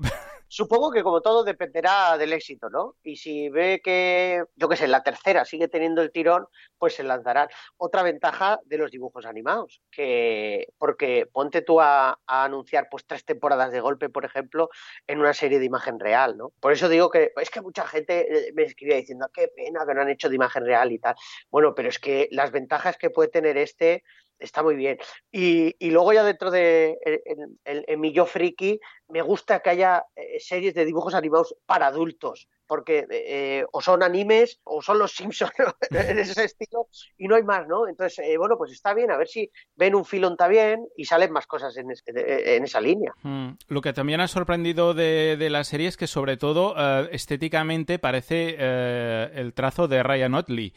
Supongo que como todo dependerá del éxito, ¿no? Y si ve que, yo qué sé, la tercera sigue teniendo el tirón, pues se lanzarán. Otra ventaja de los dibujos animados, que porque ponte tú a, a anunciar pues tres temporadas de golpe, por ejemplo, en una serie de imagen real, ¿no? Por eso digo que es que mucha gente me escribía diciendo qué pena que no han hecho de imagen real y tal. Bueno, pero es que las ventajas que puede tener este está muy bien. Y, y luego ya dentro de en, en, en mi yo friki, me gusta que haya eh, series de dibujos animados para adultos, porque eh, o son animes o son los Simpsons en ese estilo y no hay más, ¿no? Entonces, eh, bueno, pues está bien, a ver si ven un filón también y salen más cosas en, es, en esa línea. Mm. Lo que también ha sorprendido de, de la serie es que sobre todo eh, estéticamente parece eh, el trazo de Ryan Otley,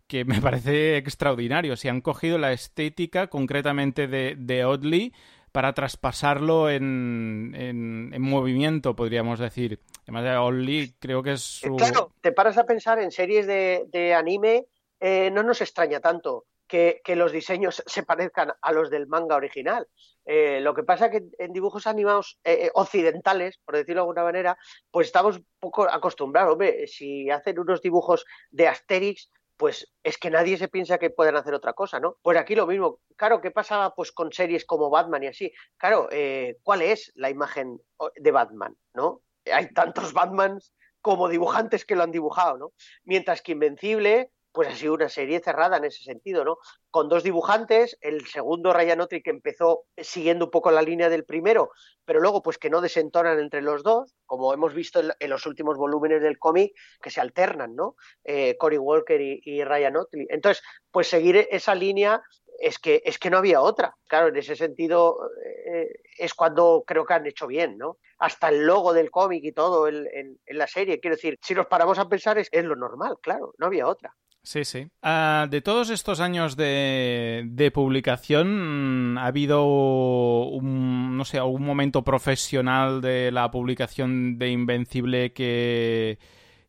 que me parece extraordinario. Si han cogido la estética concretamente de, de Otley para traspasarlo en, en, en movimiento, podríamos decir. Además de Otley, creo que es su... Claro, te paras a pensar en series de, de anime, eh, no nos extraña tanto que, que los diseños se parezcan a los del manga original. Eh, lo que pasa es que en dibujos animados eh, occidentales, por decirlo de alguna manera, pues estamos un poco acostumbrados. Hombre, si hacen unos dibujos de Asterix, pues es que nadie se piensa que puedan hacer otra cosa, ¿no? Pues aquí lo mismo. Claro, ¿qué pasaba pues con series como Batman y así? Claro, eh, ¿cuál es la imagen de Batman, no? Hay tantos Batmans como dibujantes que lo han dibujado, ¿no? Mientras que Invencible, pues ha sido una serie cerrada en ese sentido, ¿no? Con dos dibujantes, el segundo Ryan Otley que empezó siguiendo un poco la línea del primero, pero luego pues que no desentonan entre los dos, como hemos visto en, en los últimos volúmenes del cómic, que se alternan, ¿no? Eh, Cory Walker y, y Ryan Otley. Entonces, pues seguir esa línea es que, es que no había otra. Claro, en ese sentido eh, es cuando creo que han hecho bien, ¿no? Hasta el logo del cómic y todo en, en, en la serie. Quiero decir, si nos paramos a pensar es, es lo normal, claro, no había otra. Sí, sí. Uh, de todos estos años de, de publicación, ¿ha habido un, no sé, algún momento profesional de la publicación de Invencible que,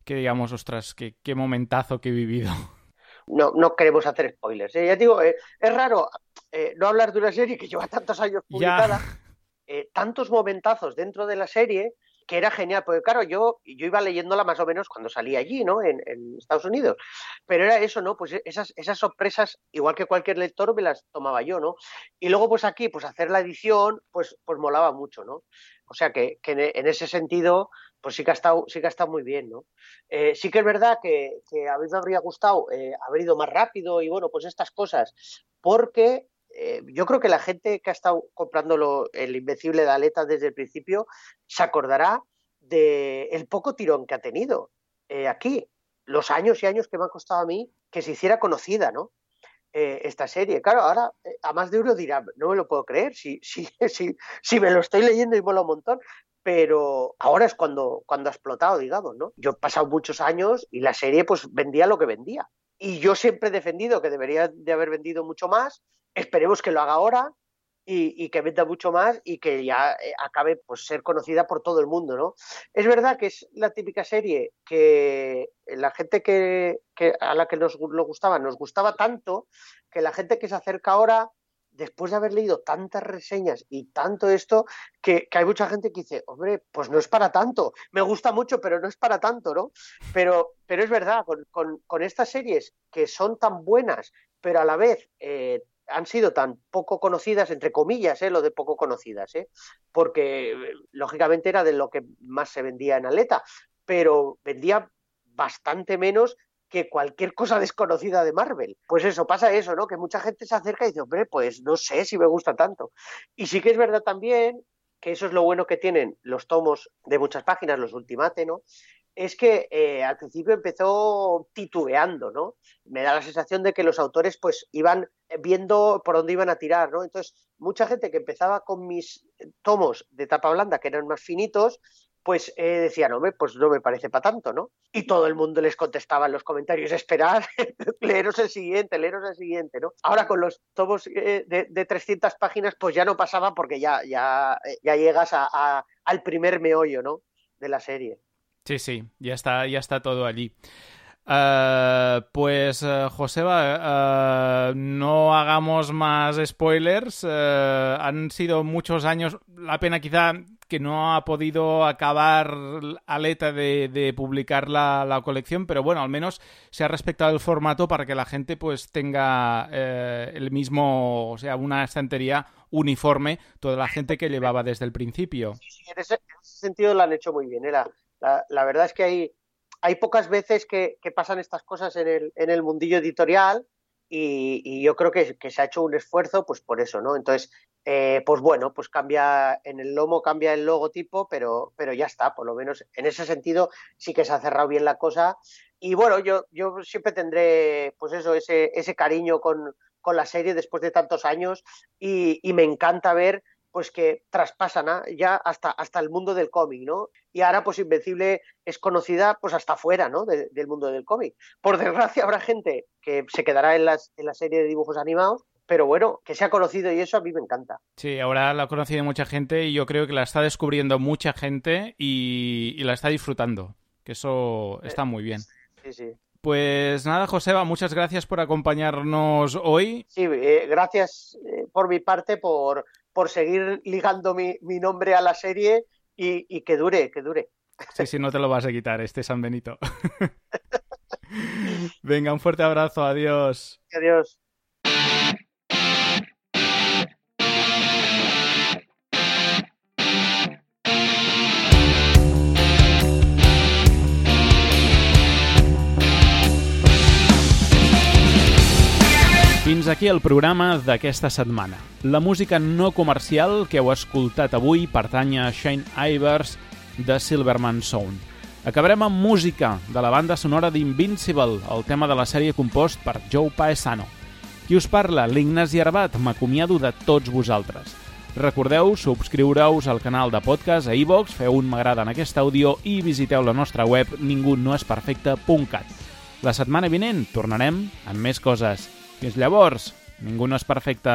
que digamos, ostras, qué, qué momentazo que he vivido? No, no queremos hacer spoilers, ¿eh? Ya te digo, eh, es raro eh, no hablar de una serie que lleva tantos años publicada, eh, tantos momentazos dentro de la serie, que era genial, porque claro, yo, yo iba leyéndola más o menos cuando salí allí, ¿no? En, en Estados Unidos, pero era eso, ¿no? Pues esas, esas sorpresas, igual que cualquier lector, me las tomaba yo, ¿no? Y luego, pues aquí, pues hacer la edición, pues, pues molaba mucho, ¿no? O sea que, que en ese sentido, pues sí que ha estado, sí que ha estado muy bien, ¿no? Eh, sí que es verdad que, que a mí me habría gustado eh, haber ido más rápido y bueno, pues estas cosas, porque eh, yo creo que la gente que ha estado comprándolo, el Invencible de Aleta desde el principio, se acordará del de poco tirón que ha tenido eh, aquí, los años y años que me ha costado a mí que se hiciera conocida, ¿no? Eh, esta serie. Claro, ahora eh, a más de uno dirá, no me lo puedo creer, si, si, si, si me lo estoy leyendo y mola un montón, pero ahora es cuando, cuando ha explotado, digamos, ¿no? Yo he pasado muchos años y la serie pues vendía lo que vendía. Y yo siempre he defendido que debería de haber vendido mucho más, esperemos que lo haga ahora y, y que venda mucho más y que ya eh, acabe pues ser conocida por todo el mundo, ¿no? Es verdad que es la típica serie que la gente que, que a la que nos lo gustaba, nos gustaba tanto que la gente que se acerca ahora, después de haber leído tantas reseñas y tanto esto, que, que hay mucha gente que dice, hombre, pues no es para tanto, me gusta mucho, pero no es para tanto, ¿no? Pero, pero es verdad, con, con, con estas series que son tan buenas, pero a la vez eh, han sido tan poco conocidas, entre comillas, ¿eh? Lo de poco conocidas, ¿eh? Porque eh, lógicamente era de lo que más se vendía en Aleta, pero vendía bastante menos que cualquier cosa desconocida de Marvel. Pues eso, pasa eso, ¿no? Que mucha gente se acerca y dice, hombre, pues no sé si me gusta tanto. Y sí que es verdad también que eso es lo bueno que tienen los tomos de muchas páginas, los Ultimate, ¿no? Es que eh, al principio empezó titubeando, ¿no? Me da la sensación de que los autores pues iban viendo por dónde iban a tirar, ¿no? Entonces, mucha gente que empezaba con mis tomos de tapa blanda, que eran más finitos, pues eh, decían, hombre, pues no me parece para tanto, ¿no? Y todo el mundo les contestaba en los comentarios, esperad, leeros el siguiente, leeros el siguiente, ¿no? Ahora con los tomos eh, de, de trescientas páginas, pues ya no pasaba porque ya, ya, ya llegas a, a, al primer meollo, ¿no? De la serie. Sí, sí, ya está, ya está todo allí. Uh, pues, uh, Joseba, uh, no hagamos más spoilers. Uh, han sido muchos años. La pena quizá que no ha podido acabar Aleta de, de publicar la, la colección, pero bueno, al menos se ha respetado el formato para que la gente pues tenga eh, el mismo, o sea, una estantería uniforme, toda la gente que llevaba desde el principio. Sí, sí, en ese, en ese sentido lo han hecho muy bien. ¿eh? La, la, la verdad es que hay, hay pocas veces que, que pasan estas cosas en el, en el mundillo editorial y, y yo creo que, que se ha hecho un esfuerzo pues por eso, ¿no? Entonces, eh, pues bueno, pues cambia en el lomo, cambia el logotipo, pero, pero ya está, por lo menos en ese sentido sí que se ha cerrado bien la cosa. Y bueno, yo, yo siempre tendré pues eso, ese, ese cariño con, con la serie después de tantos años y, y me encanta ver pues que traspasan ¿eh? ya hasta, hasta el mundo del cómic, ¿no? Y ahora pues Invencible es conocida pues hasta fuera, ¿no? De, del mundo del cómic. Por desgracia habrá gente que se quedará en, las, en la serie de dibujos animados, pero bueno, que se ha conocido y eso a mí me encanta. Sí, ahora la ha conocido mucha gente y yo creo que la está descubriendo mucha gente y, y la está disfrutando, que eso está muy bien. Sí, sí. Pues nada, Joseba, muchas gracias por acompañarnos hoy. Sí, eh, gracias eh, por mi parte por, por seguir ligando mi, mi nombre a la serie y, y que dure, que dure. Sí, sí, no te lo vas a quitar, este San Benito. Venga, un fuerte abrazo, adiós. Adiós. Fins aquí el programa d'aquesta setmana. La música no comercial que heu escoltat avui pertany a Shane Ivers de Silverman Sound. Acabarem amb música de la banda sonora d'Invincible, el tema de la sèrie compost per Joe Paesano. Qui us parla, l'Ignasi Arbat, m'acomiado de tots vosaltres. Recordeu subscriure-us al canal de podcast a iVoox, feu un m'agrada en aquest àudio i visiteu la nostra web ningunoesperfecte punt cat. La setmana vinent tornarem amb més coses. Fins llavors, ningú no és perfecte.